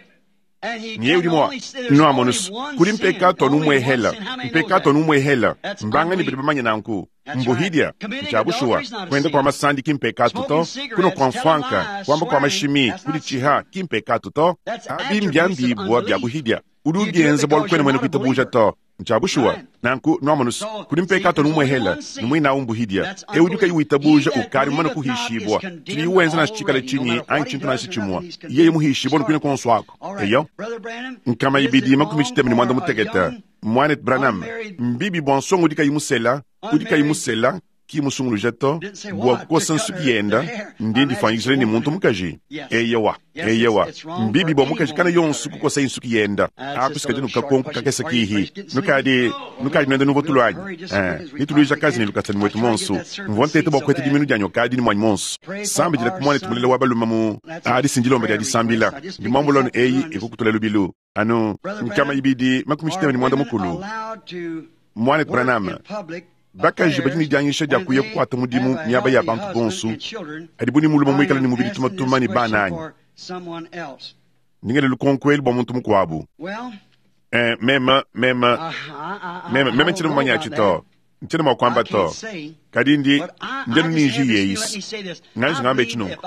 Niye udi mwa nwamonus kuli mpekatu anu umwehela. Mpekatu anu umwehela. Mbanga ni bidi bamanye nanku. Mbuhidia nchabushua kwenda kwa masandi kimpekatu to, kuno kwa mfanka kwamba kwa mashimi kuli chiha kimpekatu to. Abi mbyambibwa bya buhidia. Udi ubienza bua kwena mwene kuitabuja to. Nchabushua nanku nwamonus kuli mpekatu anu umwehela nimwina umbuhidia. Eudi kayi witabuja ukari mwana kuhishibwa. Tili uwenza na chikala chinyi anyi chintu na chimwa. Yeye muhishibwa nukwina konso wako. Eyo nkama ibidi makumi chitema ni mwanda muteketa. Mwanet Branham mbibi bwa nsongo udi kayi musela, udi kayi musela ki musunguluja to bua kukosa nsuki yenda ndi ndifanyikisile ni muntu mukaji. Eyewa eyewa mbibi bwa mukaji kana yonso kukosa insuki yenda akusikaji nukakonko kakesa kihi nukadi nukadi nwenda nuvo tulwanyi eh nituluija kazi ni lukasa ni mwetu monso mvua ntete bwa kwete diminu dyanyo kadi ni mwanyi monso sambi dila kumwana tumulela wa baluma mu adi sinjilomba dia disambila ndimwambulano eyi ikukutula lubilu anu nkama ibidi makumi chitema ni mwanda mukulu. Mwanet Branham bakaji badi ne dianyisha dia kuya kukwata mudimu miaba ya bantu bonso adi buni mulume muikale ne mubidi tumatuma ne bana anyi. Ndingele lukonko bua muntu mukuabu. Eh, meme meme meme meme ntshiena mumanya atshi to, ntshiena mua kuamba to, kadi ndi ndenu ninji yeisi nganji ngambe tshinunku.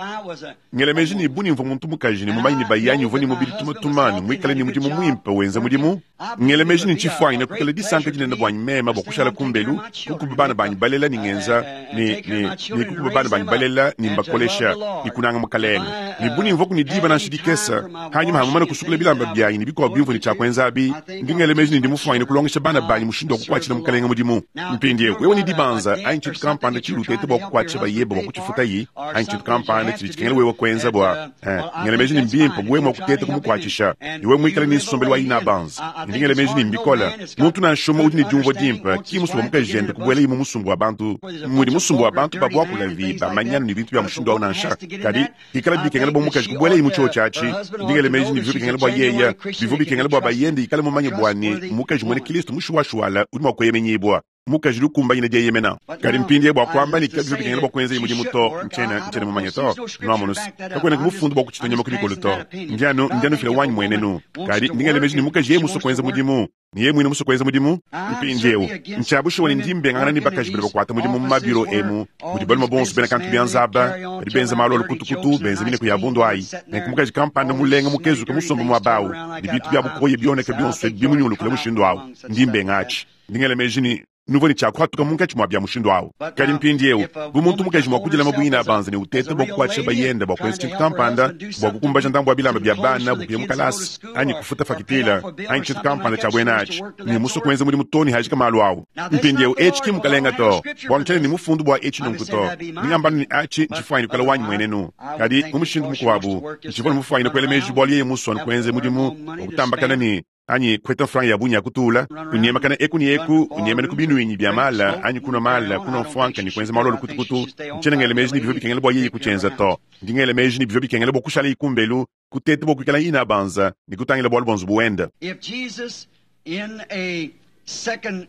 Ngele meji ni buni mvua muntu mukaji ni mumanyi ni bayanyi uvua ni mubidi tumatuma ni muikale ni mudimu muimpe wenza mudimu. Ngele meji ni ntshifuanyi na kukala disanka dinene buanyi mema bua kushala kumbelu kukuba bana banyi balela ni ngenza ni ni ni kukuba bana banyi balela ni mbakolesha ni kunanga mukalenga. Ni buni mvua kunidiba nansha dikesa hanyuma hamumana kusukula bilamba byanyi ni bikuwa bimvua ni tshakwenza abi. Ndi ngele meji ni ndi mufuanyi na kulongesha bana banyi mushindu wa kukwatshila mukalenga mudimu. Mpindiewu wewe ni dibanza anyi tshintu kampanda tshilutete bua kukwatshila bayeba bua kutshifuta yi anyi tshintu kampanda tshidi tshikengela wewe kwenza bua eh ngele meji ni mbimpe buwe mwa kuteta kumukwathisha niwe muikale ni nsombelu wa ina banza. Ndi ngele meji ni mbikola muntu nansha umwe udi ne diumvua dimpe ki musumba mukajende kubuela imu musumbu wa bantu mudi musumbu wa bantu babuakula vi bamanyana ni bintu bya mushindu awu nansha. Kadi ikala bikengela bua mukaji kubuela imu tshiotshi atshi. Ndi ngele meji ni bivua bikengela bua yeya bivua bikengela bua bayende ikale mumanye bua ne mukaji mwene Kristo mushuwashuwala udi mua kueyemenyibua. Mukaji lukumbanyine dieyemena. Kadi mpindie bua kuamba ni kabivua bikengela bua kuenza mudimu to ntshiena ntshiena mumanye to nwamonus kakwena kumufundu bua kutshitu nyama kubikolo to ndianu ndianu fila wanyi mwenenu. Kadi ndi ngele meji ni mukaji yeye muso kuenza mudimu ni yeye mwine muso kuenza mudimu. Mpindiewu ntshiabushuwa ni ndi mbengangana ni bakaji badi bakuata mudimu mu mabiro emu mudi balume bonso bena kantu bianzaba badi benza malu alukutukutu benza mineko ya bundu ayi. Nenku mukaji kampanda mulenga mukezuke musomba muabawu ni bintu bya bukoye bioneka bionso bimunyulukule mushindu awu ndi mbenga atshi. Ndi ngele meji ni nuvo ni tshiakuhatuka munkatshi mua bya mushindu awu. Kadi mpindiewu bu muntu mukaji mua kudila mabuina abanza ne utete bua kukuatshisha bayenda bua kuenza tshintu kampanda bua kukumbaja ndambu wa bilamba bya bana bukuya mu kalasi anyi kufuta fakitila anyi tshintu kampanda tshia buena atshi ne muso kuenza mudimu to ne hajika malu awu. Mpindiewu etshi ki mukalenga to bualu ntshiena ne mufundu bua etshi nunku to. Ndingambanu ni atshi ntshifuanyine kukala wanyi mwenenu. Kadi mu mushindu mukuabu ntshivua ne mufuanyine kuela meji bualu yeye musua ne kuenza mudimu wa kutambakana ne anyi kweta mfranga ya bunya kutula unyemakana eku ni eku unyemene ku binuinyi bya mala anyi kunwa mala kunwa mfwanka ni kuenza malu alukutukutu. Ntshiena ngele meji ni bivua bikengela bua yeye kutshienza to. Ndi ngele meji ni bivua bikengela bua kushala ikumbelu kutete bua kuikala ina banza ni kutangila bualu bua nzubu wenda. If Jesus in a second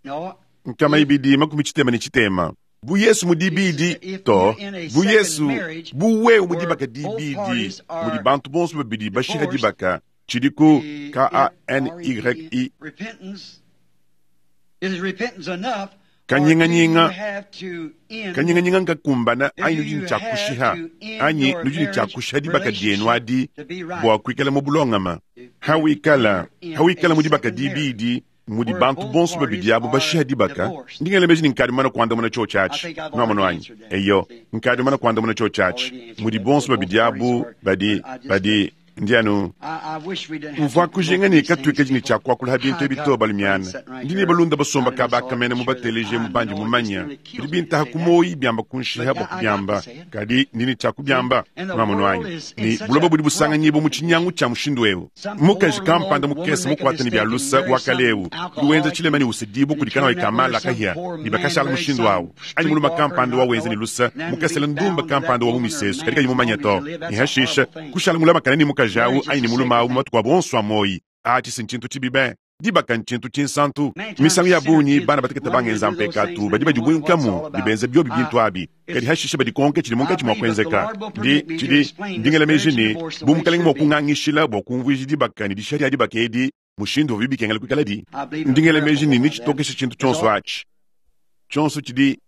no nkama ibidi makumi tshitema ni tshitema bu Yesu mudibidi to bu Yesu bu wewe mudibaka dibidi mudi bantu bonso babidi bashika dibaka Chidiku K A N Y I kanyinganyinga kanyinganyinga nkakumbana anyi nudi ne tshiakushiha anyi nudi ne tshiakushiha dibaka dienu adi bua kuikala mu bulongama. Hawikala hawikala mudibaka dibidi Mudi bantu bonso babidi abu bashiha dibaka, ndi ngela meji ne nkadi mumane kuandamuna tshiotshi atshi. Nwamonu anyi? Eyo, nkadi mumane kuandamuna tshiotshi atshi. Mudi bonso babidi abu badi, badi, ndi anu mvua kujinga ne katuikadi ne tshia kuakula ha bintu ebi to balumiana. Ndi ne balunda basomba kabaka mene mubateleje mubandi mumanya. Bidi bintaha ku moyi biamba kunshiha bua kubiamba, kadi ndi ne tshia kubiamba. Nwamonu anyi? Ne buloba budi busanganyibua mu tshinyangu tshia mushindu eu. Mukaji kampanda mukese mukuate ne bia lusa wa kale eu, udi wenza tshilema ne usedibua kudi kanayi ka mala kahia, ne bakashala mushindu awu. Anyi mulume kampanda wa wenza ne lusa, mukesela ndumba kampanda wa mu misesu, kadi kayi mumanya to. Ne hashisha, kushala mulamakane ne mukaji awu anyi ne mulume awu mu matuku abo onso a moyi. Atshi ntshintu tshibi be. Dibaka ntshintu tshinsantu. Misangu ya bungi bana batekete bangenza mpekatu badi badibuinkamu ne benza biobi bintu abi, kadi hashisha badikonke tshidi munkatshi mua kuenzeka. Ndi tshidi ndi ngela meji ne bu mukalenge mua kungangishila bua kumvuija dibaka ne dishiha dia dibaka edi mushindu uvua bikengela kuikaladi. Ndi ngela meji ne nitshitokesha tshintu tshionso atshi. Tshionso tshidi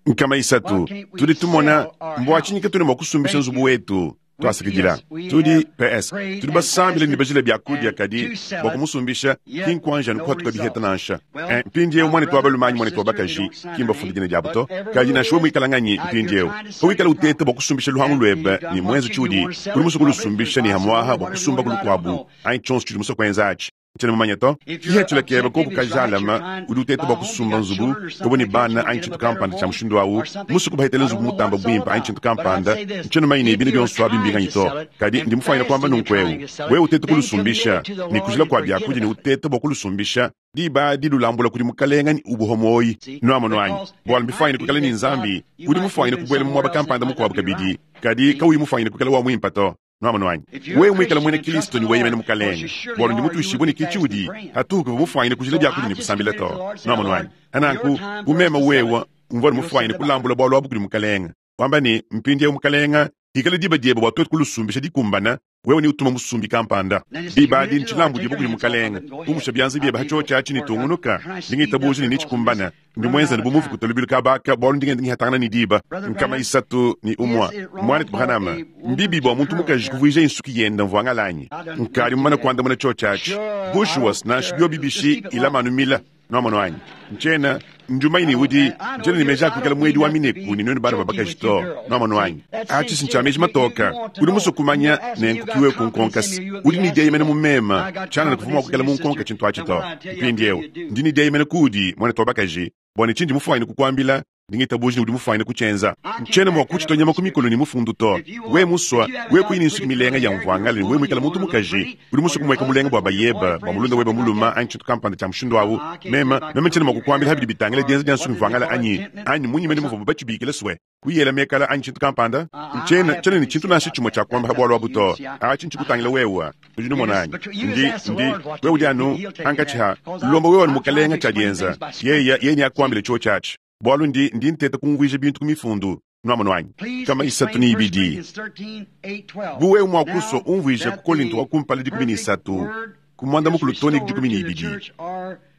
nkama isatu. Tudi tumona mbua tshinyi katuna mua kusumbisha nzubu wetu. Twasakidila. Tudi P S. Tudi basambile ne bajila bia kudia kadi bua kumusumbisha ki nkuanja ne kuhatuka biheta nansha. Mpindieu mwanetu wa balume anyi mwanetu wa bakaji ki mbafunda dina diabu to. Kadi nansha wewe muikala nganyi mpindieu, pawikala uteta bua kusumbisha luhangu luebe ne mwenza tshiudi, udi musue kulusumbisha ne hamuaha bua kusumba kulukuabu anyi tshionso tshiudi musue kuenza atshi. Ntshiena mumanye to. Kihetshila kebe koku kajalama udi uteta bua kusumba nzubu kobu ne bana anyi tshintu kampanda tshia mushindu awu, musue kubahetela nzubu mutamba buimpe anyi tshintu kampanda. Ntshiena mumanye ne bina bionso abi mbinganyi to. Kadi ndi mufanyine kuamba nunku eu, wewe uteta kulusumbisha ne kujila kua biakudia ne uteta bua kulusumbisha, diba dilulambula kudi mukalenga ne ubuho moyi. Nwamonu anyi? Bualu mbifanyine kuikala ne Nzambi, udi mufanyine kubuela mu muaba kampanda mukuabu kabidi, kadi kauyi mufanyine kuikala wa muimpe to. Nwamonu anyi? Wewe muikala mwena Kristo ne weyemena mukalenge, bualu ndi mutuishibue ne ki tshiudi, hatuku mufanyine kujila biakudia ne kusambila to. Nwamonu anyi? Hananku, bu meme wewe mvua mufanyine kulambula bualu abu kudi mukalenge, wamba ne mpindieu mukalenge, hikala diba diebe bua tuetu kulusumbisha dikumbana, wewe ne utuma musumbi kampanda. Diba adi ntshilambu diebe kudi mukalenge, umusha bianza biebe ha tshiotshi atshi ne tungunuka, ndi ngitabuja ne nitshikumbana. Ndi muenza ne bu muvu kutalubilu kabaka, bualu ndi ngenda ngihatangana ne diba. Nkama isatu ne umua. Mwanetu Branham, mbibi bua muntu mukaji kuvuija insuki yenda mvua ngalanyi. Nkadi mumane kuandamuna tshiotshi atshi. Bushuwa nansha biobi bishi ilamanu mila. Nwamonu anyi? Ntshiena njumanyi ne udi ntshiena ne meji a kuikala muedi wa mineku ne nuenu bana ba bakaji to. Nwamonu anyi? Atshi si ntshia meji matoka. Udi musue kumanya ne nkukiwe ku nkonkasi. Udi ne dieyemena mu mema, tshiana ne kuvua mua kuikala mu nkonka tshintu atshi to. Mpindieu ndi ne dieyemena kuudi mwanetu wa bakaji, bua ne tshindi mufanyine kukuambila, ndi ngitabuja ne udi mufanyine kutshienza. Ntshiena mua kutshitwa nyama ku mikolo ne mufundu to. We musua, we kuyi ne nsuki milenga ya mvuangale ne we muikala muntu mukaji, udi musue kumueka mulenga bua bayeba, bua mulunda webe muluma anyi tshintu kampanda tshia mushindu awu. Mema, meme ntshiena mua kukuambila habidi bitangila dienza dia nsuki mvuangale anyi, anyi munyi mene muvuabu batshibikila swe, kuyela mekala anyi tshintu kampanda. Ntshiena, ntshiena ne tshintu nansha tshimue tshia kuamba ha bualu abu to. Atshi ntshikutangila wewe. Udi numona anyi? Ndi, ndi, wewe udi anu hankatshi ha lomba wewe anu mukalenga tshia dienza. Yeye, yeye neakuambile tshiotshi atshi. Bualu ndi, ndi nteta kumvuija bintu ku mifundu. Nwamonu anyi? Kama isatu ne ibidi. Bu wewe mua kusua umvuija ku Kolinto wa kumpala dikumi ne isatu, ku muanda mukulu too ne dikumi ne ibidi.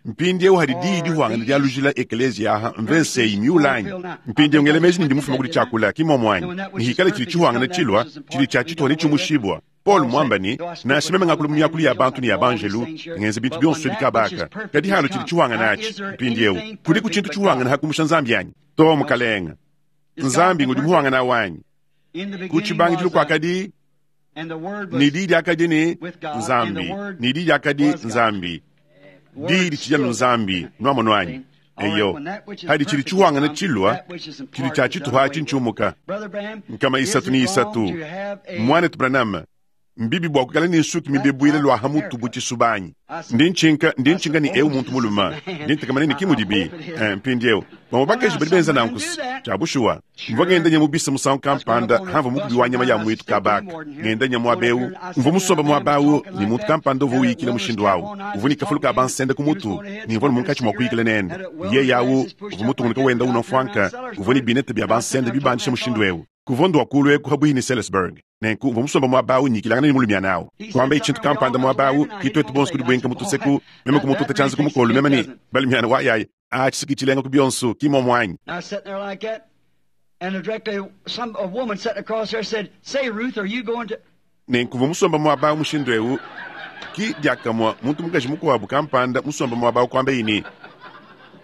Mpindieu hadi diyi dihuangana dia lujila ekeleziya aha mvese eyi miula anyi? Mpindieu ngela meji ne ndi mufuma kudi tshiakula, ki muomu anyi? Ne hikala tshidi tshihuangana tshilua, tshidi tshia tshituha ne tshiumushibua. Paul mwamba ne, nansha meme ngakula mu miakulu ya bantu ne ya banjelu, ngenza bintu bionso ebi kabaka. Kadi halo tshidi tshihuangana atshi. Mpindieu kudiku tshintu tshihuangana ha kumusha Nzambi anyi? To mukalenga. Nzambi ngudi muhuangana wanyi. Ku tshibangidilu kuakadi ne diyi diakadi ne Nzambi, ne diyi diakadi Nzambi. Diyi ditshidi anu Nzambi, nwamonu anyi? Eyo, hadi tshidi tshihuangana tshilua, tshidi tshia tshituha atshi ntshiumuka. Nkama isatu ne isatu. Mwanetu Branham, mbibi bua kuikala ne nsuki mibebuile lua ha mutu bu tshisuba anyi? Ndi ntshinka, ndi ntshinka ne eu muntu mulume. Ndi ntekamana ne ki mudibi. Mpindieu, bamue bakaji badi benza nanku tshia bushuwa. Mvua ngenda nya mu bisa musangu kampanda, hamvua mukubi wa nyama ya mwitu kabaka. Ngenda nya muaba eu, mvua musomba muaba awu ne muntu kampanda uvua uyikila mushindu awu. Uvua ne kafulu ka bansenda ku mutu, ne mvua ne munkatshi mua kuyikila nende. Yeye awu uvua mutungunuka wenda unua mfuanka, uvua ne binete bia bansenda bibandisha mushindu eu. Kuvua ndua kulu eku habuihi ne Salisbury. Nenku mvua musomba muaba awu nyikilangana ne mulumiana awu. Kuamba tshintu kampanda muaba awu, ki tuetu bonso kudi buenka mutuseku, meme kumututa tshianza ku mukolo, meme ne balumiana wa yayi, atshi siki tshilenga ku bionso, ki muomu anyi? Nenku mvua musomba muaba awu mushindu eu, Ki diakamue muntu mukaji mukuabu kampanda musombe muaba awu kuambaye ne,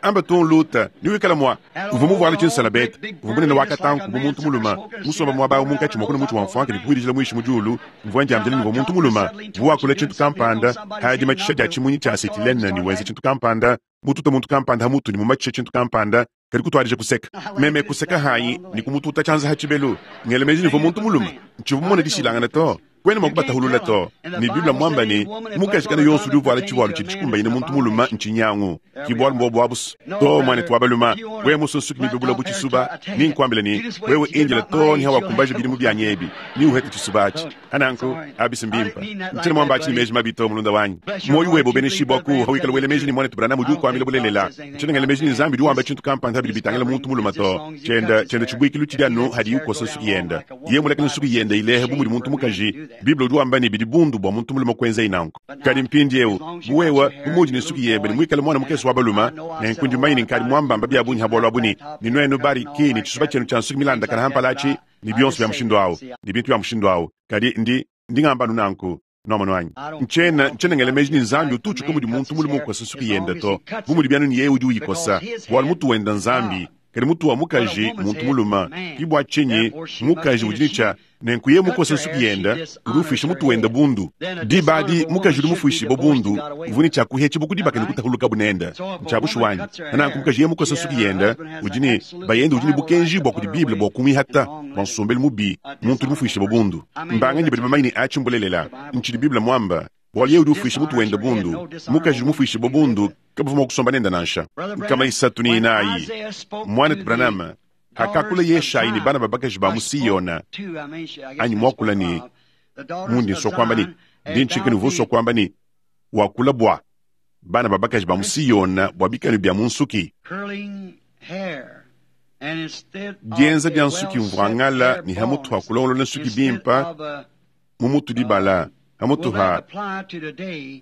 Amba tung Luta, ne wikala mua uvua muvuale tshinsalabete, uvua munene wa katanku bu muntu mulume, musombe muaba awu munkatshi mua kuna mutshi wa mfuanka ne kubuidijila muishi mu diulu. Mvua ndiambila ne uvua muntu mulume, uvua wakula tshintu kampanda, ha dimatshisha dia tshimunyi tshia acetilene ne wenza tshintu kampanda, mututa muntu kampanda ha mutu ne mumatshisha tshintu kampanda, kadi kutuadija kuseka. Meme kuseka hanyi ne kumututa tshianza ha tshibelu, ngela meji ne uvua muntu mulume, ntshivua mumone dishilangana to. Kwena mua kubatahulula to. Ne Bible mwamba ne, mukaji kana yonso udi uvuala tshivualu tshidi tshikumbanyine muntu mulume ntshinyangu. Ki bualu mbuobu abusu. To muanetu wa balume, wewe musunsuki mibebula bu tshisuba, ni nkuambila ne, wewe indila to ni hawakumbaja bidimu bianyi ebi, ni uhete tshisuba atshi. Hananku, abisi mbimpa. Ntshiena muamba atshi ne meji mabi to mulunda wanyi. Muoyo webe ubeneshibua ku hawikala wela meji ne muanetu Branham udi ukuambila bulelela. Ntshiena ngela meji ne Nzambi udi wamba tshintu kampanda bidi bitangila muntu mulume to. Tshienda tshienda tshibuikilu tshidi anu hadiye ukosa nsuki yenda. Yeye mulekele nsuki yenda ilehe bu mudi muntu mukaji. Bible udi wamba ne bidi bundu bua muntu mulume kuenza nanku. Kadi mpindiewu, bu wewe bu mudi ne nsuki yebe ne muikale mwana mukese wa balume, nenku ndi mumanye ne nkadi muambamba bia bungi ha bualu abu ne ne nuenu bari ki ne tshisuba tshienu tshia nsuki milandakana ha mpala atshi ne bionso bia mushindu awu ne bintu bia mushindu awu. Kadi ndi ndi ngamba anu nanku. Nuamonu anyi? Ntshiena ntshiena ngela meji ne Nzambi utu utshuka mudi muntu mulume ukosa nsuki yenda to, bu mudi bianu ne yeye udi uyikosa, bualu mutu wenda Nzambi. Kadi mutu wa mukaji muntu mulume, ki bua tshinyi mukaji udi ne tshia nenku yeye mukosa nsuki yenda udi ufuisha mutu wenda bundu. Diba adi mukaji udi mufuishibue bundu uvua ne tshia kuhetshibua ku dibaka ne kutahulukabu nenda. Ntshia bushuwa anyi? Nanku mukaji yeye mukosa nsuki yenda udi ne bayende udi ne bukenji bua kudi Bible bua kumuihata bua nsombelu mubi, muntu udi mufuishibue bundu. Mbanganyi badi bamanye ne atshi mbulelela? Ntshidi Bible muamba. Bualu yeye udi ufuisha mutu wenda bundu, mukaji udi mufuishibue bundu kabavua mua kusomba nenda nansha. Nkama isatu ne inayi, muanetu Branham hakakula Yeshayi ne bana ba bakaji ba mu Siyona, anyi muakula ne mundi nsua kuamba ne ndi ntshika ne uvua usua kuamba ne wakula bua bana ba bakaji ba mu Siyona bua bikanu bia mu nsuki. Dienza dia nsuki mvuangala ne hamutu ha kulongolola nsuki bimpa mu mutu dibala hamutu ha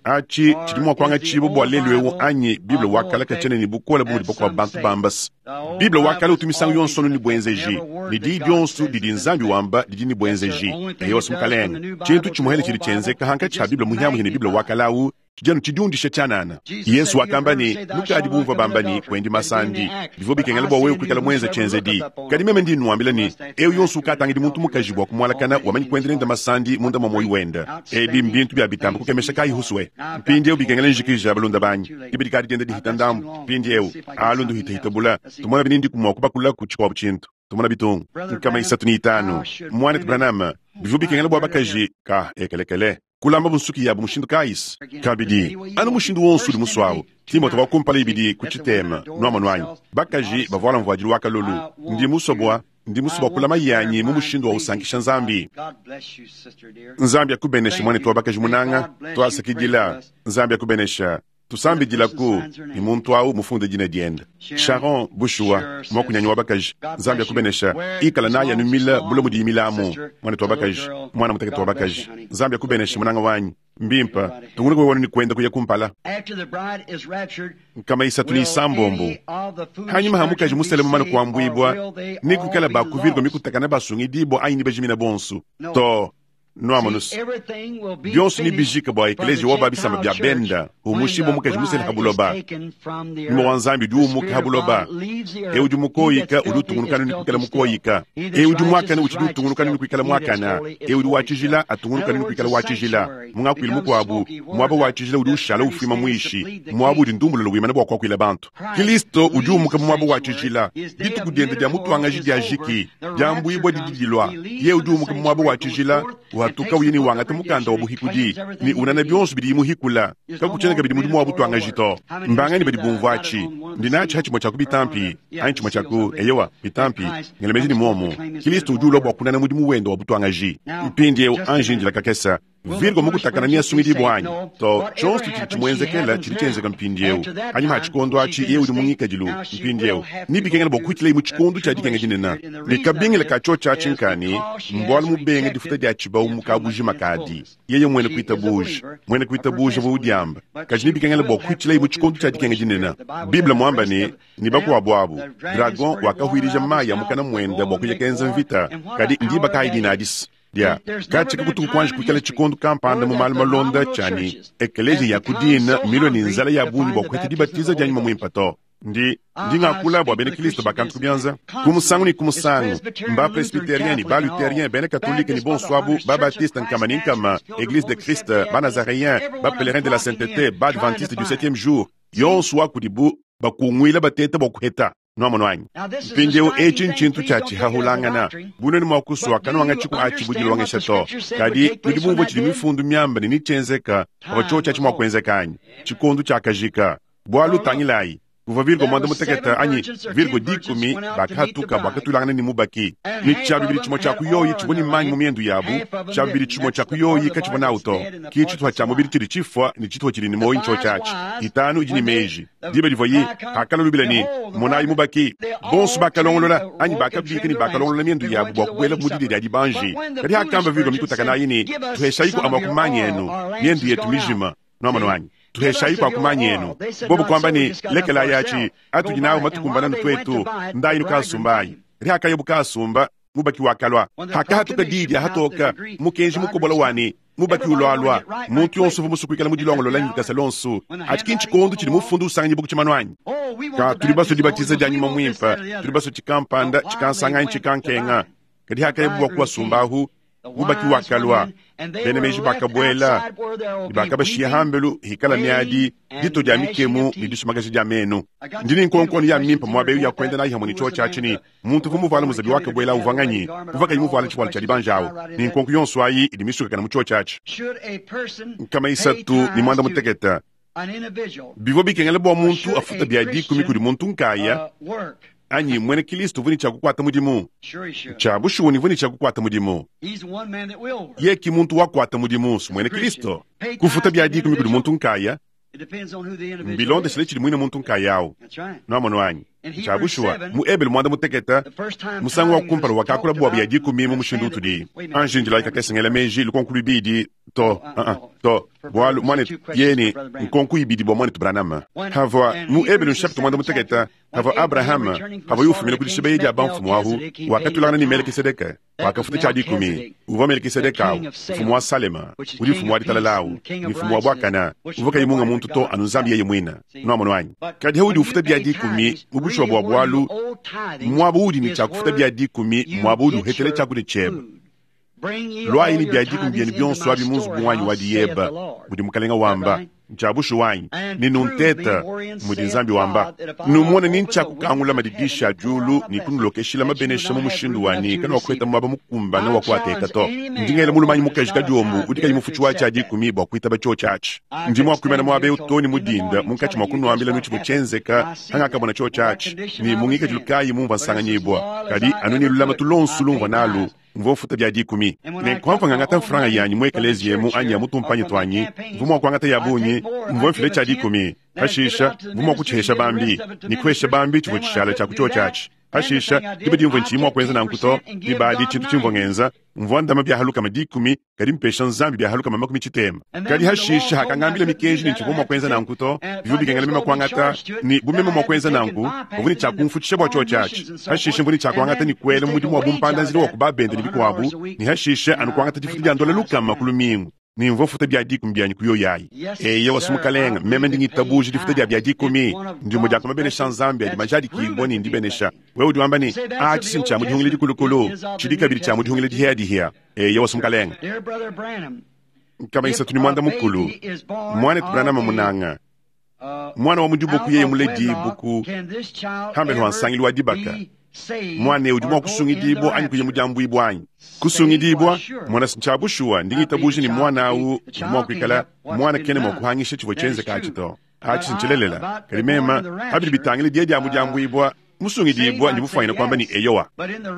atshi tshidi mua kuangatshibua bua lelu eu anyi Bible wa kale katshiena ne bukole bu mudi bakuabu bantu bambasa. Bible wa kale utu misangu yonso ne buenzeji, ne diyi dionso didi Nzambi wamba didi ne buenzeji. Eyowa Mukalenge, tshintu tshimuhele tshidi tshienzeka hankatshi ha Bible muhiamuhia ne Bible wa kale awu tshidi anu tshidiundisha tshianana. Yesu wakamba ne, nukadi bumvua bamba ne kuendi masandi, bivua bikengela bua wewe kuikala muenza tshienzedi. Kadi meme ndi nnuambila ne, eu yonso ukatangidi muntu mukaji bua kumualakana wamanyi kuenda nende masandi munda mua muoyo wenda. Ebi mbintu bia bitamba kukemesha kayi huswe. Mpindiewu bikengela njikija balunda banyi, diba dikadi dienda dihita ndambu. Mpindiewu alu nduhitahita bula, tumona binindi kumua kubakula ku tshikuabu tshintu. Tumona bitungu nkama isatu ne itanu. Muanetu Branham, bivua bikengela bua bakaji ka ekelekele kulamba bunsuki yabu mushindu kayisi. Kabidi anu mushindu wonso udi musuawu. Timote wa kumpala ibidi ku tshitema nuamonu anyi, bakaji bavuala mvuadilu wa kalolu. Ndi musue bua ndi musue bua kulama yanyi mu mushindu wa usankisha Nzambi. Nzambi akubenesha muanetu wa bakaji munanga, tuasakidila. Nzambi akubenesha. Tusambidilaku ne muntu awu mufunde dina dienda. Sharon bushuwa muakunyanyi wa bakaji. Nzambi akubenesha. Ikala naye anu mila bula mudi milamu muanetu wa bakaji, mwana mutekete wa bakaji. Nzambi akubenesha munanga wanyi. Mbimpa tungunuka wewe ni kwenda kuya kumpala. Nkama isatu ne isambombo. Hanyuma ha mukaji musele mumane kuambuibua ni kukala bakuvirwa mikutakana basungidibwa anyi ni bajimina bonso to. Nuamonus bionso ni bijika bua eklezia wa babisamba bia benda umushibwa mukaji musele ha buloba. Nyuma wa Nzambi udi umuka ha buloba. Eu udi mukoyika udi utungunuka ni kuikala mukoyika. Eu udi muakana utshidi utungunuka ni kuikala muakana. Eu udi wa tshijila atungunuka ni kuikala wa tshijila. Mungakuila mukuabu muaba wa tshijila udi ushala ufuima muishi. Muaba udi ndumbulula wimana bua kuakuila bantu. Kristo udi umuka mu muaba wa tshijila. Dituku diende dia mutuangaji dia jiki diambuibua didi dilua. Ye udi umuka mu muaba wa tshijila watuka uye ni wangata mukanda wa buhikudi ni unana bionso bidi muhikula kakutshiena kabidi mudimu wa butuangaji to. Mbangani badi bumvua atshi ndi natshi ha tshimue tshia ku bitampi anyi tshimue tshia ku eyowa bitampi ngela meji ni muomu Kristo udi ulua bua kunana mudimu wenda wa butuangaji. Mpindiewu anji ndila kakesa Virgo mukutakana ni asungidibua anyi to tshionso tshidi tshimuenzekela tshidi tshienzeka mpindiewu. Anyima ha tshikondo atshi yeye udi mungikadilu mpindiewu ni bikengela bua kuhitila mu tshikondo tshia dikenga dinene ne kabingila ka tshio tshiatshi nkani mbualu mubenge difuta dia tshibawu mukabujima kadi yeye mwene kuitabuja mwene kuitabuja bu udiamba kaji ni bikengela bua kuhitila mu tshikondo tshia dikenga dinene. Bible muamba ne ni bakuabu abu dragon wakahwirija mayi ya mukana mwenda bua kuya kenza mvita kadi ndiba kayi dinadisi. Dia katshika kutuku kuanji kuikala tshikondo kampanda mu malu malonda tshiani ekeleziya ya kudina milwe ne nzala ya bungi bua kuheta dibatiza dia nyuma muimpe to. Ndi ndi ngakula bua bena Kristo bakantu kubyanza ku musangu ne ku musangu mba presbytérien ni ba luthérien bena catholique ni bonso abu ba baptiste nkama ni nkama église de Christ ba nazaréen ba pèlerin de la sainteté ba adventiste du septième jour yonso wa kudibu bakungwila bateta bua kuheta nwamonu wanyi mpindieu etshi ntshintu tshia tshihahulangana bunene mua kusua kanuanga tshiku atshi budilongesha to kadi tudi bumvua tshidi mifundu miamba ne nitshienzeka pavua tshiotshi atshi mua kuenzeka anyi tshikondo tshiakajika bualu tangilayi kuva virgo mwanda mutekete anyi virgo dikumi bakahatuka bakatulangana ni mubaki ni tshia bibili tshimue tshia kuyoyi tshivua ni manyi mu miendu yabu tshia bibili tshimue tshia kuyoyi katshivua nawu to ki tshituha tshia mubili tshidi tshifua ni tshituha tshidi ni moyi ntsho tshiatshi itanu idi ni meji diba divua yi hakala lubila ni monayi mubaki bonso bakalongolola anyi bakabika ni bakalongolola miendu yabu bua kubuela mu didi dia dibanji kadi hakamba virgo mikutakanayi ni tuheshayiku amua kumanyi enu miendu yetu mijima nwamano anyi tuheshayi kwa kumanya enu bobo kwamba ni lekela yachi atudi nawo matukumbana nutwetu ndayi nukasumbayi rihakaye bukasumba mubaki wakalwa hakahatuka didi ahatoka mukenji mukobola wani mubaki ulwalwa muntu yonso vumu kuikala mudilongolola nyikasa lonso ati tshikondo tshidi mufundu usanganyi buku tshimanu anyi ka tuli baso dibatiza dia nyuma muimpe tuli baso tshikampanda tshikasanganyi tshikankenga kadi hakaye bua kuwasumbahu mubaki wakalwa bene meji bakabuela bakabashiya hambelu hikala miadi dito dia mikemu ne disumakaji dia menu ndini nkonkono ya mimpa muaba eyu ya kuenda nayi hamwe ne tshiwo tshiatshi muntu vumuvala muzabi wakabuela uvanganyi uvakayi muvala tshivuala tshia dibanja awu ni nkonko yonso ayi idi misukakana mu tshiwo tshiatshi nkama isatu ni mwanda mutekete bivua bikengela bua muntu afuta bia dikumi kudi muntu nkaya anyi mwene Kristo vuni tshia kukuata mudimu tshia bushuwa ni vuni tshia kukuata mudimu ye ki muntu wakuata mudimu su mwene Kristo kufuta bia dikumi kudi muntu nkaya mbilondeshele tshidi mwine muntu nkaya awu nwamonu anyi tshia bushuwa mu ebele mwanda mutekete musangu wa kumpala wakakula bua bia dikumi mu mushindu utudi anjinjila ikakesengela meji lukonku luibidi to uh -uh, to bualu mwanetu yeni nkonku ibidi bua mwanetu Branham havua mu ebele nshapita mwanda mutekete havua Abraham havua yufumina kudi shibeyi dia bamfumu ahu wakatulangana ni Melkisedeke wakafuta tshia dikumi uvua Melkisedeke awu mfumu wa Salema udi mfumu wa ditalala awu ni mfumu wa bwakana uvua kayi munga muntu to anu nzambi yeye mwina nwamonu anyi kadi haudi ufuta bia dikumi mu bushuwa bua bualu muaba udi ni tshia kufuta bia dikumi muaba udi uhetele tshiakudia tshiebe lwayi ni bia dikumi bienu bionso abi mu nzubu wanyi wa diyeba mudi mukalenga wamba ntshia bushuwa wanyi ni nunteta mudi nzambi wamba numone ni ntshia kukangula madidisha a diulu ni kunulokeshila mabenesha mu mushindu wani kana wakuheta muaba mukumbana wa kuateka to ndingela mulumanyi mukaji kadiombu udi kayi mufutshi wa tshia dikumi bua kuitaba tshio tshiatshi ndi mua kuimana muaba eu to ni mudinda munkatshi mua kunuambila nu tshivua tshienzeka hangakabona tshio tshiatshi ni mungikadilu kayi mumvua nsanganyibua kadi anu ni lulamatu lonso lumvua nalu mvua mfuta bia dikumi nenkuamva ngangata mfranga yanyi mu ekeleziya emu anyi ya mutumpanyi twanyi mvua mua kuangata ya bungi mvua mfile tshia dikumi pashisha mvua mua kutshihesha bambi ni kuhesha bambi tshivua tshishala tshia kutshio tshiatshi pashisha diba dimvua ntshiyi mua kuenza nanku to dibadi tshintu tshimvua ngenza mvua ndama bia halukama dikumi kadi mpesha nzambi bia halukama makumi tshitema kadi hashisha hakangambila mikenji ni tshivua mua kuenza nanku to bivua bikengela mema kuangata ni bumema mua kuenza nanku mvua ni tshia kumfutshisha bua tshio tshiatshi hashisha mvua ni tshia kuangata ni kuela mudimu wa bumpanda nzila wa kubabende ni bikuabu ni hashisha anu kuangata difuta dia ndola lukama ku lumingu ni mvua futa bia dikumi bianyi kuyoyayi eya wasumukalenga meme ndi ngitabuja difuta dia bia dikumi ndimo dia kumabenesha nzambi adi majadikibua ni ndibenesha wewe udi wamba ni a tshisinyi tshia mudihungile dikulukulu tshidi kabidi tshia mudihungile dihiyadihiya eya wasumukalenga nkama isatu ni mwanda mukulu mwanetu Branham munanga mwana wa mudibuku yeye muledibuku hambelu wa nsangilu wa dibaka mwana udi mua kusungidibua anyi kuya mudiambuibua anyi kusungidibua mwana tshia bushuwa ndingitabuja ni mwana awu udi mua kuikala mwana kene mua kuhangisha tshivua tshienzeka atshi to atshi ntshilelela kadi mema abidi bitangile die dia mudiambuibua musungidibua ndi mufuanyina kuamba ni eyowa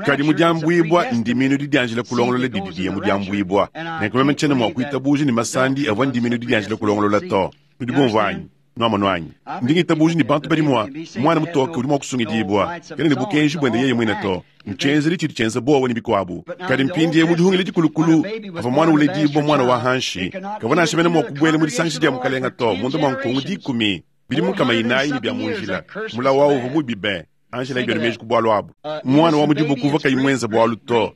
kadi mudiambuibua ndiminu didianjila kulongolola didi diye mudiambuibua nenku meme ntshiena mua kuitabuja ni masandi avua ndiminu didianjila kulongolola to nudi bumvua anyi nwamonu anyi ndingitabuja ni bantu badi mua mwana mutoke udi mua kusungidibua kene ne bukenji buende yeye mwine to ntshienzeli tshidi tshienza bowa ni bikuabu kadi mpindie mudihungile dikulukulu avua mwana uledibua mwana wa hanshi kavua nansha mene mua kubuela mu disangisha dia mukalenga to munda mua nkongu dikumi bidi munkama inayi ni bia mu njila mulawu awu uvua mubi be Angela ibyo meji ku bwalu abu. Mwana wa mudimu kuva kayimwenza bwalu to.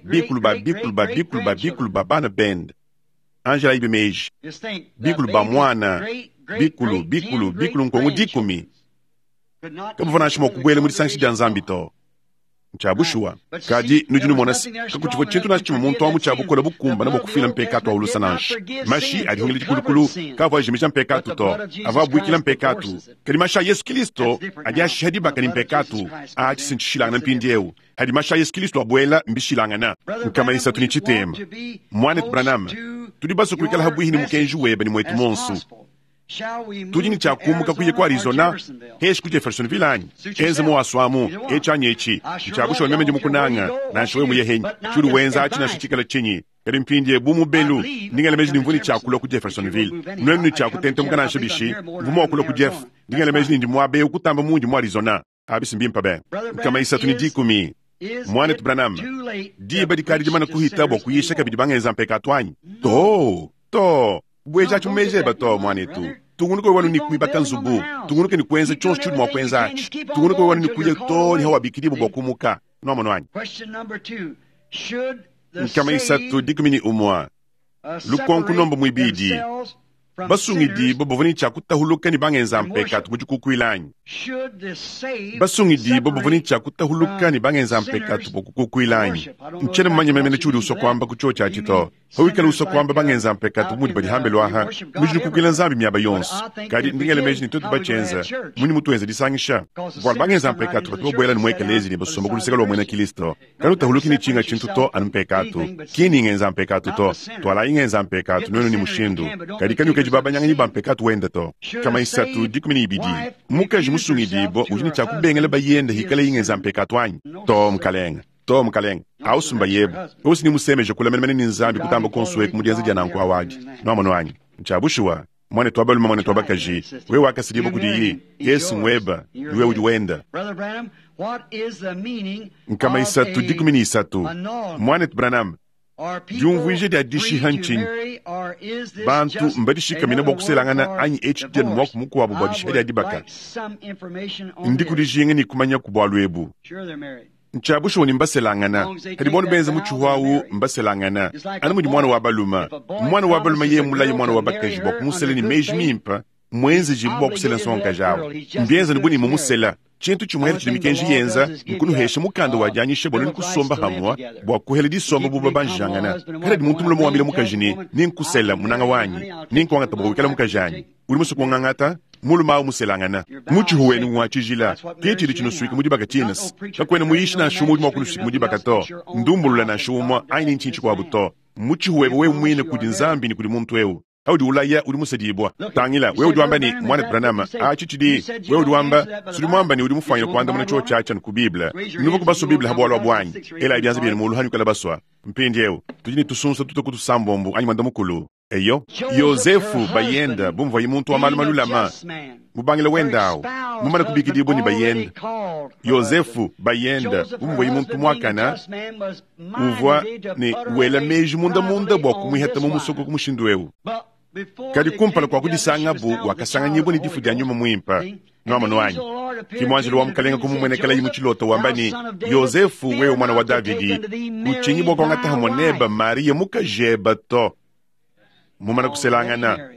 Bikulu ba bikulu ba bikulu ba bikulu ba bana bend. Angela ibyo meji. Bikulu ba mwana, bikulu bikulu bikulu nkongo dikumi. Kabuvana shimo kubwele muri sanshi dia Nzambi to. Nchabushua. Kadi nudi numona kakuchivua chintu nashi chimwe muntu amu chabukola bukumba na bokufila mpekatu aulusa nashi. Mashi adihungile dikulukulu kavua ajimisha mpekatu to. Ava abuikila mpekatu. Kadi mashi a Yesu Kristo adi ashiha dibaka ni mpekatu aatshishilangana mpindiewu. Hadi mashi a Yesu Kristo abuela mbishilangana. Nkama isatu ni chitema. Mwana Branham, tudi baso kuikala habwihi ni mukenji webe ni mwetu monsu. Tudi ni chakumbuka kuye kwa Arizona heshi ku Jeffersonville anyi enze muwaswamu echanyi echi nchakusha meme ndi mukunanga nanshowe muyehenyi chuli wenza achi nashichikala chinyi kadi mpindie bu mubelu ndingele meji nimvuni chakula ku Jeffersonville nwenu ni chakutentemuka nansha bishi mvumo wakula ku Jeff ndingele meji nindi mwabe ukutamba mundi mu Arizona abisi mbimpa be kama isatu ni dikumi Mwana Branham diba dikadi dimana kuhita bwa kuyisha kabidi bangenza mpekatu anyi to to bweja chumejeba to mwanetu tungunuke wanu ni kuibaka nzubu tungunuke ni kuenza chonse chuli mwa kuenza achi tungunuke wanu ni kuya to ni hawa bikiribu bwa kumuka nomo nwanyi nkama isatu dikumi ni umwa lukonku nombo mwibidi basungidi bo bovoni chakutahuluka ni bangenza mpekatu mujikukuilanyi basungidi bo bovoni chakutahuluka ni bangenza mpekatu bokukukuilanyi nchene mumanye memene chuli usokwamba kucho chachito hawikala usokwamba bangenza mpekatu mudi badihambe lwaha mujikukuila nzambi miaba yonso kadi ndingele meji ni twetu bachenza muni mutuenza disangisha bwala bangenza mpekatu batu babwela ni mwekelezi ni basomba kuluseka lwa mwena Kristo kadi utahuluki ni chinga chintu to anu mpekatu kini ngenza mpekatu to twala ingenza mpekatu nwenu ni mushindu kadi kani ukeji babanyanganyi bampekatu wenda to kama isatu dikumi ni ibidi mukaji musungidibo udi ni chakubengela bayenda hikala ingenza mpekatu anyi to mkalenga to mkalenga ausumba yebu osi ni musemeje kula menemene ni nzambi kutamba konsuwe kumudienza dia nanku awadi noamono anyi nchabushuwa mwane twabaluma mwane twabakaji we wakasilibo kudiyi Yesu mweba niwe udi wenda nkama isatu dikumi ni isatu mwane Branham diumvuije dia dishiha nchinyi bantu mbadishikamina bwa kuselangana anyi echitya ni mwaku mukuwabu bwa dishiha dia dibaka ndikudijinga ni kumanya ku bwalu ebu nchabushuwa ni mbaselangana kadi bonu benza muchihuawu mbaselangana anu mudi mwana wa baluma mwana wa baluma ye mulayi mwana wa bakaji bwa kumusela ni meji mimpa mwenzeji bwa kusela nsonga jawo mbienza ni buni mumusela chintu chimwere chili mikenji yenza nkunuhesha mukanda wajanyishe bwanu nikusomba hamwa bwa kuhela disomba buba banjangana kala di muntu mulomo wambile mukajini ninkusela munanga wanyi ninkuangata bwa wikala mukajanyi uli musu kuangangata muluma awu muselangana muchihuweni mwachijila kichili chinusuika mudibaka chinas kakwene muyishi na shumu udi mwakunusuika mudibaka to ndumbulula na shumwa aini nchinchi kwabu to muchihuwebe we mwine kudi nzambi ni kudi muntu ewu audi ulaya udi musadibwa tangila we udi wamba ni mwana Branham achi chidi we udi wamba sudi mwamba ni udi mufanyira kuandamana cho chacha ni ku Biblia nuva kubaso Biblia habwalwa bwanyi ela ibyanza byene mulu hanyu kala baswa mpindi ewu tudi ni tusunsa tuto kutusambombo anyi mwanda mukulu eyo Yosefu bayenda bumva muntu wa malu malulama mubangila wendawo mumana kubikidibo ni bayenda Yosefu bayenda bumva muntu mwakana uvwa ni wela meji munda munda bwa kumwihata mu musoko kumushindu ewu kadi kumpala kwa kudisanga bu wakasanganyibwa ni difu dia nyuma mwimpa nwamano anyi kimwanjelo wa mukalenga kumumwenekela yimu chilota wamba ni Yosefu wewe mwana wa Davidi uchinyi bwa kwangataha mwaneba Maria mukajeba to mumana kuselangana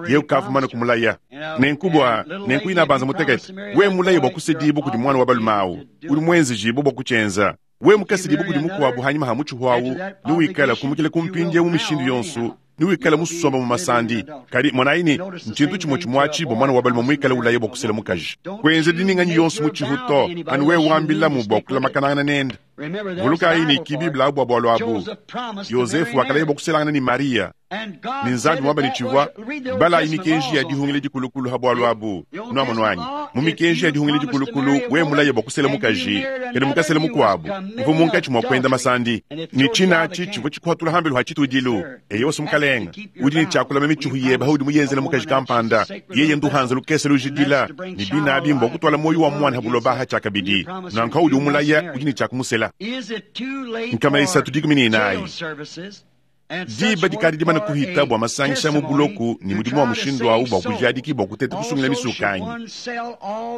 ye ukavumana kumulaya nenkubwa nenkuina banza mutekete we mulaye bwa kusedibo kudi mwana wa balumawu uli mwenzijibo bwa kuchenza we mukasedibo kudi mukuwabu hanyuma ha muchihuawu niwikala kumukile kumpindye mu mishindu yonsu niwikala musomba mu masandi kadi mwanaini nchintu chimwe chimwachi bwa mwana wa baluma mwikala ulaye bwa kusela mukaji kwenze dininganyi yonsu muchihu to anu we wambilamu bwa kulamakanangana nenda vuluka ini kibibla abu bwa abu Yosefu wakalaye bwa kuselangana ni Maria ni nzambi mwamba ni chivwa bala imikenji ya dihungile dikulukulu ha bwalu abu nwamonu anyi mu mikenji ya dihungile dikulukulu we mulaye bwa kusela mukaji kadi mukasela mukuabu mvu munkatshi mwa kwenda masandi ni chinachi chivwa chikuhatula hambelu ha chitudilu eyo osi mukalenga udi ni chakulama michuhu yeba haudi muyenzela mukaji kampanda yeye nduhanza lukese lujidila ni binabi mbwa kutwala moyo wa mwana habuloba ha chakabidi nanka udi umulaya udi ni chakumusela nkama isatu dikumi ni inayi Diba dikadi dimana kuhita bua masangisha mu buloku ne mudimu wa mushindu awu bua kujadiki bua kuteta kusungila misukanyi.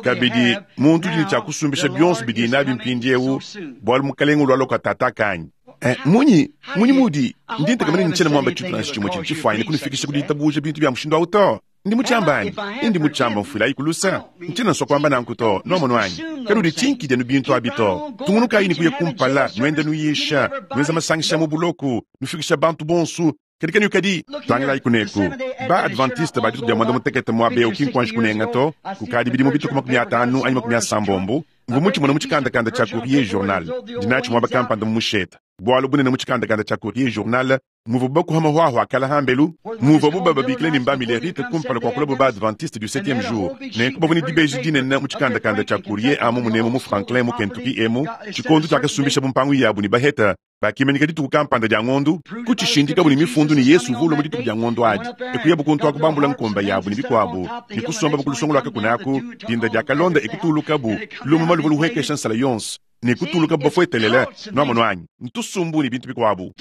Kabidi muntu udi ne tshia kusumbisha bionso bidi nabi mpindiewu bualu mukalenga ulua tatakanyi. Eh, munyi munyi mudi ndi ntekamene ntshiena muamba tshintu nansha tshimue tshidi tshifuanyine kunufikisha ku ditabuja bintu bya mushindu awu to. Ndi mutshiamba anyi? Ndi mutshiamba mfuilayi kulusa. Ntshiena nsua kuamba nanku to, nuamono anyi? Kanudi tshinkidia nu bintu abi to. Tungunukayi ne kuya kumpala, nuenda nuyisha, nuenza masangisha mu buloku, nufikisha bantu bonsu. Kadi kanu kadi tangilayi kuneku. Ba Adventiste ba dituku dia mwanda mutekete muaba eu ki nkuanji kunenga to, kukadi bidimu bituku makumi atanu anyi makumi asambombo, mvua mutshimone mu tshikandakanda tshia Courrier Journal, ndinatshi muaba kampanda mu musheta. Bualu bunene mu tshikandakanda tshia Courrier Journal, muvua bakuha mahwahwa akala hambelu, muvua buba babikile ne mba Millerite kumpala kua kulabo ba Adventiste du septième jour. Nenku bavua ne dibeji dinene mu tshikandakanda tshia Courrier amu munemu mu Franklin mu Kentucky emu, tshikondo tshiakasumbisha bumpangu yabu ne baheta, bakimanyika dituku kampanda dia ngondu, kutshishindikabu ne mifundu ne Yesu uvua ulua mu dituku dia ngondu adi. Ekuyabu kuntu akubambula nkomba yabu ne bikuabu, ne kusomba kulusongo lwakakunaku, dinda dia kalonda ekutulukabu, lumuma luvua luhekesha nsala yonso. Ne kutuluka bafuetelele nuamono anyi ntusumbu ne bintu bikuabu.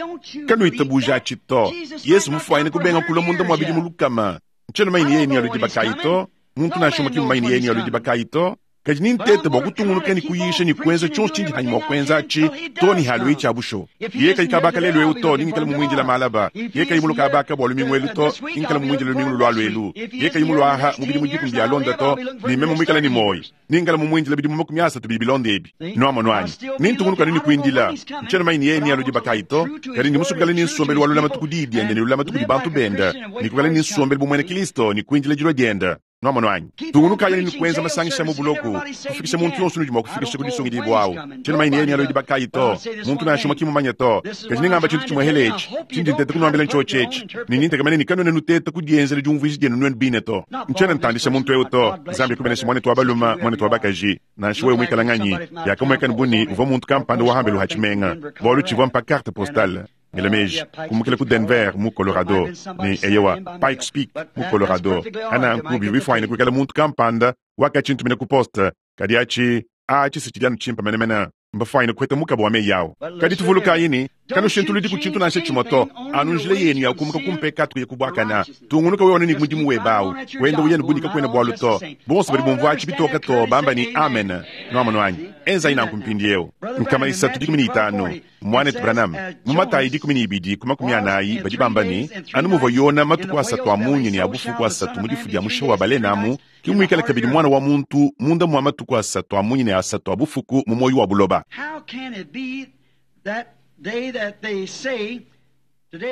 Kanuitabuja tshito Yesu mufuanyine kubenga kula munda mwa bidimu lukama. Ntshiena manyine yeye ni aludi bakayi to, muntu nansha umue ki mumanyine yeye ni aludi bakayi to. Kadi ni ntete bua kutungunuka ne kuyisha ne kuenza tshionso tshindi hanyi mua kuenza atshi to ne haluyi tshia busho. Yeye kayi kabaka lelu eu to, ningikala mumuindila malaba. Yeye kayi muluka abaka bua lumingu elu to, ningikala mumuindila lumingu lulua luelu. Yeye kayi muluaha mu bidimu dikumi bia londa to, ne meme muikala ne moyo. Ningikala mumuindila bidimu makumi asatu bidi bilonda ebi. Nuamono anyi nintungunuka ne kuindila. Ntshiena manyine yeye ni aludi bakayi to, kadi ndi musukikala ne nsombelu wa lulamatu ku diyi diende ne lulamatu kudi bantu benda, ne kukala ne nsombelu bu muena Kristo ne kuindila dilua dienda. Nuamono anyi tungunukayi ne kuenza masangisha mu buloku, kufikisha muntu yonso nudi mua kufikisha ku disungidibua awu. Ntshiena manyine yeye ni aludi bakayi to, muntu nansha umue ki mumanye to. Kadi ningamba tshintu tshimue hele etshi, tshindi nteta kunuambila ntshiotshi etshi, ne nintekamene ne kanuena nuteta kudienzela diumvuija dienu nuenu bine to. Ntshiena ntandisha muntu eu to. Nzambi kubenesha muanetu wa balume, muanetu wa bakaji, nansha wewe muikala nganyi, yakamueka buni uvua muntu kampanda wa hambelu ha tshimenga, bualu tshivua mpa carte postale. Ngela meji kumukila ku Denver mu Colorado ne eyewa Pikes Peak mu Colorado. Ananku bivua bifuanyine kuikala muntu kampanda wakatshi-ntumina ku poste, kadi atshi atshi si tshidi anu tshimpe menemene, mbafuanyine kuheta mukaba wa meyi awu. Kadi tuvulukayi ne kanushintuludi ku tshintu nansha tshimue to, anu njila yenu ya kumuka kumpekatu kuya kubuakana. Tungunuka wewe anu ne mudimu webe awu, wenda uya ne bunika kuena bualu to. Bonso badi bumvua atshi bitoka to, bamba ne amen. Nuamono anyi enzayi nanku mpindiewu. Nkama isatu dikumi ne itanu muanetu Branham mu Matayi dikumi ne ibidi ku makumi anayi badi bamba ne anu muvua Yona matuku asatu a munyi ne a bufuku asatu mu difu dia musha wa balenamu, ki muikale kabidi mwana wa muntu munda mua matuku asatu a munyi ne asatu a bufuku mu moyo wa buloba.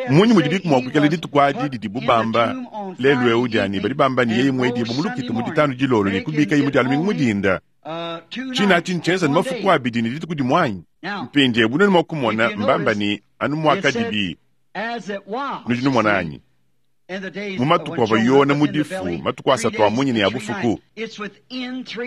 Munyi mudi biku mua kuikala dituku adi didibu bamba lelu eu diani badi bamba ne yeye muedibu mu lukita mu ditanu dilolo ne kubika mu dia lumingu mudinda. Tshina atshi ntshienza ne mafuku abidi ne dituku dimue anyi? Mpindiewu bunene mua kumona mbamba ne anu muakadibi. Nudi numona anyi? Mu matuku avua Yona mu difu, matuku asatu a munyi ne a bufuku.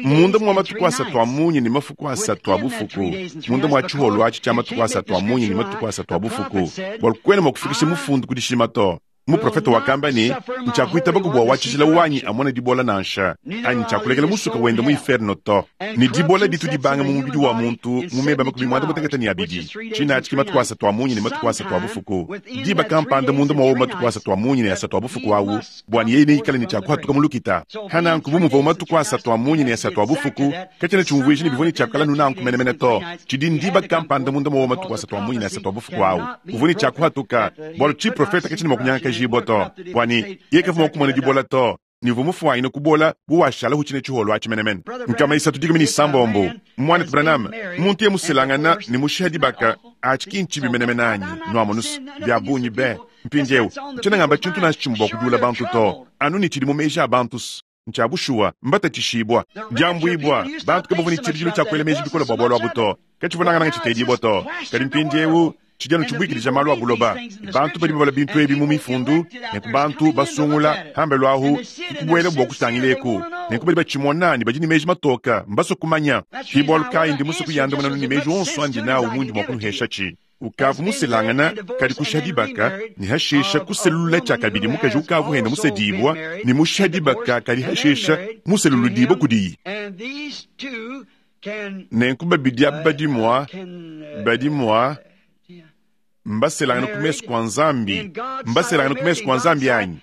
Munda mua matuku asatu a munyi ne mafuku asatu a bufuku, munda mua tshiholo atshi tshia matuku asatu a munyi ne matuku asatu a bufuku, bualu kuena mua kufikisha mufundu ku dishima to. Muprofete wakamba ne ntshiakuitaba ku bua wa tshijila wanyi amona dibola nansha, anyi ntshiakulekela musuka wenda mu inferno to. Ne dibola ditu dibanga mu mubidi wa muntu mu meba makumi muanda mutekete ne abidi. Tshina atshi ki matuku asatu a munyi ne matuku asatu a bufuku. Diba kampanda munda mua matuku asatu a munyi ne asatu a bufuku awu, bua yeye neikale ne tshiakuhatuka mu lukita. Hananku bu muvua matuku asatu a munyi ne asatu a bufuku, katshiena tshiumvuija ne bivua ne tshiakukala nunanku menemene to. Tshidi ndiba kampanda munda mua matuku asatu a munyi ne asatu a bufuku awu, uvua ne tshiakuhatuka, bualu tshiprofeta katshiena mua kunyangakaja to, bua ne yeye kavua mua kumona dibola to, ne uvua mufuanyine kubola bu washala hu tshine tshiholo atshi menemene. Nkama isatu dikumi ne isambombo muanetu Branham muntu ye muselangana ne mushiha dibaka atshi ki ntshibi menemene anyi? Nuamonusu bia bungi be mpindiewu ntshiena ngamba tshintu nansha tshimue bua kudiula bantu to, anu ne tshidi mu meji a bantu ntshia bushuwa mbatatshishibua diambuibua bantu kabavua ne tshibidilu tshia kuela meji bikole bua bualu abu to, katshivua tshitedibua to. Kadi mpindiewu tshidi anu tshibuikidija malu a buloba. Bantu badi babala bintu ebi mu mifundu, nenku bantu basungula hambelu ahu kubuela bua kutangileku, nenku badi batshimona ne badi ne meji matoka mbasue kumanya. Ki bualu kayi ndi musue kuyandamuna ne meji onso andi nawu mundi mua kunuhesha tshi. Ukavu muselangana kadi kusha dibaka ne hashisha kuselula tshiakabidi mukaji ukavu henda musedibua ne musha dibaka kadi hashisha museluludibo kudiyi. Nenku babidi aba badi mua badi mua Mbaselangana ku mesu kwa Nzambi, mbaselangana ku mesu kwa Nzambi anyi?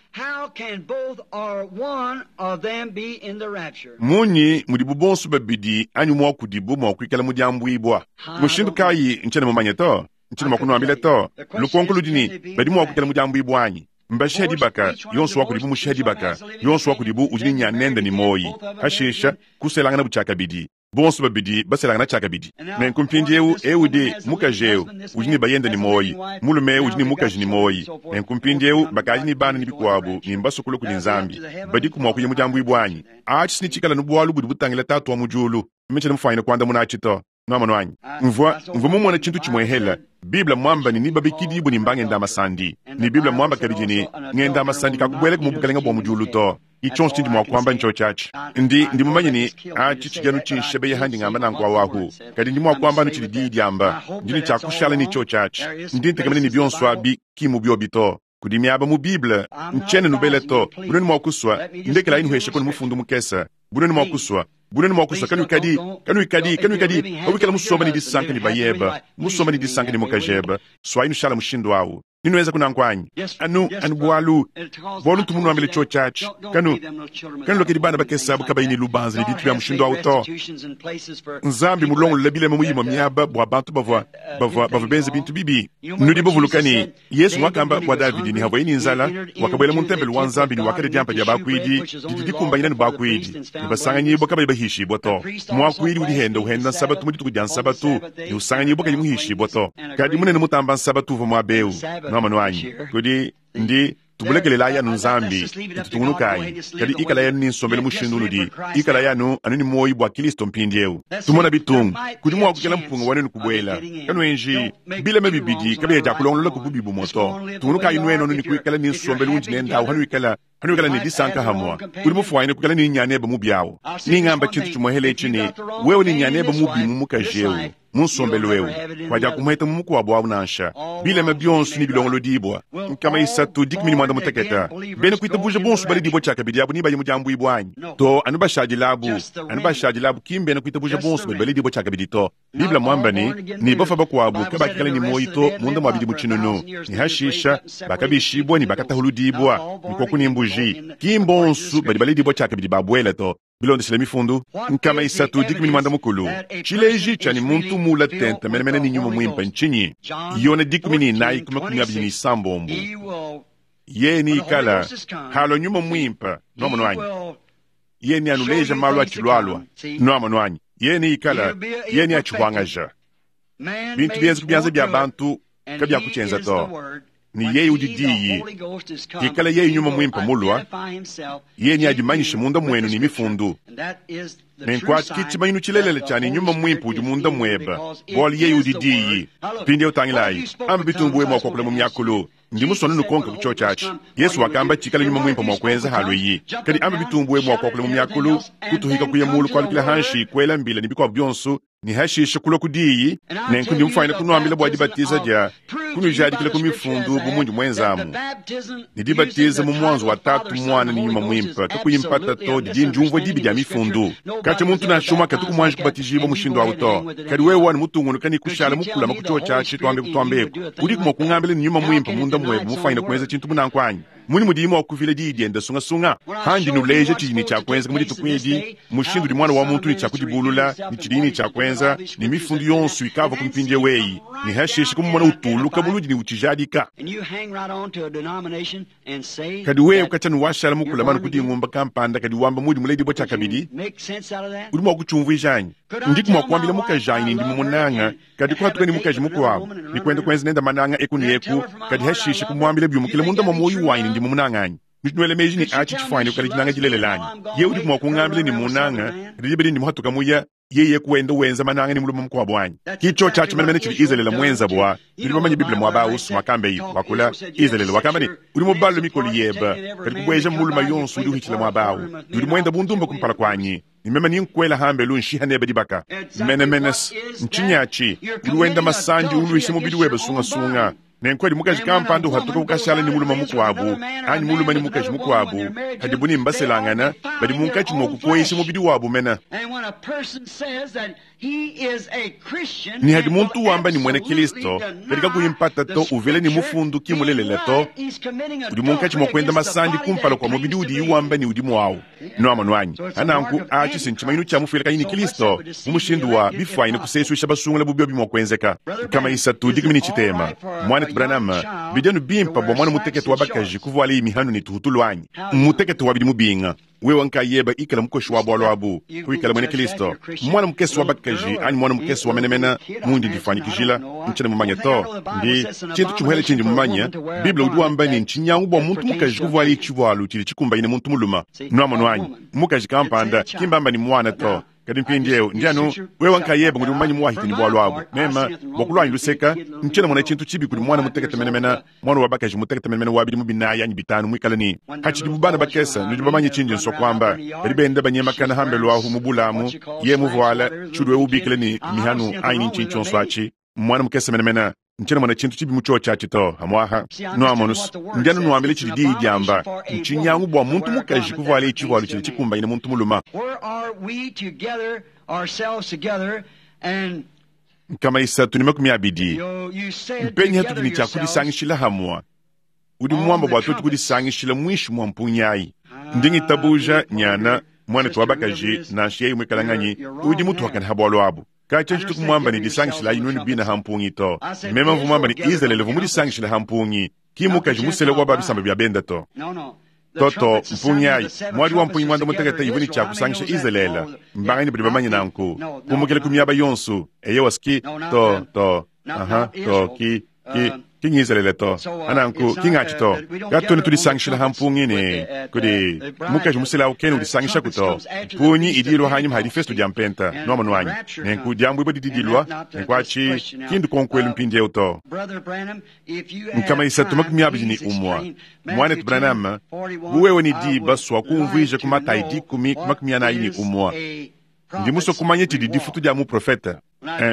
Munyi mudibu bonso babidi anyi umue wa kudibu mua kuikala mu diambuibua? Mushindu kayi? Ntshiena mumanye to, ntshiena mua kunuambila to. Lukonko ludi ne, badi mua kuikala mu diambuibua anyi? Mbashiha dibaka, yonso wa kudibu mushiha dibaka, yonso wa kudibu udi ne nyanende ne moyi. Hashisha kuselangana bu tshiakabidi, bonso babidi baselangana tshiakabidi. Nenku mpindieu eu udi mukaji eu udi ne bayende ne moyi, mulume udi ne mukaji ne moyi. Nenku mpindieu bakadi ne bana ne bikuabu ne mbasukula kudi Nzambi. Badiku mua kuya mu diambuibua anyi? Atshi netshikala nu bualu budi butangila Tatu wa mu diulu. Meme mufanyine kuandamuna atshi to. Nwamonu anyi? Mvua mvua mumona tshintu tshimue hela. Bible mwamba ne nibabikidibwe ne mbangenda masandi. Ne Bible mwamba kabidi ne ngenda masandi kakubueleka mu bukalenga bua mu diulu to. Ichonso tshindi mua kuamba ncho tshiatshi. Ndi ndi mumanye ne atshi tshidi tshinshebe handi ngamba nanku awahu. Kadi ndi mua kuamba tshidi diyi diamba. Ndi ne tshiakushala ne cho tshiatshi. Ndi ntekamene ne bionso abi ki mu biobi to. Kudi miaba mu Bible ntshiena nubele to. Bunene mua kuswa ndekela inuheshe kono mufundu mukesa. Bunene mua kuswa bunene mua kuswa kanuikadi kanuikadi kanuikadi pawikala musomba ne disanka ne bayeba musomba ne disanka ne mukajeba swayi nushala mushindu awu ninuenza kunanku anyi anu anu bualu bualu ntumunuambile cho tshiatshi kanu kanulokedi bana bakesa abu kabayi ne lubanza ne bintu bya mushindu awu to. Nzambi mulongolola bilema mu imue miaba bua bantu bavua bavua bavua benza bintu bibi. Nudi bavuluka ne Yesu wakamba bua Davidi ne havuaye ne nzala wakabuela mu ntempelo wa Nzambi ne wakadia diampa dia bakuidi didi dikumbanyina ne bakuidi ne basanganyibua kabayi bahishibua to. Muakuidi udi henda uhenda nsabatu mu dituku dia nsabatu ne usanganyibua kayi muhishibua to. Kadi munene mutamba nsabatu uvua muaba eu. Nwamonu anyi? Kudi ndi tubulekelelayi anu Nzambi tutungunukayi. Kadi ikala yanu ni nsombelu mushindu unudi ikala yanu anu ni moyi bua Kristo mpindieu. Tumona bitungu kudi mua kukela mpunga wanenu kubuela kanuenji bilema bibidi kabiya dia kulongolola ku bubi bumue to. Tungunukayi nuenu anu ni kuikala ni nsombelu undi nendawu hanuikala hanuikala ne disanka hamwa. Udi mufuanyine kuikala ni nyaneba mubi awu. Ningamba tshintu tshimue etshi ne wewe ni nyaneba mubi mu mukaji eu mu nsombelu eu wadia kumuheta mu mukuabu awu nansha bilema bionso ni bilongolodibwa nkama isatu dikumi ne mwanda muteketa bena kuitabuja bonso baledibwa tshiakabidi abu ni bayi mu diambuibua anyi to. Anu bashadilabu anu bashadilabu ki mbena kuitabuja bonso badi baledibwa tshiakabidi to. Biblia mwamba ne ni bafa bakuabu kabakikala ni moyi to munda mwa bidi mu tshinunu ni hashisha bakabishibwa ni bakatahuludibwa nkoku ni mbuji ki mbonso badi baledibwa tshiakabidi babuela to. Bilondeshile mifundu nkama isatu dikumi ne mwanda mukulu tshileji tshia ni muntu mula tente menemene ni nyuma mwimpe nchinyi yona dikumi ni inayi kuma kumi abidi ni isambombo ye ni ikala halo nyuma mwimpe nwamonu anyi ye ni anuleja malu atshilwalwa nwamonu anyi ye ni ikala ye ni atshihwangaja bintu bienza kubyanza bya bantu kabyakutshenza to. Ni yeye udi diyi ikala yeye nyuma mwimpe mulwa ye ni adimanyishe munda mwenu ni mifundu nenkwati tshimanyinu tshilelele tshia ni nyuma mwimpe udi munda mweba bualu yeye udi diyi mpindieu tangilayi amba bitumbu mua kuakula mu miakulu ndi musone nukonka ku cho tshiatshi. Yesu wakamba tshikala nyuma mwimpe mua kuenza halu iyi kadi amba bitumbu mua kuakula mu miakulu kutuhika kuya mulu kualukila hanshi kuela mbila ni bikuabu bionso ni hashisha kulwa ku diyi nenku ndi mufanyine kunuambila bua dibatiza dia kunujadikila ku mifundu bu mundi mwenzamu ni dibatiza mu mwanzo wa tatu mwana ni nyuma mwimpe kakuyimpata to didi ndiumvua dibi dia mifundu katya muntu nashuma katuku mwanji kubatijibwa mushindu awu to. Kadi wewe wani mutungunuka ni kushala mukulama ku cho tshiatshi twambe kutwambeku udiku mua kungambila ni nyuma mwimpe munda mwebe mufanyine kuenza tshintu munanku anyi muni mudimu wa kuvila diyi dienda sungasunga handi nuleja tshidi ni tshiakuenza mu dituku edi mushindu di mwana wa muntu ni tshiakudibulula ni tshidi ni tshiakuenza ni mifundu yonso ikava ku mpindieu eyi ni hashishe kumumona utuluka buludi ni utshijadika. Kadi wewe katya nuwashala mukula manu kudi ngumba kampanda kadi wamba mudi muledibwa tshiakabidi udi mua kutshiumvuija anyi? Ndiku mua kuambila mukaji anyi ni ndi mumunanga kadi kuhatuka ni mukaji mukuabu ni kuenda kuenza nenda mananga eku ni eku kadi hashishe kumuambila biumukile munda mwa moyo wanyi ndi mumunanga anyi nuele meji ni atshi tshifanyine kukala dinanga dilelele anyi ye udi mua kungambila ni munanga kadi dibedi ndi muhatuka muya yeye kuenda wenza mananga ni mulume mukuabu anyi kicho tshiatshi menemene tshidi Izalele mwenza bua tudi bamanye Bible muaba ausu mwakambe iyi wakula Izalele wakamba ne udi mubalule mikolo yeba kadi kubueja muluma yonso udi uhitshila muaba awu udi muenda bundumba kumpala kuanyi ni meme ni nkuela hambelu nshiha nebe dibaka menemene ntshinyi atshi udi wenda masandi uluisha mubidi webe sungasunga Nenku adi mukaji kampanda uhatuka ukashala ne mulume mukuabu anyi mulume ne mukaji mukuabu, hadibu ne mbaselangana, badi munkatshi mua kukoyesha mubidi wabu mena. Ne hadi muntu wamba ni mwena Kristo, kadi kakuyi mpata to uvele ni mufundu ki mulelela to, udi munkatshi mua kuenda masandi kumpala kua mubidi udi wamba ni udi muawu. Nuamonu anyi? Ananku achi sinchimanyinu cha mufuila kanyi ni Kristo mu mushindu wa bifwanyine kusesuisha basungula bubiobi mua kuenzeka. Kama isatu dikumi ni chitema. Mwana Branham, bidenu bimpa bua mwana mutekete wa bakaji kuvuala imihanu ni tuhutulu anyi. Mutekete wa bidi mubinga. Wewe nkayeba ikala mukoshi wa bwalo abu kuikala mwene Kristo. Mwana mukesi wa bakaji anyi mwana mukesi wa menemena mundi ndifanyikijila nchene mumanya to ndi chintu chimuhele chindi mumanya Biblia udi wamba ni nchinyangu bua muntu mukaji kuvuala ichivualu chili chikumbaine muntu muluma. Nuamonu anyi mukaji kampanda kimbamba ni mwana to. Kadi mpindieu ndianu wewe nkayeba ngudi mumanyi muwahita ni bwalo abu mema bwakulwanyi luseka nchena mwana chintu chibi kuli mwana mutekete menemena mwana wa bakaji mutekete menemena wabili mubinayi anyi bitanu mwikala ni hachidi bubana bakesa nudi bamanyi chinji nso kwamba badi benda banyemakana hambelu ahu mubulamu ye muvuala chudwe ubikile ni mihanu anyi nchinchi onso achi mwana mukesa menemena nchena mwana chintu chibi mucho chachi to hamwaha nuamonus ndianu nuambile chili diyi diamba nchinyangu bua muntu mukaji kuvuala ichivualu chili chikumbaine muntu muluma. Nkama isatu ni makumi abidi mpenyi hatudi ni chakudisangishila hamwa udi mwamba bua twetu kudisangishila mwishi mwa mpunyayi ndingitabuja nyana mwana tuwa bakaji nansha yeyi mwikalang'anyi udi mutu wakana habwalu abu. Kacha nchitu kumwamba ni disangishila inweni bina hampungi to. Mema mvumwamba ni Israeli vumudisangishila hampungi. Ki mukaji musele wa babisamba bya benda to. Toto mpungi ayi. Mwadi wa mpungi mwanda mutekete ivuni cha kusangisha Israeli. Mbangani badi bamanyi nanku. Kumukele kumyaba yonsu. Eye waski to to. Aha to ki ki. King Israeli to. Ananku king achi to. Gatone tudisangishila hampungi ni kudi mukaji musela ukeni udisangisha kuto. Punyi idilwa hanyuma hadi festu jampenta nwamonu anyi. Nenku jambu ibo didilwa nenku achi kindu konkwelu mpindi euto. Nkama isatu makumi abidi ni umwa. Mwana Branham buwewe ni di baswa kumvwija kumata idikumi kumakumi anayi ni umwa. Ndi muso kumanye chidi difutu dia mu profeta.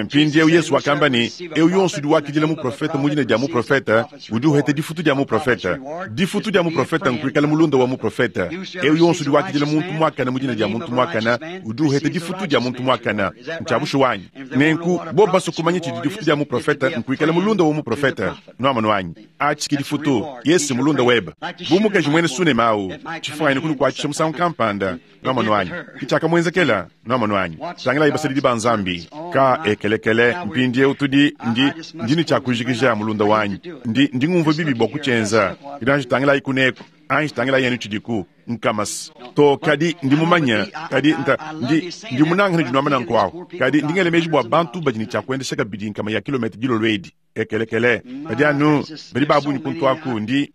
Mpindi eu Yesu wakamba ni eu yonsu di wakidila mu profeta mujina dia mu profeta udi uhete difutu dia mu profeta. Difutu dia mu profeta nkuikala mulunda wa mu profeta. Eu yonsu di wakidila muntu mwakana mujina dia muntu mwakana udi uhete difutu dia muntu mwakana. Nchabushu wanyi. Nenku bo baso kumanye chidi difutu dia mu profeta nkuikala mulunda wa mu profeta. Nwamanu wanyi. Achi difutu Yesu mulunda weba. Bumukaji mwene sune mau. Chifuani kunu kwa chimusangu kampanda. Nwamanu wanyi. Kichaka mwenzekela. Nwamanu wanyi. Tangila ibasidi di banzambi. Ka ekelekele mpindi utudi ndi ndini cha kujikija mulunda wanyi ndi ndi ngumva bibi bwa kuchenza idanji tangila ikuneko anji tangila yenu chidiku nkamas to kadi ndi mumanya kadi nta ndi ndi munanga ni dinwamana nkwawo kadi ndi ngele meji bwa bantu badi ni cha kuendesha kabidi nkama ya kilomita dilolwedi ekelekele badi anu badi babunyi kuntu aku ndi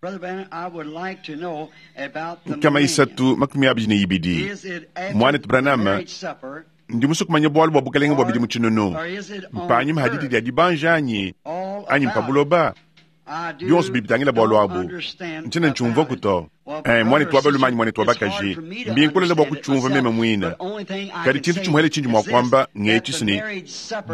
nkama isatu makumi abidi ni ibidi mwana Branham ndi muso kumanya bwalu bwa bukalenge bwa bidi muchinono mpanyi mahadidi dia dibanja anyi anyi mpabuloba bionso bibitangila bwalu abu nchina nchumva kuto eh mwana twabalu manyi mwana twabakaji mbinkulela bwa kuchumva meme mwina kadi chintu chimwele chinji mwa kwamba ngechisini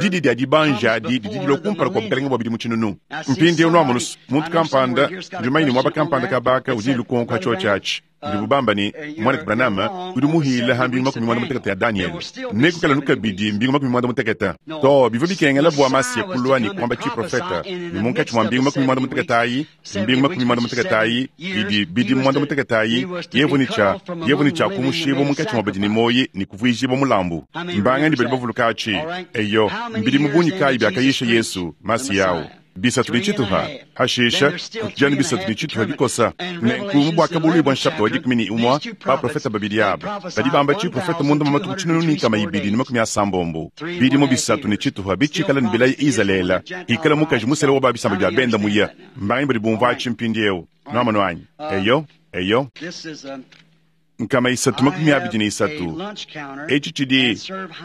didi dia dibanja di didi lokumpala kwa bukalenge bwa bidi muchinono mpindi unwamunus muntu kampanda njumaini mwaba kampanda kabaka udi lukonko hacho chachi ndibubamba ni mwana Branham udi muhila hambi makumi mwanda mutekete ya Daniel nekukala nukabidi mbingu makumi mwanda mutekete to bivo bikengela bua masie kulwa ni kwamba chi profeta ni munkatshi mwa mbingu makumi mwanda mutekete ayi mbingu makumi mwanda mutekete ayi bidi bidi mwanda mutekete ayi yevu ni cha yevu ni cha kumushibo munkatshi mwa badi ni moyi ni kuvuijibo mulambu mbanga ni badi bavuluka achi eyo mbidi mubunyi kayi byakayisha Yesu masi yawo bisatu nichituha hashisha kutujani bisatu nichituha bikosa nenku mubwaka bulwi bwa nshapta wa dikumi ni umwa ba profeta babili aba badi bamba chi profeta munda mamatu kuchinunu ni kama ibidi ni makumi asambombo bidimo bisatu nichituha bichikala ni bilayi Israela ikala mukaji musele wa babisamba bya benda muya mbangi badi bumva achi mpindiewu nwamanu anyi eyo eyo nkama isatu makumi abidi ni isatu eci cidi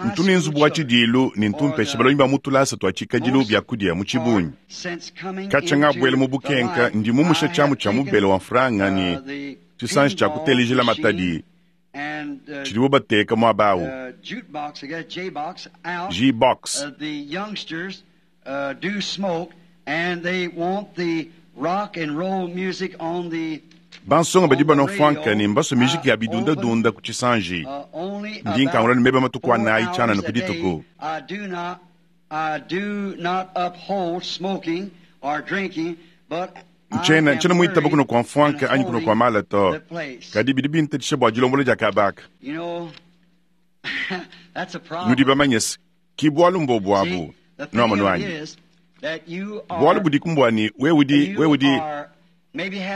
ntuni nzubu wa cidilu ni ntumpesha balonyi ba mutulasa twa cikadilu byakudia mu cibunyi kaca ngabwele mu bukenka ndi mumusha chamu cha mubele wa mfranga ni cisanji ca kutelijela matadi cilibo bateka mwabawu J-box Bansonga badi banua mfwanka ne mbasue mijiki ya bidundadunda ku tshisanji. Ndi nkangula ne meba matuku anayi tshianana ku dituku. Ntshiena ntshiena muitaba kunua kua mfwanka anyi kunua kua mala to, kadi bidi bintatshisha bua dilombola dia kabaka. Nudi bamanye se ki bualu mbobu abu nuamonu anyi? Bualu budi kumbua ne wewe udi wewe udi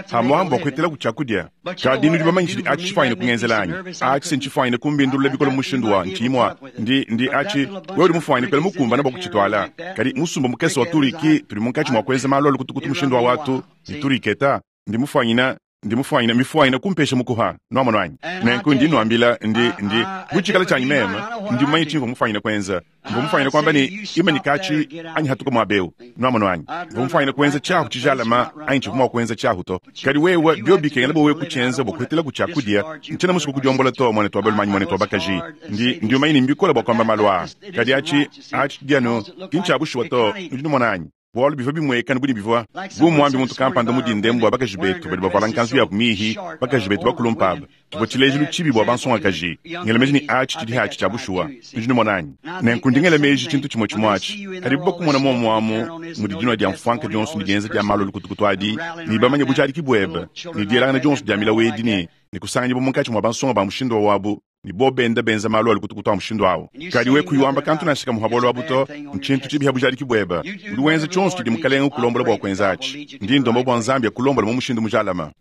pamuapa bua kuetela ku tshiakudia. Kadi nudi bamanye tshidi atshi tshifuanyine kungenzela anyi? Atshi se ntshifuanyine kumbindulula bikole mu mushindu wa ntshiyi mua ndi ndi atshi wewe udi mufuanyine kuela mukumbana bua kutshituala. Kadi musumba mukese wa turiki tudi munkatshi mua kuenza malu a lukutukutu mushindu wa watu ne turiketa ndi mufuanyina ndi mufuanyina mifuanyina kumpesha mukuha nuamonu anyi? Nenku ndi nuambila ndi ndi bu tshikala tshianyi meme ndi mumanye tshimvua mufuanyine kuenza. Mvua mufuanyine kuamba ne imanyika atshi anyi hatuka muaba eu nuamonu anyi? Mvua mufuanyine kuenza tshiahu tshijalama anyi tshivua mua kuenza tshiahu to. Kadi wewe bio bikengela bua wewe kutshienza bua kuhetela ku tshiakudia ntshiena musue kudiombola to muanetu wa balume anyi muanetu wa bakaji. Ndi ndi umanye ne mbikole bua kuamba malu aa. Kadi atshi atshi dianu ki ntshia bushuwa to nudi numona anyi? Bualu bivua bimuekana budi bivua bu muambi muntu kampanda mu dindembu bua bakaji betu badi bavuala nkanzu yabu mihi bakaji betu bakulumpa aba tshivua tshilejilu tshibi bua bansongakaji. Ngela meji ne atshi tshidi hatshi tshia bushuwa nudi numona anyi? Nenku ndi ngela meji tshintu tshimue tshimue atshi. Kadi bakumona muomuamu mudi dinua dia mfwanka dionso ne dienza dia malu a lukutukutu adi ne bamanye bujadiki buebe ne dielangana dionso dia milawu edi ne ne kusanganyibua munkatshi mua bansonga ba mushindu wabu ne bo benda benza malu a lukutukutu a mushindu awu. Kadi we kuyiwamba kantu nansha kamuha bualu abu to ntshintu tshibi bujadiki buebe. Udi wenza tshionso tshidi mukalenga ukulombola bua kuenza atshi. Ndi ndomba bua Nzambi akulombola mu mushindu mujalama.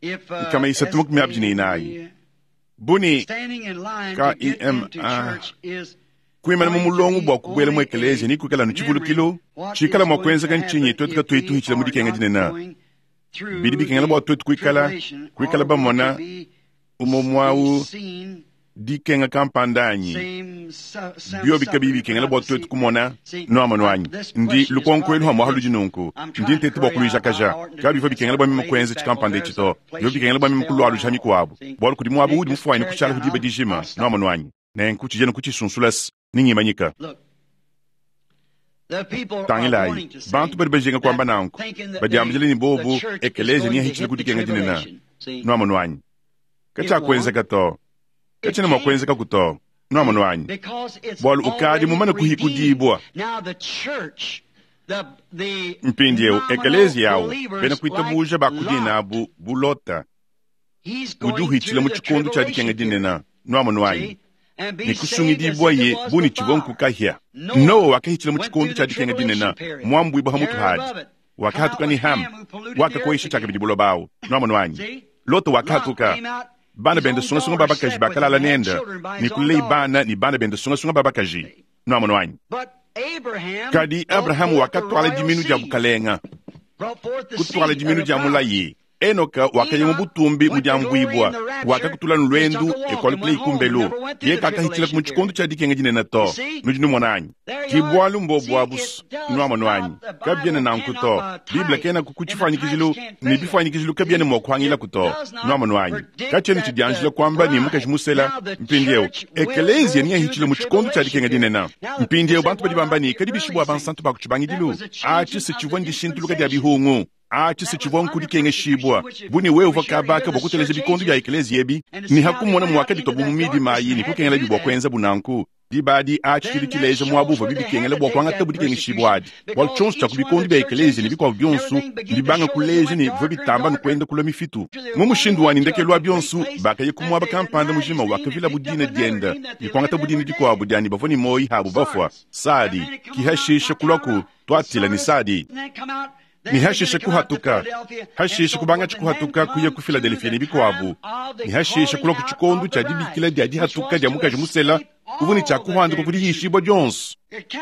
Nkama isatu makumi abidi ne inayi buni K I M A kuimana mu mulongo bua kubuela mu ekelezia ni kuikala nu tshivulukilu tshikala mua kuenzeka ntshinyi twetu katuyi tuhitshila mu dikenga dinene. Bidi bikengela bua twetu kuikala kuikala bamona umue muawu dikenga kampanda anyi bio bikabi bikengela bua twetu kumona nuamonu anyi? Ndi lukonko elu hamua ludi nunku ndi ntete bua kuluijakaja. Kabivua bikengela bua meme kuenza tshikampanda etshi to bivua bikengela bua meme kulualuja mikuabu bualu kudi muaba udi mufuanyine kushala ku diba dijima nuamonu anyi? Nenku tshijena kutshisunsulasa ningimanyika. Tangilayi bantu badi bajinga kuamba nanku badiambila ne bobu ekelezia niyahitshile ku dikenga dinene nuamonu anyi? Katshiakuenzeka to katshiena mua kuenzeka ku to nuamonu anyi? Bualu ukadi mumane kuhikudibua. Mpindieu ekelezia yawu bena kuitabuja bakudina abu bu Lota udi uhitshila mu tshikondo tshia dikenga dinene nuamonu anyi? Ne kusungidibua ye bu ne tshivua nkukahia. Noa wakahitshila mu tshikondo tshia dikenga dinene muambuibua ha mutu hadi wakahatuka ne Ham wakakoyisha tshiakabidi buloba awu nuamonu anyi? Lota wakahatuka bana bende sungasunga babakaji bakalala nende ne kulei bana ne bana bende sungasunga babakaji nuamonu anyi? Kadi Abrahamu wakatwala diminu dia bukalenga kutwala diminu dia mulayi. Enoka wakaya mu butumbi mu diambuibua wakakutula lwendu ekwalukulei kumbelu ye kakahitshila mu tshikondo tshia dikenga dinene to nudi numona anyi? Ki bualu mbobu abusu nuamonu anyi? Kabiena nanku to Biblia kena ku tshifuanyikijilu ne bifuanyikijilu kabiena mua kuhangilaku to nuamonu anyi? Katshiena tshidianjila kuamba ne mukaji musela mpindieu ekelezia niyahitshila mu tshikondo tshia dikenga dinene. Mpindieu bantu badi bamba ne kadi bishibua bansantu ba ku tshibangidilu atshi se tshivua ndishintuluka dia bihungu atshi se tshivua nkudikengeshibua bu ne wewe uvua kabaka bua kuteleja bikondo bia ekelezia ebi ne hakumona muakaditwa bu mu midima ayi ne kukengela bua kuenza bunanku diba adi atshi tshidi tshileja muaba uvua bibikengela bua kuangata budikengeshibua adi bualu tshionso tshia ku bikondo bia ekelezia ne bikuabu bionso mbibanga kuleja ne bivua bitamba nukuenda kulua mifitu. Mu mushindu wa ndekelu wa bionso bakaya ku muaba kampanda mujima wakavila budina dienda ne kuangata budina dikuabu diani bavua ne moyi habu bafua Sadi kihashisha kulua twatila ne Sadi ni hashishe kuhatuka hashishe kubanga tshikuhatuka kuya ku Philadelphia ne bikuabu ni hashishe kulua ku tshikondo tshia dibikila dia dihatuka dia mukaji musela uvua ne tshia kuhanduka ku dihishibua dionso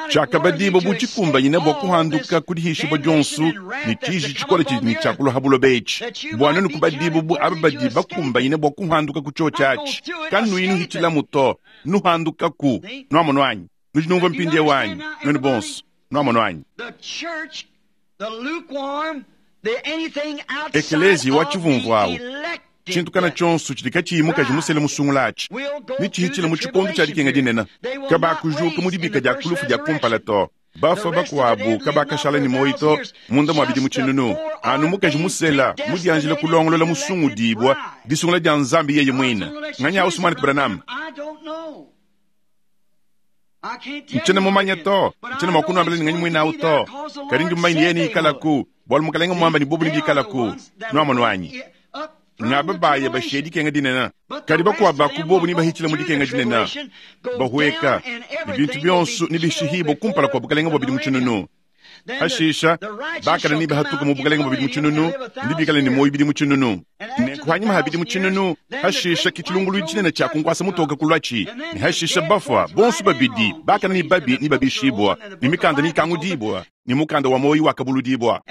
tshiakabadibua bu tshikumbanyina bua kuhanduka ku dihishibua dionso ne tshiji tshikole tshidi ne tshia kulua ha buloba etshi bua nenu kubadibua bu aba badi bakumbanyina bua kuhanduka ku tshiotshi atshi kanuyi nuhitshilamu to nuhandukaku nuamonu anyi? Nudi numvua mpindieu anyi nuenu bonso nuamonu anyi? Ekelezia wa tshivumvu awu tshintu kana tshionso tshidi katshiyi mukaji musele musungula atshi ne tshihitshila mu tshikondo tshia dikenga dinene kabakujuka mu dibika dia kulufu dia kumpala to Bafua bakuabu kabakashala ne muoyo to munda mua bidimu tshinunu. Anu mukaji musela mudianjile kulongolola musungudibua disungula dia Nzambi yeye muine. Nganya Usman Branham. Nchena mumanya to, nchena mwakunuambila ni nganyi mwina to. Kadi ndi mumanya yeye ni ikalaku, bwalu mukalenga mwamba ni bobu ni bikalaku. Nwamonu wanyi. Ngaba baya bashedi kenga dinena. Kadi bakuwa bakubobu ni bahichila mudi kenga dinena. Bahueka, ni bintu byonsu ni bishihibo kumpala kwa bukalenga bwa bidimu tshinunu. Hashisha, bakala ni bahatuka mu bukalenga bwa bidimu tshinunu, ndi bikala ni moyo bidimu tshinunu. Nenku hanyuma ha bidimu tshinunu, hashisha kichilungulu tshinene tsha kunkwasa mutoka kulwachi. Ni hashisha bafwa, bonsu babidi, bakala ni babi ni babishibwa, ni mikanda ni kangudibwa, ni mukanda wa moyo wakabuludibwa.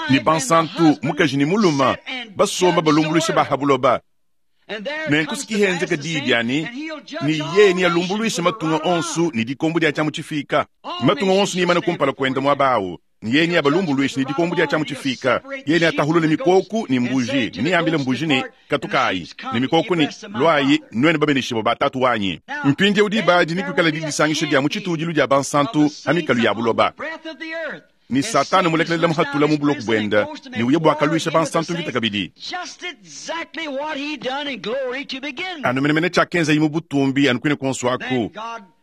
Ni bansantu mukaji ni muluma basomba balumbulusha bahabuloba. Nenku sikihenzeka diidyani ni ye ni alumbuluisha matunga onsu ni dikombo dia tshamu tshifika. Matunga onsu ni imana kumpala kwenda mwabawu. Ni ye ni abalumbuluisha ni dikombo dia tshamu tshifika. Ye ni atahulula mikoku ni mbuji. Ni ambile mbuji ni katukayi. Ni mikoku ni lwayi nwene babenishibo batatu wanyi. Mpindi udi badi ni kwikala didisangisha dia mu tshitudilu dia bansantu hamikalu ya buloba. Ni Satana mulekelela muhatula mu buloku bwenda ni uye bwakaluisha bansantu mvita kabidi. Anu menemene tshakenza yimu butumbi anu kwine konso aku.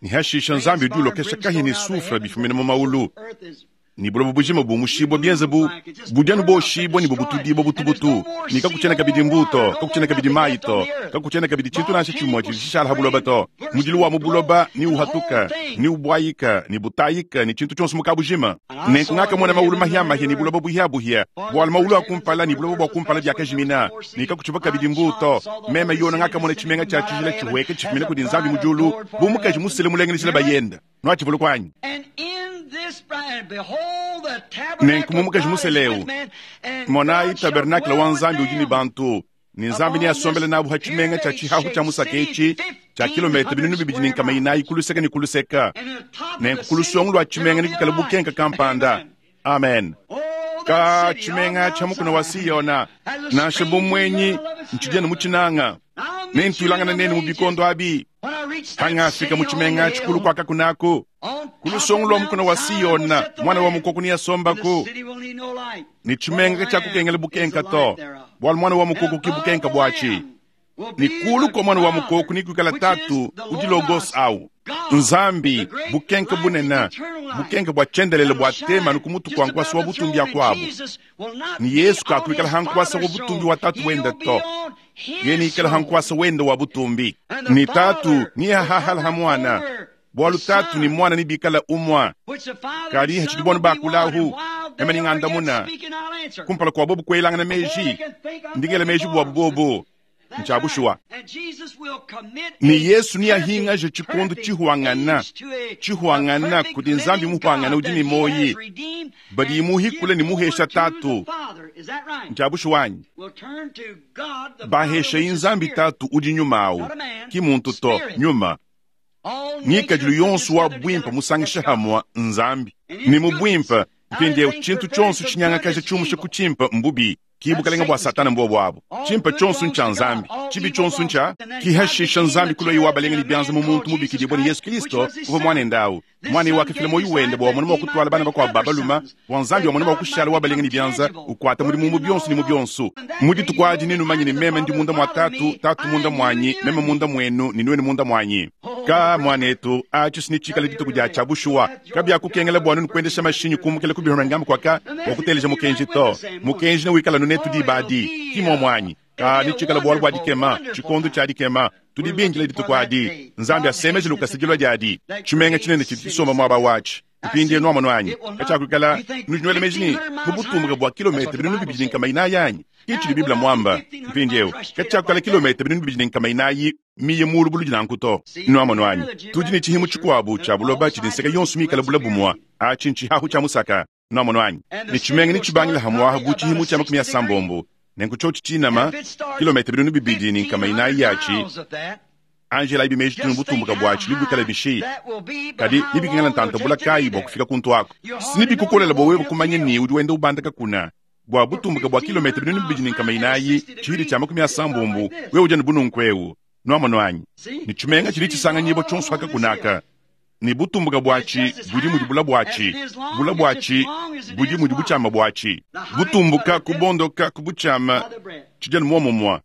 Ni hashisha Nzambi udi ulokesha kahi ni sufra bifumina mu maulu. Ni bulobo bujima bumushibwa byenze bu budyanu boshibwa ni bubutudibwa butubutu. Ni kakuchena kabidi mbuto, kakuchena kabidi maito, kakuchena kabidi chintu nasha chimwa chishala habuloba to. Mudilu wa mubuloba ni uhatuka, ni ubwayika, ni butayika, ni chintu chonso mukabujima. Nenku ngaka mwana maulu mahia mahia ni buloba buhia buhia. Bwal maulu akumpala ni buloba bwakumpala byakajimina. Ni kakuchiba kabidi mbuto. Meme yona ngaka mwana chimenga cha chijila chiweke chifumina kudi Nzambi mujulu. Bumukaji musele mulengenisile bayenda. Nwachivulu kwanyi. Nenku mumukaji museleu monayi tabernakula wa Nzambi udi ni bantu. Ni Nzambi ni asombele nabu ha tshimenga tsha tshihahu tsha musaka etshi tsha kilomita binunu bibidi ni nkama inayi kuluseka ni kuluseka. Nenku kulusongo lwa tshimenga ni kukala bukenka kampanda. Amen. Ka tshimenga tsha mukuna wa Siyona nansha bumwenyi ntshidiana mu tshinanga. Nentulangana nenu mu bikondo abi. Hangafika mu tshimenga tshikulu kwaka kunako. Kulusongo lwa mukuna wa Siyona mwana wa mukoko ni asombako. Ni tshimenga tsha kukengela bukenka to. Bwal mwana wa mukoko ki bukenka bwachi. Ni kulu kwa mwana wa mukoko ni kukala tatu udi logos au. Nzambi bukenka bunena bukenka bwa chendelele bwa tema nukumutu kwa nkwasa wa butumbi ya kwabu. Ni Yesu kakuikala hankwasa wa butumbi wa tatu wenda to. Yeni ikala hankwasa wenda wa butumbi. Ni tatu ni hahala hamwana. Bwalu tatu ni mwana ni bikala umwa. Kadi hachidibwanu bakulahu. Ema ni ngandamuna. Kumpala kwa bobu kwelanga na meji. Ndingela meji bwa bobo. Nchabushwa. Ni Yesu ni ahinga je chikondo chihuangana. Chihuangana kudi Nzambi muhuangana udi ni moyi. Badi muhi kule ni muhesha tatu. Nchabushwanyi. Bahesha inzambi tatu udi nyuma Ki muntu to nyuma. Ngikadilu yonso wa bwimpa musangisha hamwa Nzambi. Ni mubwimpa mpindiewu chintu chonso chinyanga kaja chumusha kuchimpa mbubi. Kibukalenga bwa Satana mbwa bwabo. Chimpa chonso ncha Nzambi. Chibi chonso ncha kihashisha Nzambi kulo iwa balenga ni byanza mu muntu mubikidibwa ni Yesu Kristo uva mwana ndawu. Mwana iwa kafila moyo wende bwa mwana wakutwala bana bakwa babaluma wa Nzambi wa mwana wakushala wa balenga ni byanza ukwata muri mu byonso ni mu byonso. Mudi tukwaji ninu manyi ni meme ndi munda mwa tatu, tatu munda mwanyi, meme munda mwenu, ni nwenu munda mwanyi. Ka mwanetu acho sinichikala dituku dya chabushuwa. Kabya kukengela bwanu nkwendesha mashinyi kumukela kubihora ngamba kwaka wakuteleja mukenji to. Mukenji na wikala nunetu dibadi kimo mwanyi. Ka nichikala bwalu bwa dikema, chikondo cha dikema. Tudibinjila dituku adi. Nzambi asemeje lukasigilwa jadi. Chimenga chinene chitisoma mwaba wachi. Mpindi enu amano anyi. Kachakukala nujinwele mejini kubutumbuka bwa kilomita binunu bibidi nkama inayi anyi. Kichili Biblia mwamba. Mpindi eu. Kachakukala kilomita binunu bibidi nkama inayi miye mulu bulu jinankuto. Inu amano anyi. Tudi ni chihimu chikwabu cha buloba chidinseka yonsu mikala bula bumwa. Achi nchihahu cha musaka. Inu amano anyi. Ni chimenga ni chibangila hamwaha bu chihimu cha makumi ya sambombo. Nenku chochi chinama kilomita binunu bibidi nkama inayi yachi. Angela ibi meji tunu butumbuka bwachi libikala bishi. Kadi libikingala ntanta bula kayi bwa kufika kuntu ako. Sinibi kukolela bwa wewe kumanya ni udi wenda ubandaka kuna. Bwa butumbuka bwa kilomita binunu bibidi nkama inayi chihidi cha makumi ya sambombo wewe ujana bununkwewu. Nwamano anyi. Ni chimenga chili chisanga nyibo chonso haka kunaka. Ne butumbuka bwatshi budi mudi bula bwatshi, bula bwatshi budi mudi butshiama bwatshi. Butumbuka kubondoka ku butshiama tshidi anu muomumue.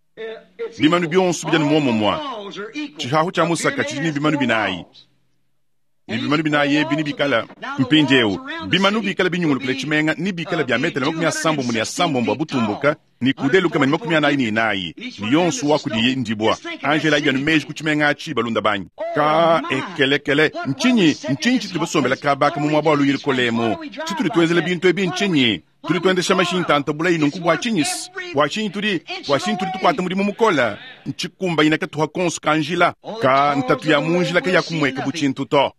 Bimanu bionso bidi anu muomumue. Tshihahu tshia musaka tshidi ne bimanu binayi. Ne bimanu binayi ebi nebikale mpindieu. Bimanu bikale binyungulukile tshimenga ne bikale bia metele makumi asambombo ne asambombo a butumbuka ne kude lukama ne makumi anayi ne inayi. Ne yonso wa kudiye ndibwa. Angela idi anu meji ku tshimenga atshi balunda banyi. Ka ekelekele ntshinyi ntshinyi tshitudi basombela kabaka mu muaba wa luyili kolemu. Tshitudi tuenzela bintu ebi ntshinyi? Tudi tuendesha mashinyi tanta bulayi nunku bua tshinyi? Bua tshinyi tudi bua tshinyi tudi tukuata mudimu mukola? Ntshikumbayina katuha konso ka njila. Ka ntatu ya mu njila kayakumweka bu tshintu to.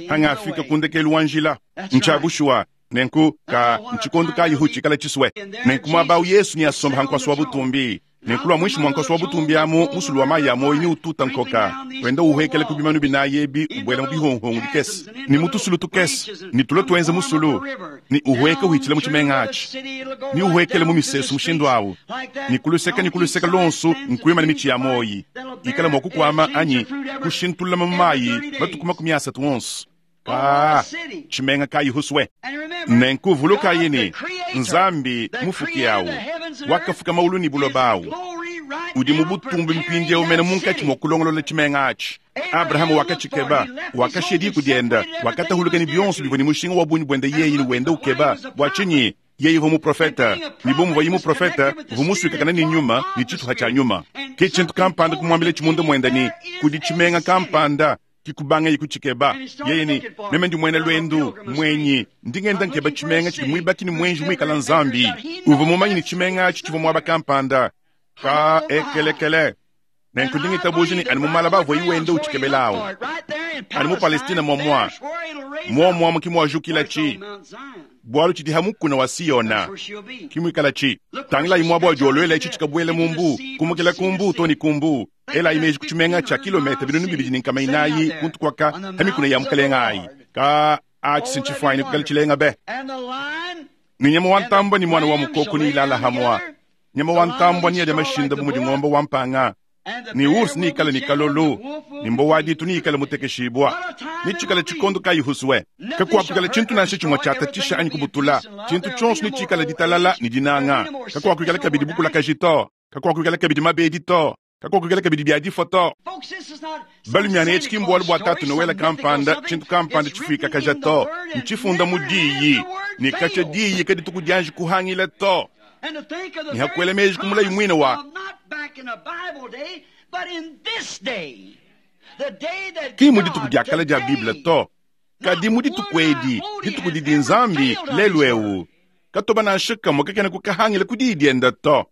Hangafika ku ndekelu wa njila. Ntsha bushuwa. Nenku ka ntshikondu kayihu tshikala tshiswe. Nenku muaba awu Yesu ni asomba hankwasi wa butumbi. Nenku lwa mwishi mwa nkosi wa butumbi amu musulu wa mayi a moyo ni ututa nkoka. Wenda uhekela ku bimanu binayi ebi ubwela mu bihonghongo bikese. Ni mu tusulu tukese. Ni tulo tuenze musulu. Ni uhweka uhitshila mu tshimenga atshi. Ni uhwekela mu misesu mushindu awu. Ni kuluseka ni kuluseka lonso nkuima ne mitshi ya moyi. Ikala mwa kukwama anyi kushintulula mu mayi matuku makumi asatu onso. Ka tshimenga kayi huswe. Nenku vulukayi ne Nzambi mufuki awu wakafuka maulu ni buloba awu. Udi mu butumbi mpindieu mene munkatshi mua kulongolola tshimenga atshi. Abrahama wakatshikeba, wakashiya diku dienda, wakatahuluka ne bionso bivua ne mushinga wa bungi buende yeye ne wenda ukeba. Bua tshinyi? Yeye uvua muprofeta, ne bu muvuaye muprofeta, uvua musuikakana ne nyuma ne tshituha tshia nyuma. Ke tshintu kampanda kumuambila tshimunda muenda ne kudi tshimenga kampanda kikubanga yikutshikeba. Yeye ni meme ndi mwena lwendu mwenyi ndingenda nkeba tshimenga tshidi mwibaki ni mwenji mwikala Nzambi. Uvua mumanyi ni tshimenga atshi tshivua muaba kampanda. Ka ekelekele. Nenku ndingitabuja ni ani mu malaba avua iwenda utshikebelawo. Ani mu Palestina momwa. Momwa mukimwajukila chi. Bwalu tshidi hamukuna wa Siona. Kimwikala chi. Tangila imwabo wa ichi chikabwele mumbu. Kumukila kumbu toni kumbu. Ela imeji kuchimenga cha kilomita binunu bibidi ni nkama inayi kuntu kwaka hamikuna ya mukalenga ayi. Ka achi sinchifwaini kukali chilenga be. Ni nyama wa ntambwa ni mwana wa mukoko ni ilala hamwa. Nyama wa ntambwa ni yadi mashinda bu mudi ng'ombe wa mpanga. Ni ursi ni ikala ni kalolo. Ni mbo wa ditu ni ikala mutekeshibwa. Ni chikala chikondo kayihuswe. Kakuapikala chintu nansha chimwe chatatisha anyi kubutula. Chintu chonso ni chikala ditalala ni dinanga. Kakuapikala kabidi bukula kajito. Kakuapikala kabidi mabedi to. Kakuapikala kabidi bya difoto. Balumiana etshi kimbwalu bwa tatu Noela kampanda chintu kampanda chifika kajato. Nchifunda mudiyi. Ni kacha diyi kadi tukudianji kuhangila to. Ni hakuele meji kumula imwina wa ki mudi tukudiakala dia Bible to. Kadi mudi tukwedi, ditukudi di Nzambi lelu ewu. Katoba nansha kamwe kakena kukahangila kudi dienda to.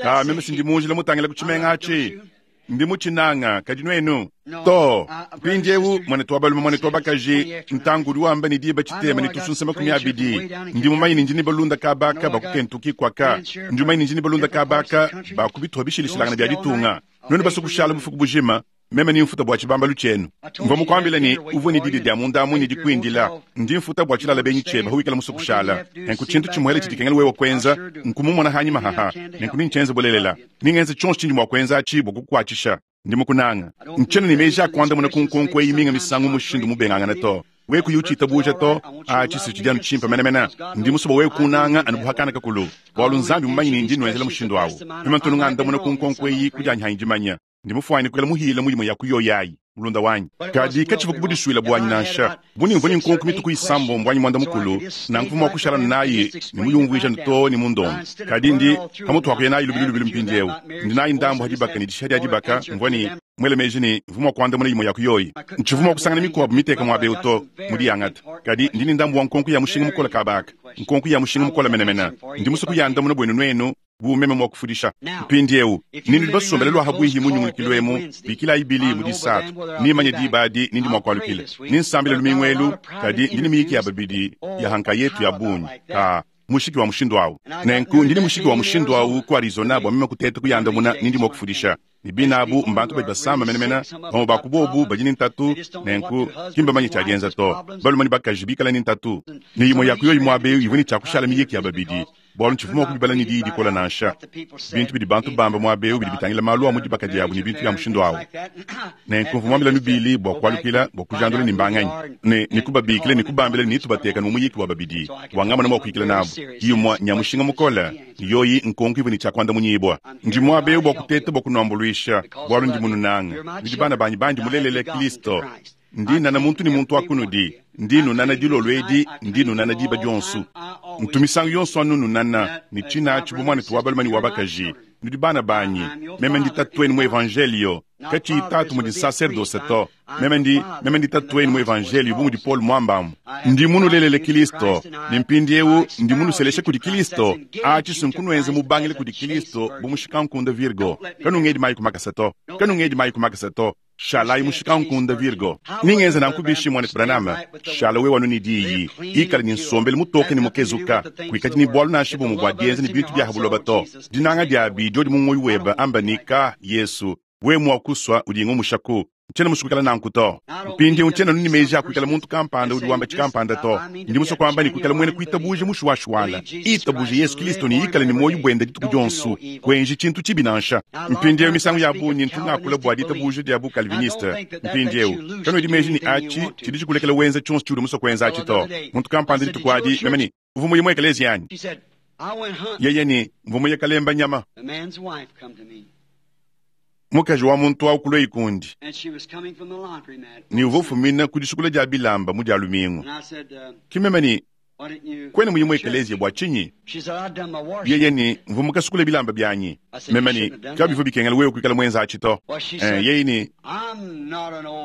Ka meme sindi munjila mutangila ku tshimenga atshi. Ndi mutshinanga kadi nuenu to. Mpindiewu mwanetu wa balume mwanetu wa bakaji ntangu udi wamba ni diba tshitema ni tusunsa makumi abidi. Ndi mumanyi ni ndini balunda kabaka bakukentuki kwaka. Ndi mumanyi ni ndini balunda kabaka bakubituha bishilishilangana bya ditunga. Nuenu basukushala bufuku bujima. Meme ni mfuta bwa tshibambalu tshienu. Mvua mukuambila ni uvua ni didi dia mundamu ni dikuindila. Ndi mfuta bwa tshilala benyi tshieba huikala musukushala. Nenku tshintu tshimuele tshidikengela wewe kwenza nkumumona hanyima haha. Nenku nintshenze bulelela. Ningenze tshonso tshindi mua kwenza atshi bua kukuatshisha. Ndi mukunanga. Ntshena ni meji akuandamuna ku nkonko eyi minga misangu mushindu mubengangana to. Weku yuchita buja to atshi si tshidi anu tshimpe menemene. Ndi musoba wewe kunanga anu buhakana kakulu. Bwalu Nzambi mumanyi ni ndi nwenzela mushindu awu. Mema ntunungandamuna ku nkonko eyi kujanyi hanyi dimanya. Ndi mufuani kukela muhila mulimo ya kuyoyayi mulunda wanyi. Kadi katshivu kubudisuila bwanyi nansha. Buni mvuni nkonko mituku isambo mbwanyi mwanda mukulu. Nanku mwa kushala nayi ni muyumvuisha nto ni mundongo. Kadi ndi pamutu wakuya nayi lubilu lubilu mpindiewu. Ndi nayi ndambu hadibaka ni dishadi hadibaka mvwani mwele meji ni mvumwa kuanda muna yimo ya kuyoyi. Nchivumwa kusangana mikuabu miteka mwa beuto mudi yangata. Kadi ndi ni ndambu wa nkonko ya mushinga mukola kabaka. Nkonko ya mushinga mukola menemena. Ndi musuku ya ndamuna bwenu nwenu. Bu meme mwa kufundisha. Mpindiewu nini libasombela lwa habwihi munyungulukilo emu bikila ibili mu disatu. Nimanye dibadi nindi mwa kwalukile. Ninsambile lumingwelu kadi ndini miyiki ya babidi ya hanka yetu ya bunyi. Ka mushiki wa mushindu awu. Nenku ndini mushiki wa mushindu awu ku Arizona bwa meme kuteta kuyandamuna nindi mwa kufundisha. Ni binabu mbantu badi basamba menemena bamwe bakubobu badi ni ntatu nenku kimba manyi tshiadienza to. Balumani bakaji bikala ni ntatu. Ni yimwe ya kuyo yimwe abeyo ivwe ni tshiakushala miyiki ya babidi. Bwalu ntshivua mua kubibala ne diyi dikole nansha. Bintu bidi bantu bamba muaba eu bidi bitangila malu a mu dibaka diabu ne bintu bia mushindu awu. Nenku mvua muambile Billy bua kualukila bua kujandula ne mbanganyi, ne, ne kubabikila ne kubambila ne tubateka mu muyiki wa babidi bua ngamona mua kuyikila nabu. Imue nya mushinga mukole, ne yoyi nkonko ivua ne tshia kuandamunyibua. Ndi muaba eu bua kuteta bua kunuambuluisha, bualu ndi mununange. Nudi bana banyi bandi mulelele Kilisto. Ndi nnana muntu ne muntu wa kunudi. Ndi nnunana dilolo edi, ndi nnunana diba dionso. Ntu misangu yonso anu nnunana, ne tshinatshi bu muanetu wa balume ne wa bakaji. Nudi bana banyi. Meme ndi tatuenu mu Evanjelio. Katshiyi tatu mudi nsaserdose to. Meme ndi, meme ndi tatuenu mu Evanjelio bu mudi Paul muambamu. Ndi munulelele Kilisto, ne mpindieu ndi munuseleshe kudi Kilisto. Atshi si nkunuenze mubangile kudi Kilisto bu mushikankunda Virgo. Kanungedi mayi ku makasa to. Kanungedi mayi ku makasa to. Shalayi mushikankunda Virgo. Ningenza nanku bishi muanetu Branham. Shala wewe anu ne diyi. Ikala ne nsombelu mutoke ne mukezuka. Kuikadi ne bualu nansha bumue bua dienza ne bintu bia ha buloba to. Dinanga diabi diodi mu muoyo webe amba ne ka Yesu. Wewe mua kusua udi ngumushaku. Ntshiena musue kuikala nanku to. Mpindieu ntshiena anu ne meji a kuikala muntu kampanda udi wamba tshikampanda to. Ndi musue kuamba ne kuikala muena kuitabuja mushuwashuwala. Itabuje Yesu Kilisto ne ikale ne muoyo buende dituku dionso. Kuenji tshintu tshibi nansha. Mpindieu misangu ya bungi ntu ngakula bua ditabuja dia bu-Calviniste. Mpindieu kanuedi meji ne atshi tshidi tshikulekela wenza tshionso tshiudi musue kuenza atshi to. Muntu kampanda dituku adi meme ne uvua muye mu ekeleziya anyi? Yeye ne mvua muye kalemba nyama. Mukaji wa muntu awu kulua ikundi. Ne uvua ufumina ku disukula dia bilamba mu dia lumingu. Ki meme ne kuena muye mu ekeleziya bua tshinyi? Yeye ne mvua mukasukule bilamba bianyi. Meme ne kabivua bikengela wewe kuikala muenza atshi to. Eh, yeye ne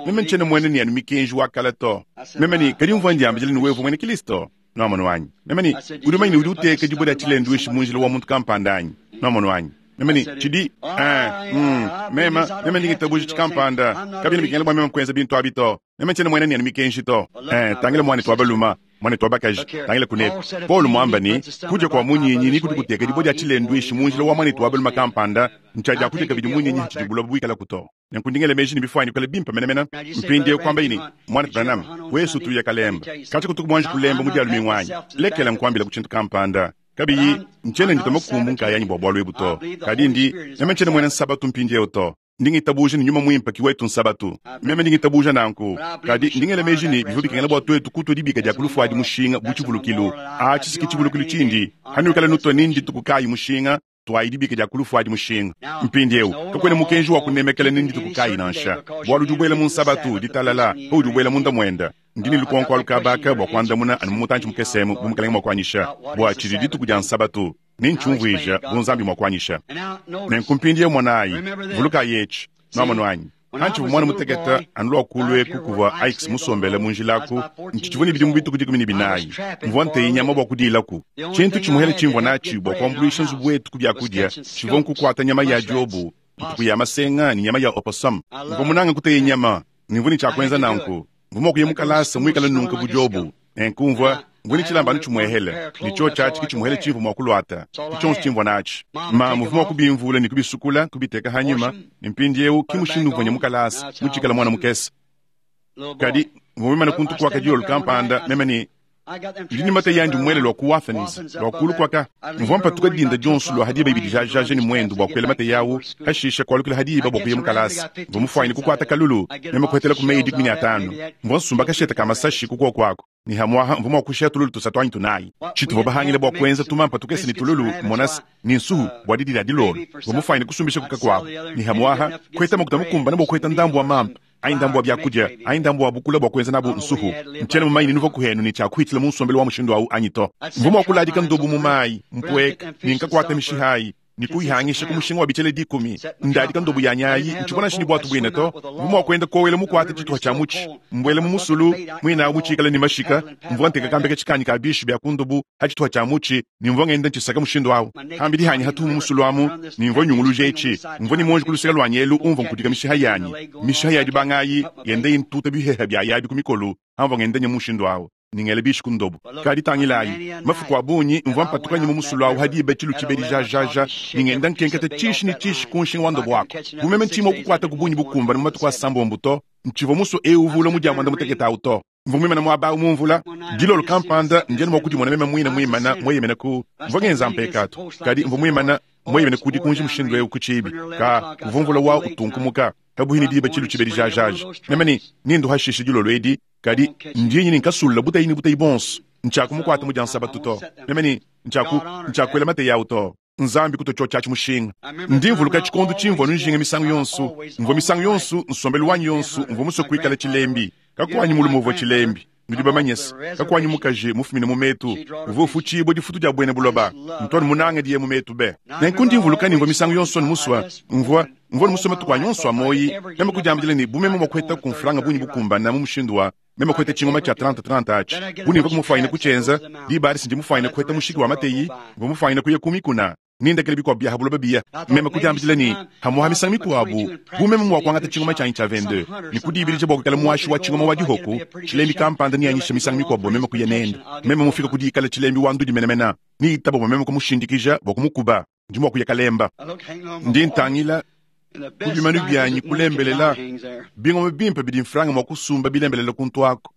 meme ntshiena muena ne anu mikenji wa kala to. Meme ne kadi mvua ndiambila ne wewe uvua muena Kilisto. Nwamonu wanyi. Meme ne udi umanye ne udi uteka dibue dia tshilenduishi mu njila wa muntu kampanda anyi? Nwamonu wanyi. Meme ne tshidi eh, mm, meme meme ndi ngitabuja tshikampanda. Kabiena bikengela bua meme kuenza bintu abi to. Meme ntshiena muena ne anu mikenji to. Eh, tangila muanetu wa balume, muanetu wa bakaji, tangila kuneku. Paul muamba ne kudia kua munyinyi ni kudi kuteka dibue dia tshilenduishi mu njila wa muanetu wa balume kampanda, ntshia kudia kabidi munyinyi tshidi buloba buikala kuto. Nenku ndingele meji ne bifuanyi kuikala bimpe menemene. Mpindieu kuamba ne muanetu Branham, wesu tuya kalemba. Katshi kutuku muanji kulemba mu dia lumingu anyi. Lekela nkuambila ku tshintu kampanda. Kabiyi ntshiena ndita makumbu nkayanyi bua bualu ebu to. Kadi ndi meme ntshiena muena nsabatu mpindieu to. Ndi ngitabuja ne nyuma muimpe ki wetu nsabatu. Meme ndi ngitabuja nanku. Kadi ndingele meji ne bivua bikengela bua tuetu kutua dibika dia ku lufu adi mushinga bu tshivulukilu. Atshi si ki tshivulukilu tshindi. Hanuikala nutua ne ndituku kayi mushinga, tuayi dibika dia ku lufu adi mushinga. Mpindieu kakuena mukenji wa kunemekela ne ndituku kayi nansha. Bualu udi ubuela mu nsabatu ditalala, paudi ubuela munda muenda. Ndi ne lukonko alu kabaka bua kuandamuna anu mu mutantshi mukese bu mukalenge mua kuanyisha bua tshidi dituku dia nsabatu. Ne ntshiumvuija bu Nzambi mua kuanyisha. Nenku mpindieu monayi, vulukayi etshi, nwamonu anyi. Hantshivua muana mutekete anu lua kulu eku kuvua Ike musombele mu njila aku, ntshitshivua ne bidimu bituku dikumi ne binayi. Mvua nteye nyama bua kudilaku. Tshintu tshimuhele tshimvua natshi bua kuambuluisha nzubu wetu ku biakudia, tshivua nkukuata nyama ya diobu, mpuku ya masenga ne nyama ya opossum. Mvua munange kuteye nyama, ne mvua ne tshia kuenza nanku. Mvua mua kuya mu kalasa muikale nunka bu diobu. Nenku mvua mvua ne tshilamba anu tshimuehele, ne tshio tshiatshi ki tshimuehele tshimvua mua kuluata, ki tshionso tshimvua natshi. Mamu mvua mua kubimvula ne kubisukula, kubiteka hanyima, ne mpindieu ki mushindu mvua nya mu kalasa, mutshikala muana mukese. Kadi mvua mimane kuntu kuaka dilolo kampanda, meme ne ndi ne mata yandi muele lua ku Wathens, lua kulu kuaka. Mvua mpatuka dinda dionso lua hadiba ibidi jajaja ne muendu bua kuela mata yawu, hashisha kualukila hadiba bua kuya mu kalasa. Mvua mufuanyine kukuata kalulu, meme kuhetela ku meyi dikumi ne atanu. Mvua nsumba kashete ka masashi ku kuoku aku. Ne hamuaha mvua mua kushiya tululu tusatu anyi tunayi. Tshituvua bahangile bua kuenza tumampa tukese ne tululu, monasi, ne nsuhu bua didi dia dilolo. Mvua mufuanyine kusumbisha kuka kuabu. Ne hamuaha kuheta makuta mukumbane bua kuheta ndambu wa mampa, anyi ndambu wa biakudia, anyi ndambu wa bukula bua kuenza nabu nsuhu. Ntshiena mumanyi ne nuvua kuhenu ne tshia kuhitshila mu nsombelu wa mushindu awu anyi to. Mvua mua kuladika ndobu mu mayi, mpueka, ne nkakuata mishihayi, ne kuyihangisha ku mushinga wa bitshele dikumi. Ndadika ndobu ya nyayi, ntshivua nansha ne buatu buine to. Mvua mua kuenda kowela mukuate tshituha tshia mutshi, mbuela mu musulu, muinawu mutshikale ne mashika. Mvua nteka kambeka tshikanyi ka bishi bia ku ndobu ha tshituha tshia mutshi, ne mvua ngenda ntshisaka mushindu awu. Hambidi hanyi hatuhu mu musulu amu, ne mvua nyunguluja etshi. Mvua ne muonji ku luseke luanyi elu umvua nkudika mishiha yanyi. Mishiha ya dibangayi yenda intuta biheha bia yabi ku mikolu, hamvua ngenda nya mushindu awu. Ningele bishi ku ndobu. Kadi tangilayi, mafuku a bungi mvua mpatuka mu musulu awu hadiba tshilu tshibedi jajaja, ningenda nkenketa tshishi ne tshishi ku nshinga wa ndobu wako. Bu meme ntshima kukuata ku bungi bukumbane mu matuku a sambombo to, ntshivua musue eu uvula mu dia muanda mutekete awu to. Mvua muimana muaba awu mu mvula dilolo kampanda, ndi anu mua kudimona meme muine muimana mueyemena ku mvua ngenza mpekatu, kadi mvua muimana mueyemena ku dikunji mushindu eu ku tshiibi. Ka kuvua mvula wa utunkumuka kabuyi ne diba tshilu tshibedi jajaja. Meme ne nindu hashishe dilolo edi, kadi ndi nyini nkasulla butayi ne butayi bonso. Ntshiakumukuata mu dia nsabatu to. Meme ne ntshiaku ntshiakuela mateyi awu to. Nzambi kuto tshiatshi mushinga. Ndi mvuluka tshikondo tshimvua nujinga misangu yonso, mvua misangu yonso nsombelu wanyi yonso mvua musue kuikala tshilembi. Kakuanyi mulume uvua tshilembi, nudi bamanyese. Kakuanyi mukaji mufumine mu metu, uvua ufutshibua difutu dia buena buloba. Ntu anu munange diye mu metu be. Nenku ndi mvuluka ne mvua misangu yonso musua, mvua mvua musue matuku anyi onso a muoyi, meme kudiambila ne bu meme mua kuheta kumfulanga bungi bukumbana mu mushindu wa meme kuheta tshingoma tshia trente trente atshi. Bu nimvua kumufanyina kutshienza, diba adi sindi mufanyina kuheta mushiki wa mateyi, mvua mufanyina kuya ku mikuna. Nindekele bikuabu bia habuloba biya. Meme kudiambila ne hamuha misangu mikuabu bu meme mua kuangata tshingoma tshianyi tshia vingt-deux ne kudibidija bua kuikala muashi wa tshingoma wa dihoku, tshilembi kampanda nianyisha misangu mikuabu bua meme kuya nende. Meme mufika kudikala tshilembi wa ndudi menemene, niitaba bua meme kumushindikija bua kumukuba, ndi mua kuya kalemba. Ndi ntangila ku bimanu byanyi kulembelela bingoma bimpe bidi mfranga mua kusumba bilembelela kuntu ako.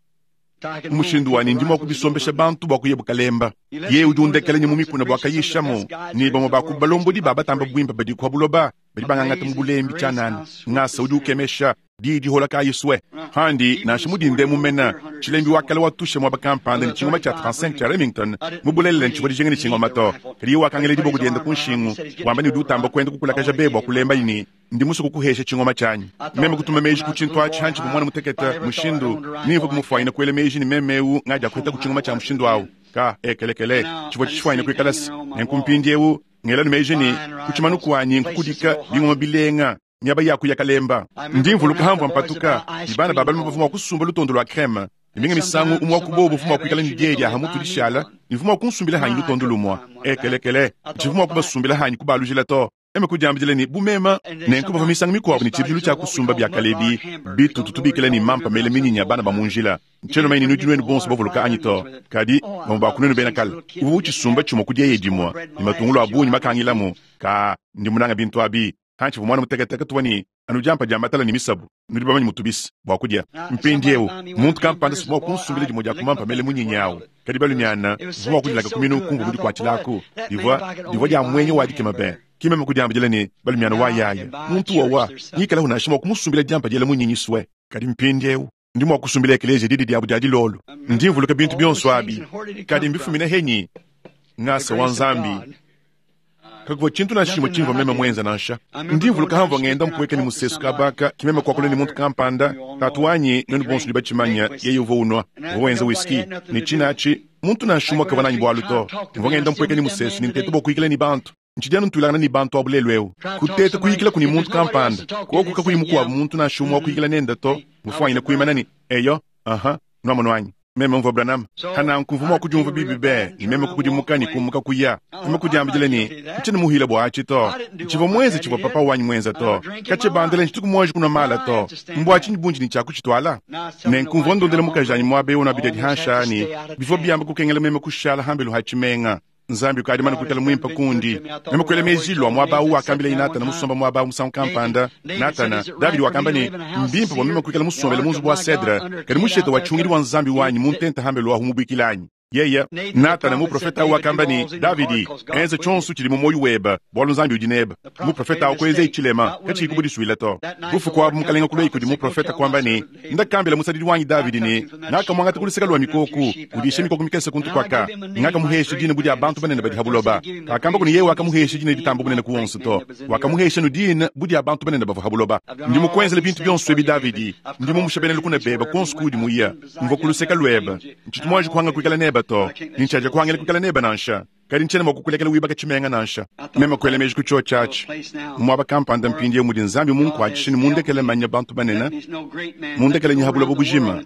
Mushindu wanyi ndi mua kubisombesha bantu bua kuya bukalemba. Ye udi undekela mu mikuna bua kayishamo, ne bamue ba ku balombodi ba batamba buimpe badi kwa buloba badi bangangata mu bulembi tshianana. Ngasa udi ukemesha di dihola kayiswe. Handi nansha mudinde mumena tshilembi wakala watusha muaba kampanda ne tshingoma tshia trente-cinq tshia Remington mu bulelela ntshivua dijinga ne tshingoma to. Kadi ye wakangela diboko diende ku nshingu wamba ne udi utamba kuenda kukulakaja be bua kulemba ne ndi musue kukuhesha tshingoma tshianyi. Meme kutuma meji ku tshintu atshi hantshi mwana mutekete mushindu nimvua kumufwanyina kuela meji ne meme eu ngadia kuheta ku tshingoma tshia mushindu awu. Ka ekelekele tshivua tshifwanyina kuikala se nenku mpindiewu ngela ne meji ne ku tshimanu kuanyi nkukudika bingoma bilenga miaba ya kuya kalemba. Ndi mvuluka hamvua mpatuka ne bana ba balume bavua mua kusumba lutondo lua creme ne minga misangu umue wa ku bobu uvua mua kuikala ne diyi dia hamutu dishala ne mvua mua kunsumbila hanyi lutondo lumua. Ekelekele tshivua mua kubasumbila hanyi kubalujila to. Meme kudiambila ne bu mema nenku bavua misangu mikuabu ne tshibidilu tshia kusumba bia kalebi bitutu tubikila ne mampa mele minyinya bana ba mu njila. Ntshiena manya ne nudi nuenu bonso bavuluka anyi to, kadi bamue ba ku nuenu bena kale uvua utshisumba tshimue ku dieye dimue ne matungulu a bungi makangilamu. Ka ndi munanga bintu abi. Hantshi mwana muteketeke tuvua ne anu diampa dia matala ne misabu, nudi bamanye mutubisi bua kudia. Mpindiewu muntu kampanda si mua kunsumbila dimue dia kumampa mele munyinya awu, kadi balumiana mvua mua kudilaka ku minu kumvua mudikuatshilaku. Divua divua dia muenye wa dikema be. Ki meme kudiambila ne balumiana wa yaya muntu wawa ngikala unansha mua kumusumbila diampa diela munyinyi swe. Kadi mpindiewu ndi mua kusumbila ekeleziya didi diabu dia dilolo. Ndi mvuluka bintu bionso abi, kadi mbifumina henyi ngasa wa Nzambi. Kakuvua tshintu nansha tshimue tshimvua meme muenza nansha. Ndi mvuluka hamvua ngenda mpueka ne musesu kabaka kimeme kuakula ne muntu kampanda tatu wanyi nuenu bonso nudi batshimanya yeye uvua unua uvua wenza whisky ne tshinatshi muntu nansha umue kavua nanyi bualu to. Mvua ngenda mpueka ne musesu ne nteta bua kuyikila ne bantu. Ntshidi anu ntuilangana ne bantu abu lelu eu. Kuteta kuyikila kuni muntu kampanda koku kakuyi mukuabu muntu nansha umue wa kuyikila nende to. Mufwanyina kuimana ne eyo aha nuamono anyi. Meme mvua Branham hananku mvua mua kudiumva bibi be ne meme kukudimuka ne kumuka kuya. Meme kudiambila ne ntshiena muhila bua atshi to. Tshivua muenze tshivua papa wanyi muenza to. Katshibandele ntshituku muanji kunua mala to. Mbua tshinyi bunji ne tshiakutshituala. Nenku mvua ndondela mukaji anyi muaba eu nuabidi dihansha ne bivua biamba kukengela meme kushala hambelu ha tshimenga. Nzambi ukadi mana kuikala muimpe kundi. Meme kuela meji lua muaba awu wakambila Natana musomba muaba awu musangu kampanda. Natana, Davidi wakamba ne mbimpe bua meme kuikala musombele mu nzubu wa cedre, kadi mushete wa tshungidi wa Nzambi wanyi mu ntenta hambelu ahu mubuikila anyi. Yeye Natana muprofeta awu wakamba ne Davidi, enza tshionso tshidi mu muoyo webe, bualu Nzambi udi nebe. Muprofeta awu kuenza tshilema katshiyi kubudisuila to. Bufuku abu mukalenga kulua kudi muprofeta kuamba ne ndakambila musadidi wanyi Davidi ne ngakamuangata ku luseke lua mikoko, udisha mikoko mikese kuntu kwaka, ngakamuhesha dina budi abantu banene badi ha buloba. Kakamba kuni yeye wakamuhesha dina ditamba bunene ku wonso to, wakamuhesha nu dina budi abantu banene bavua ha buloba. Ndi mukuenzela bintu bionso ebi Davidi, ndi mumusha bena lukuna bebe konso kudi muya, mvua ku luseke luebe, ntshitu muanji kuhanga kuikala nebe to, nintshaja kuhangela kuikala nebe nansha. Kadi ntshiena mua kukulekela wibaka tshimenga nansha. Meme kuela meji ku tshiotshi atshi muaba kampanda mpindiewu mudi Nzambi munkuatshishe ne mundekele manya bantu banene, mundekele nyi ha buloba bujima.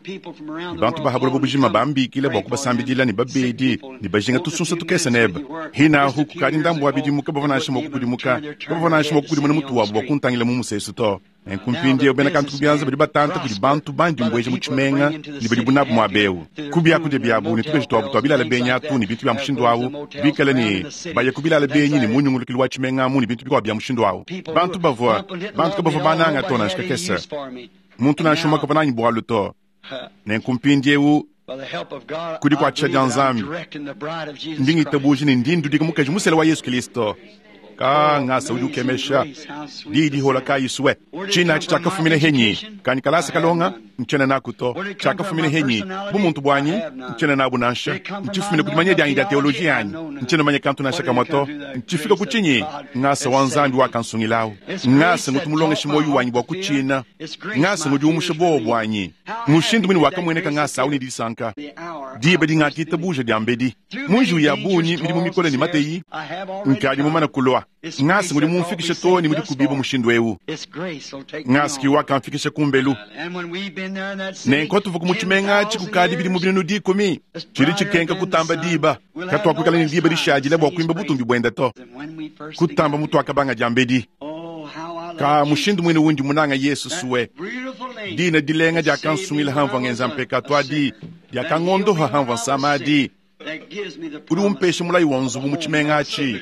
Bantu ba ha buloba bujima bambikile bua kubasambidila ne babedi ne bajinga tusunsa tukese nebe. Hinahu kukadi ndambu wa bidimu kabavua nansha mua kukudimuka, kabavua nansha mua kukudimuna mutu wabu bua kuntangila mu musesu to. Nenku mpindiewu bena kantu ku bianza badi batanta kudi bantu bandi mbueja mu tshimenga ne badi bunabu muaba eu. Ku biakudia biabu ne tukaji tuabu tua bilala benyi atu ne bintu bia mushindu awu, bikale ne baya ku bilala benyi ne munyungulukilu wa tshimenga amu ne bintu bikuabu bia mushindu awu. Bantu bavua bantu kabavua bananga to nansha kakese. Muntu nansha umue kavua nanyi bualu to. Nenku mpindiewu ku dikuatshisha dia Nzambi, ndi ngitabuja ne ndi ndudika mukaji musela wa Yesu Kilisto. Ka ngasa udi ukemesha diyi dihola kayi swe. Tshina atshi tshiakafumina henyi? Kanyi kalasa kalonga ntshiena naku to. Tshiakafumina henyi? Bumuntu buanyi ntshiena nabu nansha. Ntshifumine ku dimanya dianyi dia teoloji yanyi, ntshiena manya kantu nansha kamue to. Ntshifika ku tshinyi? Ngasa wa Nzambi wakansungilawu. Ngasa ngutu mulongeshe muoyo wanyi bua kutshina. Ngasa ngudi umusha buowa buanyi. Mushindu mune wakamueneka ngasa awu ne disanka diba dingakitabuja diambedi. Mu njiwu ya bungi, midimu mikole ne mateyi, nkadi mumane kulua. Ngasa ngudi mumfikishe too ne mudi kubiba mushindu ewu. Ngasa ki wakamfikisha kumbelu. Nenku tuvu mu tshimenga atshi kukadi bidimu binunu dikumi. Tshidi tshikenka kutamba diba. Katuakuikala ne diba dishadila bua kuimba butumbi buenda to. Kutamba mutu akabanga diambedi. Ka mushindu muine wundi munanga Yesu suwe. Dina dilenga diakansungila hamvua ngenza mpekatu adi, diakangondoha hamvua nsama adi. Udi umpesha mulayi wa nzubu mu tshimenga atshi.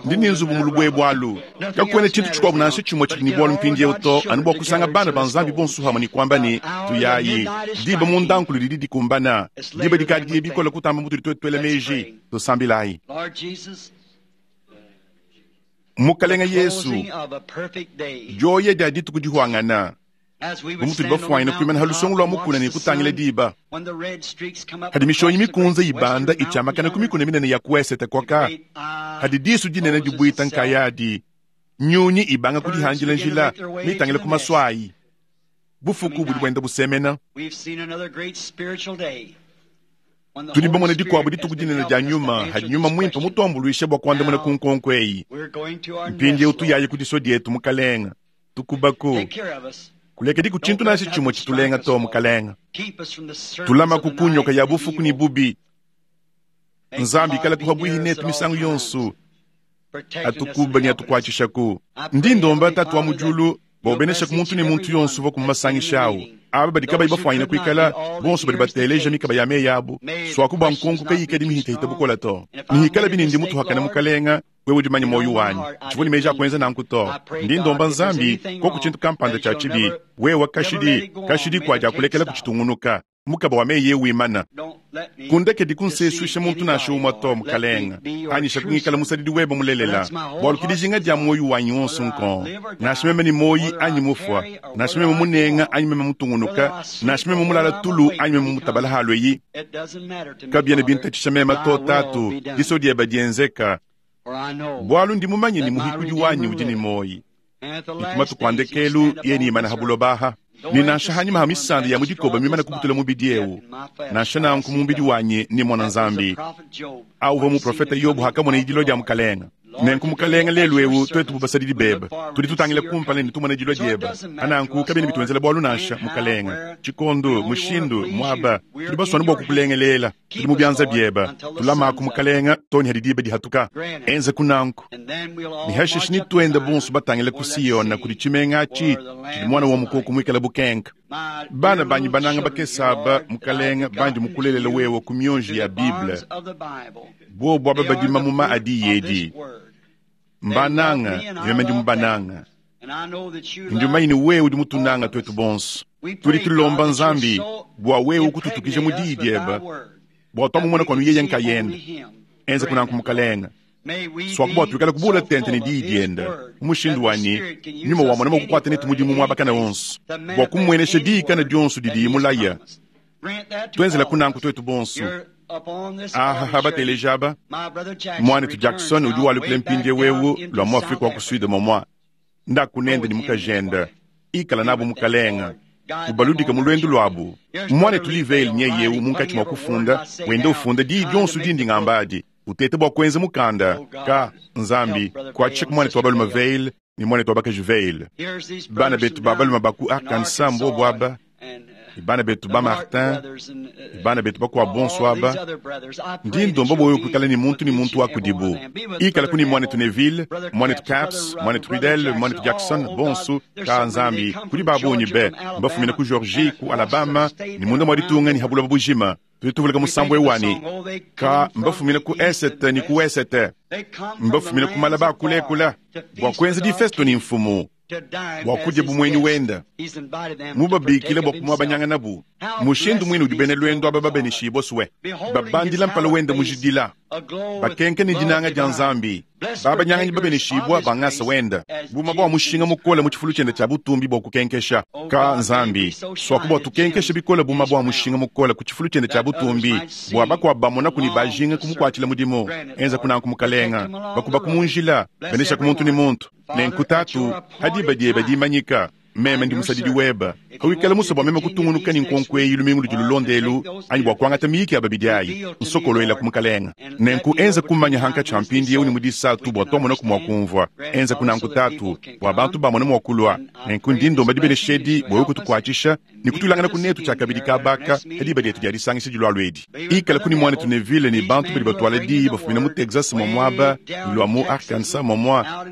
Ndi ne nzubu mu lubwebwe alu. Kakuena tshintu tshikuabu nansha tshimue tshidi ne bualu mpindiewu to, anu bua kusanga bana ba Nzambi bonso hamwe ne kuamba ne, tuyayi. Diba mundankulu didi dikumbana. Diba dikadi diye bikole kutamba mutudi tuetu tuela meji. Tusambilayi. Mukalenga Yesu, dioya dia dituku dihuangana, bu mutudi bafuanyine kuimana ha lusongo lua mukuna ne kutangila diba. Hadi mishonyi mikunze ibanda itshiamakana ku mikuna minene ya ku esete kwaka, hadi disu dinene dibuita nkayadi, nyunyi ibanga kudihanjila njila mitangila ku maswayi. Bufuku budi buenda busemena. Tudi bamone dikuabu dituku dinene dia nyuma, hadi nyuma muimpe mutuambuluishe bua kuandamuna ku nkonko eyi. Mpindiewu tuyaye ku diso dietu mukalenga, tukubaku. Kulekedi ku tshintu nansha tshimue tshitulenga to mukalenga. Tulama ku kunyoka ya bufuku ne bubi. Nzambi ikala kuha netu misangu yonso. Atukuba ne atukuatshishaku. Ndi ndomba tatu wa mu diulu, bua ubenesha ku muntu ne muntu yonso uvua ku masangisha awu. Aba badi kabayi bafuanyine kuikala, bonso badi bateleja mikaba ya meyi abu. Suaku bua nkonko kayikadi mihitahita bukola to. Nihikala bine ndi mutuhakana mukalenga, wewe udi manya moyo wanyi. Tshivua ne meji a kuenza nanku to. Ndi ndomba Nzambi, koku tshintu kampanda tshia tshibi, wewe kashidi, kashidi kua dia kulekela kutshitungunuka. Mukaba wa meyi wimana. Kundekedi kunsesuisha muntu nansha umue to mukalenga. Anyisha kungikala musadidi webe mulelela. Bualu ki dijinga dia moyo wanyi wonso nko. Nansha meme ni moyi anyi mufua. Nansha meme munenga anyi meme mutungunuka. Nansha meme mulala tulu anyi meme mutabala halweyi. Kabiena bintatshisha meme to tatu. Diso dieba dienzeka. Bualu ndi mumanye ni muhikudi wanyi udi ni moyi. Nikumatu kwa ndekelu ye ni imana habulobaha. Ni nansha hanyuma ha misanda ya mudikoba mimana kubutula mubidi ewu. Nansha nanku mubidi wanyi ni mwana Nzambi. Auva mu profeta Yobu hakamona idilo dia mukalenga. Nenku mukalenga lelu ewu twetu bubasadidi bebe. Tudi tutangila kumpala ne tumona idilo dieba. Ananku kabene bituenzela bualu nansha mukalenga. Tshikondo, mushindu, muaba, tudi baswana bua kukulengelela. Tudi mu bianza bieba. Tulamaku mukalenga toni hadi diba dihatuka. Enza kunanku. Ni hashishi ni tuenda bonso batangila ku Siyona kudi tshimenga atshi tshidi mwana wa mukoko muikala bukenka. Bana banyi bananga bakesaba mukalenga bandi mukulelela wewe ku mionji ya Bible. Bobo aba badima muma adi yedi. Mbananga, meme ndi mubananga. Ndi mumanye ne wewe udi mutunanga twetu bonso. Tudi tulomba Nzambi bua wewe kututukija mu diyi diebe, bua twamumona kwanu yeye nkayenda. Enza kunanku mukalenga. Swaku bua tuikale kubula tente ne diyi dienda. Mu mushindu wanyi, nyuma wa mwana mukukwata netu mudimu muabakana wonso. Bua kumuenesha diyi kana dionso didi mulaya. Tuenzela kunanku twetu bonso. Aha bateleja aba. Mwanetu Jackson udi walukile mpindiewu wewu lwa mu Afrika wa ku Sud momwa. Ndakunende ni mukajenda. Ikala nabo mukalenga. Ubaludika mu lwendo lwabu. Mwanetu Livale nyeyewu munkatshi mwa kufunda, wende ufunda diyi dionso dindi ngambadi. Utete bua kuenza mukanda ka Nzambi kuatshika mwanetu wa balume Vale ni mwanetu wa bakaji Vale. Bana betu ba balume ba ku Arkansas mbobo aba. Bana betu ba Martin, bana betu bakwa bonso aba. Ndi ndomba boyo kuikala ni muntu ni muntu wa kudibu. Ikala kuni mwanetu Neville, mwanetu Caps, mwanetu Riddle, mwanetu Jackson, bonso ka Nzambi kudi babonyi be. Mbafumina ku Georgie, ku Alabama, ni munda mwa ditunga ni habula bujima. Tudi tuvuluka musambu ewani. Ka mbafumina ku esete ni ku esete. Mbafumina ku malaba kulekula. Bua kuenza difesto ni mfumu. Bua kudya bumweni wenda. Mubabikile bua kumwabanyanga nabu. Mushindu mwine udi bena lwendo aba babeneshibwe suwe babandila mpala wende mujidila bakenke ne dinanga dia Nzambi babanyanganyi babeneshibwa bangasa wenda buma bwa mushinga mukole mu tshifulu tshiende tshia butumbi bwa kukenkesha ka Nzambi swaku bwa tukenkesha bikole buma bwa mushinga mukole ku tshifulu tshiende tshia butumbi bwa bakwa bamona kuni bajinga kumukwatshila mudimu enza kunanku mukalenga bakuba kumunjila benesha ku muntu ni muntu nenkutatu hadiba dieba dimanyika meme ndi musadidi weba kawikala musa bwa meme kutungunuka ni nkonko eyi lumingu ludi lulondelu anyi bwa kuangata miyiki ya babidi ayi nsokoloela ku mukalenga nenku enza kumanya hanka tsha mpindi ewu ni mudisatu bwa twamona ku mwakumvwa enza kunanku tatu bwa bantu bamona mwakulwa nenku ndi ndomba dibeneshedi bwewe kutukuatshisha ni kutulangana kunetu tshia kabidi kabaka hadiba dietu dia disangisha dilwalo edi ikala kuni mwana tunevile ni bantu badi batwala diyi bafumina mu Texas mwa mwaba lwa mu Arkansas mwa mwa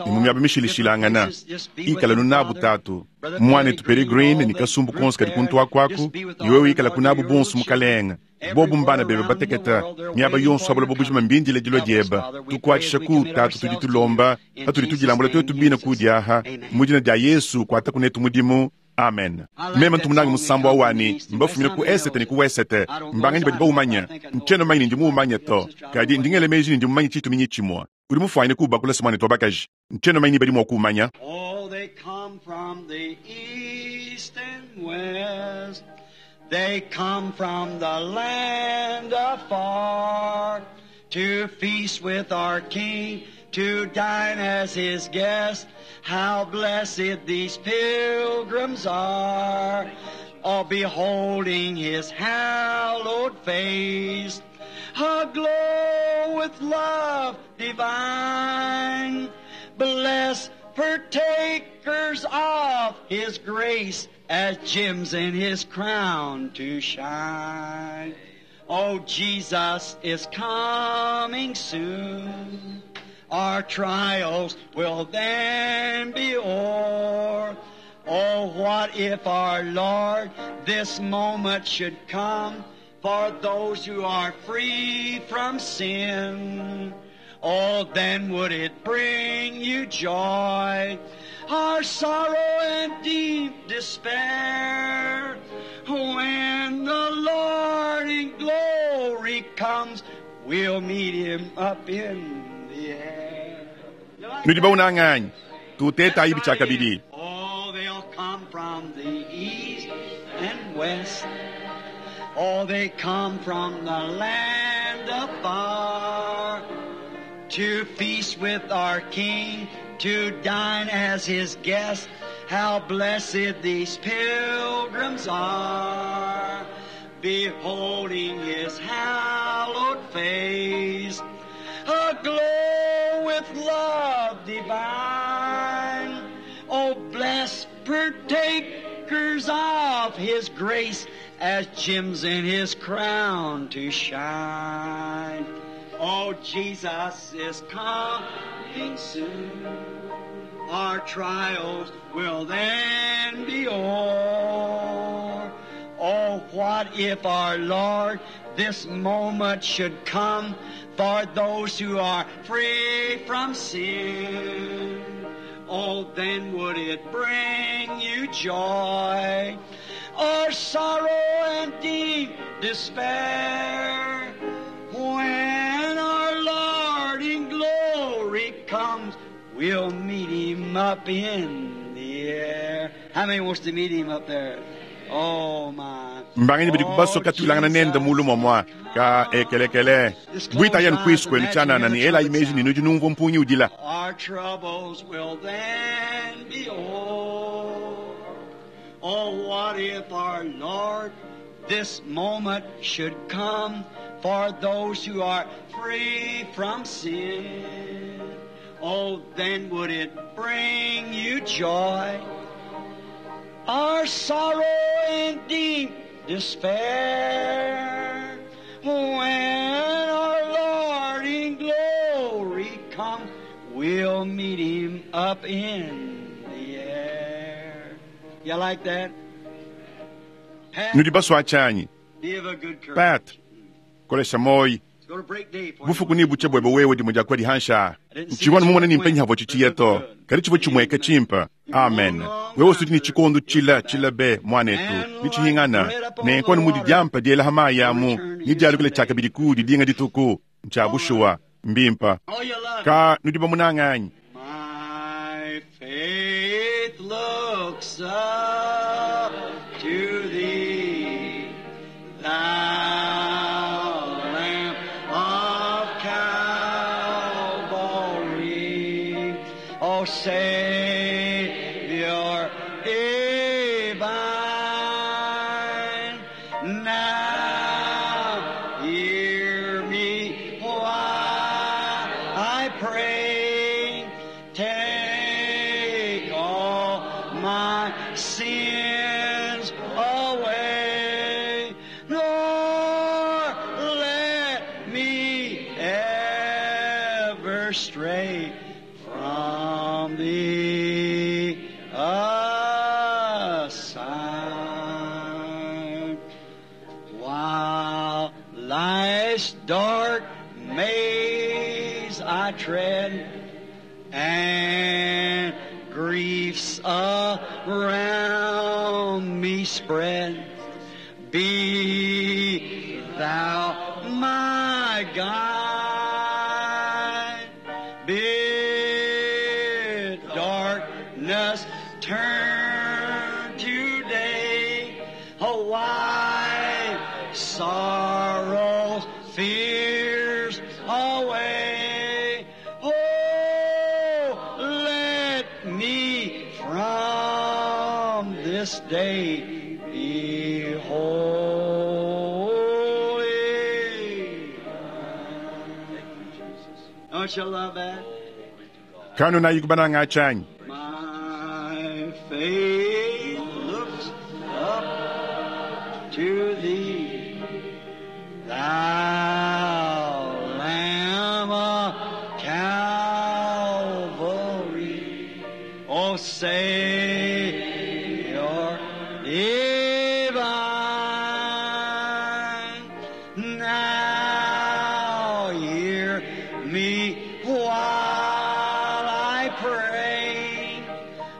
ni mu miaba mishilishilangana ikala nunabu tatu mwana tuperi green ni kasumbu konse kadi kuntu akwaku iwe wikala kunabu bonso mukalenga bobu mbana bebe bateketa miaba yonso abula bobujima mbindile dilo dieba tukuatshisha ku tatu tudi tulomba patudi tudilambula twetu bina kudiaha mudina dia Yesu kuata kunetu mudimu. Amen. Meme ntumunanga musambo awani mbafumile ku esete ni ku wesete mbanganyi badi baumanya ntshiena manyi ndi muumanya to kadi ndingele meji ndi mumanyi tshituminyi tshimwa udi mufuanyine kubakula simwane twabakaji ntshiena manyi badi mua kuumanya. Oh, they come from the east and west. They come from the land afar to feast with our King, to dine as his guest. How blessed these pilgrims are, all beholding his hallowed face, aglow with love divine. Blessed partakers of his grace, as gems in his crown to shine. Oh, Jesus is coming soon. Our trials will then be o'er. Oh, what if our Lord this moment should come for those who are free from sin? Oh, then would it bring you joy, our sorrow and deep despair? When the Lord in glory comes, we'll meet him up in the air. Nudi baunanganyi tuteta ayibi tshia kabidi. Oh, they'll come from the east and west. Oh, they come from the land afar to feast with our King, to dine as his guest. How blessed these pilgrims are, beholding his hallowed face, aglow with love divine. Oh, blessed partakers of his grace, as gems in his crown to shine. Oh, Jesus is coming soon. Our trials will then be o'er. Oh, what if our Lord this moment should come for those who are free from sin? Oh, then would it bring you joy or sorrow and deep despair? When our Lord in glory comes, we'll meet him up in the air. How many wants to meet him up there? Oh my. Mbanganyi badi kubasoka tuilangana nende mulu mwamwa ka ekelekele bwita yanu kwisu kwenu tshanana ni ela imeji ni nudi numva mpunyi udila. Our troubles will then be o'er. Oh, what if our Lord this moment should come for those who are free from sin? Oh, then would it bring you joy or sorrow and deep despair? When our Lord in glory comes, we'll meet him up in the air. You like that? Pat, Nudi baswa tshanyi be of a good courage. Pat kolesha moyi Bufuku ni buche bwebe wewe dimwe dia dihansha. Nchivwa mumona ni mpenyi havo chichiya to. Kadi chivwa chimweka chimpa. Amen. Wewe usudi ni chikondo chila chila be mwanetu. Ni chihingana. Nenko ni mudi diampa diela hamayamu. Ni dialukile chakabidi ku didinga dituku. Ncha bushuwa. Mbimpa. Ka nudiba munanganyi. My faith looks up to thee, thou Lamb of Calvary, O Savior divine. Now hear me while I pray. Take all my sins away, nor let me ever stray from thee aside. While life's dark maze I tread, and griefs around me spread, be thou my guide. Bid darkness turn to day, wipe sorrows, fears away. Oh, let me from this day be holy. Don't you love that? Kanu na yikubananga chanyi. My faith looks up to thee, thou Lamb of Calvary, O Savior divine. Now hear me while I pray.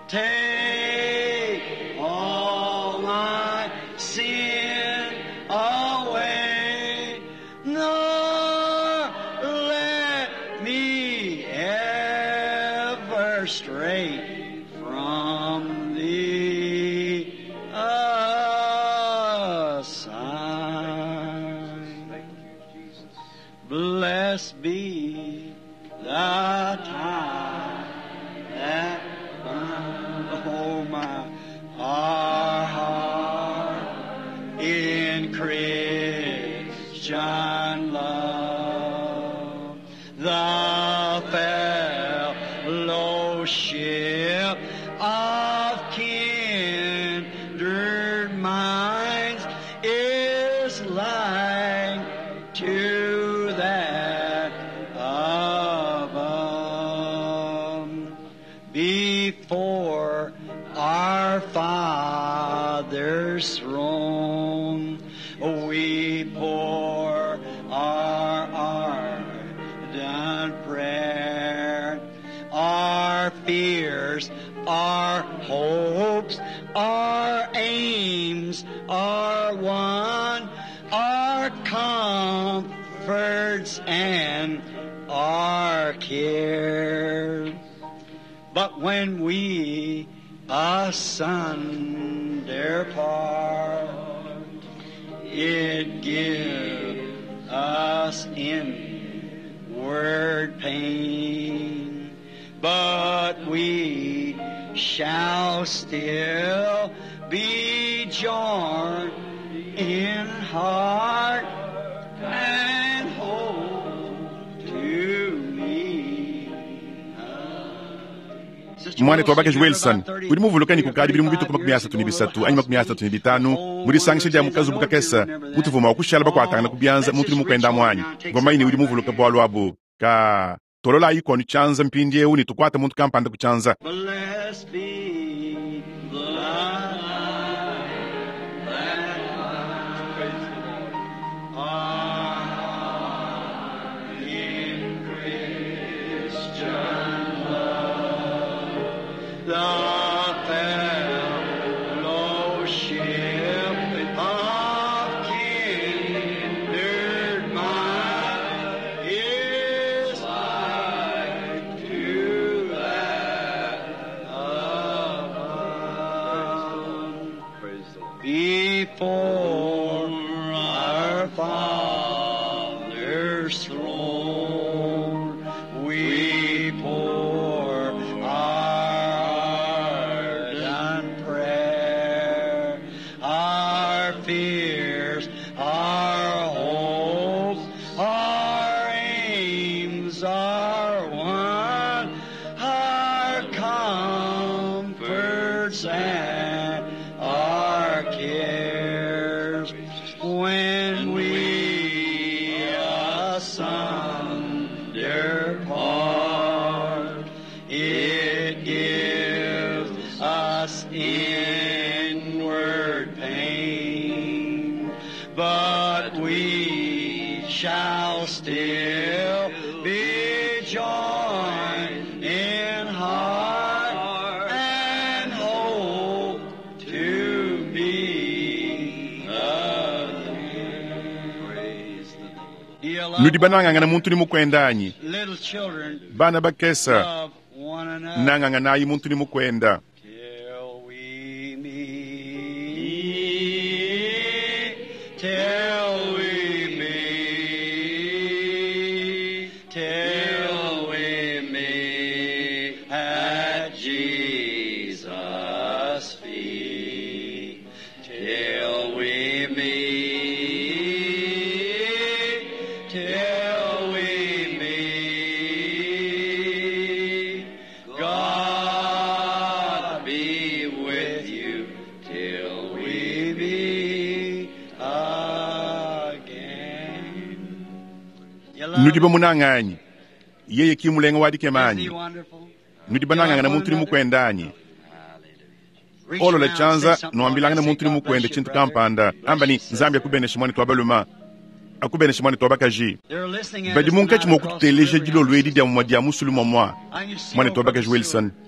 Take all my sin away, nor let me ever stray from thee aside. Blessed be the tie that binds, oh my, our heart in Christian love. The fellowship of kindred minds is like to that above. Before our Father's throne, we pour our ardent prayer, our fears, our hopes, our aims are one, our comforts and our cares. But when we asunder part, it gives us inward pain. But we shall still be joined in heart and hope to meet. Mwanetu wabakaji Wilson udi muvuluka ni kukadi bili mu bituku makumi asatu ni bisatu anyi makumi asatu ni bitanu mudisangisha dia mukazi bukakesa mutuvuma wakushala bakuatangana kubyanza muntu udi mukwenda mwanyi ngomaini udi muvuluka bwalu abu ka tolola ikonu chanza mpindi eu ni tukwata muntu kampanda kuchanza. Blessed be the that our Before our Father's throne, we pour our ardent prayer, our fears, our hopes, our aims are one, our comforts and our cares. When we asunder part, it gives us inward pain, but we shall still be joined in heart and hope to be again. Praise the Lord. Do you love Nudi banangangana muntu ni mukwenda anyi little children? bana bakesa Love one another. nanganganayi muntu ni mukwenda Till we meet, till we meet, till we meet at Jesus' feet, till we meet, till we meet. God be with you till we meet again. You love Nudi bamunang'anyi yeye kimulenga Isn't wadikemanyi he wonderful? nudi banang'ang'ana muntu ni mukwenda anyi Reach olola around, say chanza something nwambilangana say, muntu ni God mukwenda bless you, chintu brother. kampanda amba ni Bless you, nzambi sister. akubenesha mwani twabaluma akubenesha mwani twabakaji They're listening at badi us munkatshi tonight mwa across the kututeleja river dilolo edi yonder. dia mumwa dia musulu mwamwa I can see mwane old twabakaji Brother Wilson Seward.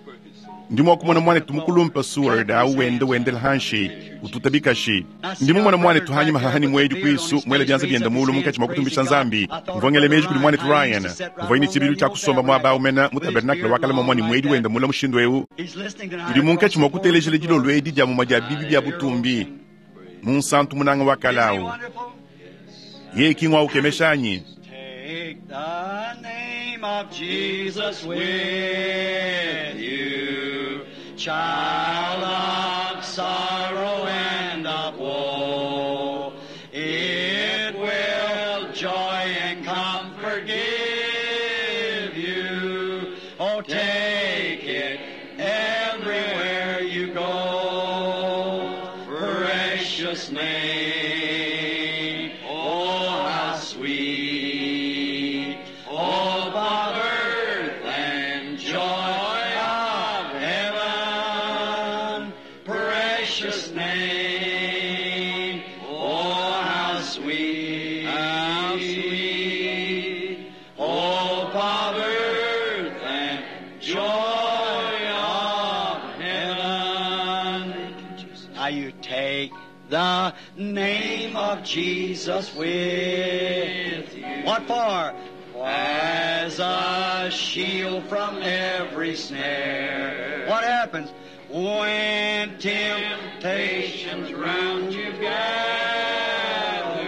ndi mwakumona mwane tumukulumpa Seward au wende wendela hanshi ututabikashi ndi mumona mwane tuhanyima hahani mwedi kwisu mwele byanza byenda mulu munkatshi mwa kutumbisha nzambi mvongele meji kuli mwane tu Ryan mvongene chibilu cha kusomba mwaba umena mu tabernakula wakala mwamwani mwedi wenda mula mushindu eu He's listening tonight udi munkatshi mwa across the kutelejela border. dilolo edi dia mumwa dia bibi bya butumbi munsantu munanga Isn't he wakalawu wonderful? ye kingwa ukemeshanyi Take the name of Jesus with you, child of sorrow and of woe. It will joy and comfort give you. Oh, take it everywhere you go. Precious name, oh, how sweet. Oh, birth and joy of heaven. Precious name, oh, how sweet, how sweet. Oh, birth and joy of heaven. Now you take the name of Jesus with you. What for? As a shield from every snare. What happens? When temptations round you gather,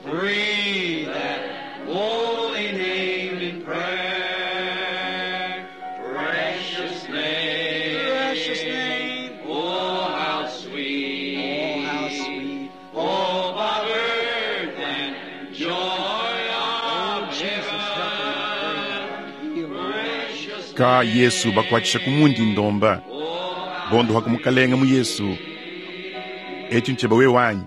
breathe that holy name in prayer. Precious name, precious name. Oh, how sweet, oh, how sweet. Oh, birth and joy of heaven. Precious ka Yesu bakwatshisha kumundi ndomba bondo hakumukalenga mu Yesu echi ncheba we wanyi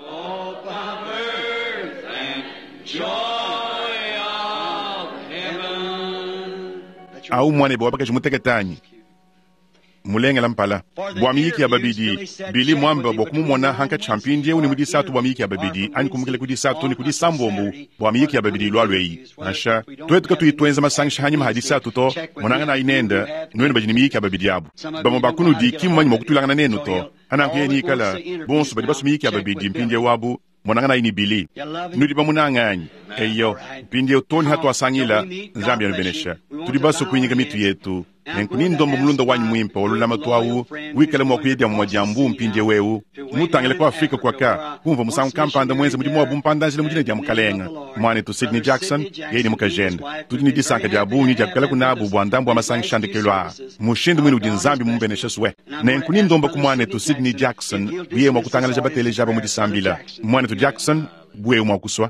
Oh, birth and joy of heaven. au mwane bo wabakaji muteketanyi mulengela mpala bwa miyiki ya babidi bili mwamba bwa kumumona hanka champindi eu ni mudisatu bwa miyiki ya babidi ani kumukile kudisatu ni kudisambombu bwa miyiki ya babidi ilwalu eyi nansha twetu katuyi masangisha hanyima hadisatu to monangana ayinenda nwenu badi ni miyiki ya babidi abu bamwe bakunudi kimumanyi mwa kutulangana nenu to hananku yeni ikala bonso badi basu miyiki ya babidi mpindi wabu monangana ayini bili nudi bamunang'anyi eyo mpindi toni hatwasangila nzambi anubenesha tudi baso kuinyika mitu yetu Nenku nindomba mulunda wanyi muimpe wa lulamatu awu wikale mua kuya dia mumue dia mbuu mpindieu eu, mutangile ku Afrike kuaka, kumvua musangu kampanda muenze mudimu wa bumpanda-njila mu dina dia Mukalenge. Muanetu Sidney Jackson, yeye ne mukajende. Tudi ne disanka dia bungi dia kuikalaku nabu bua ndambu wa masangisha a ndekelu aa, mushindu muine udi Nzambi mumubeneshe swe. Nenku nindomba ku muanetu Sidney Jackson bu yeye mua kutangalaja bateleji aba mu disambila. Muanetu Jackson, bu wewe mua kusua.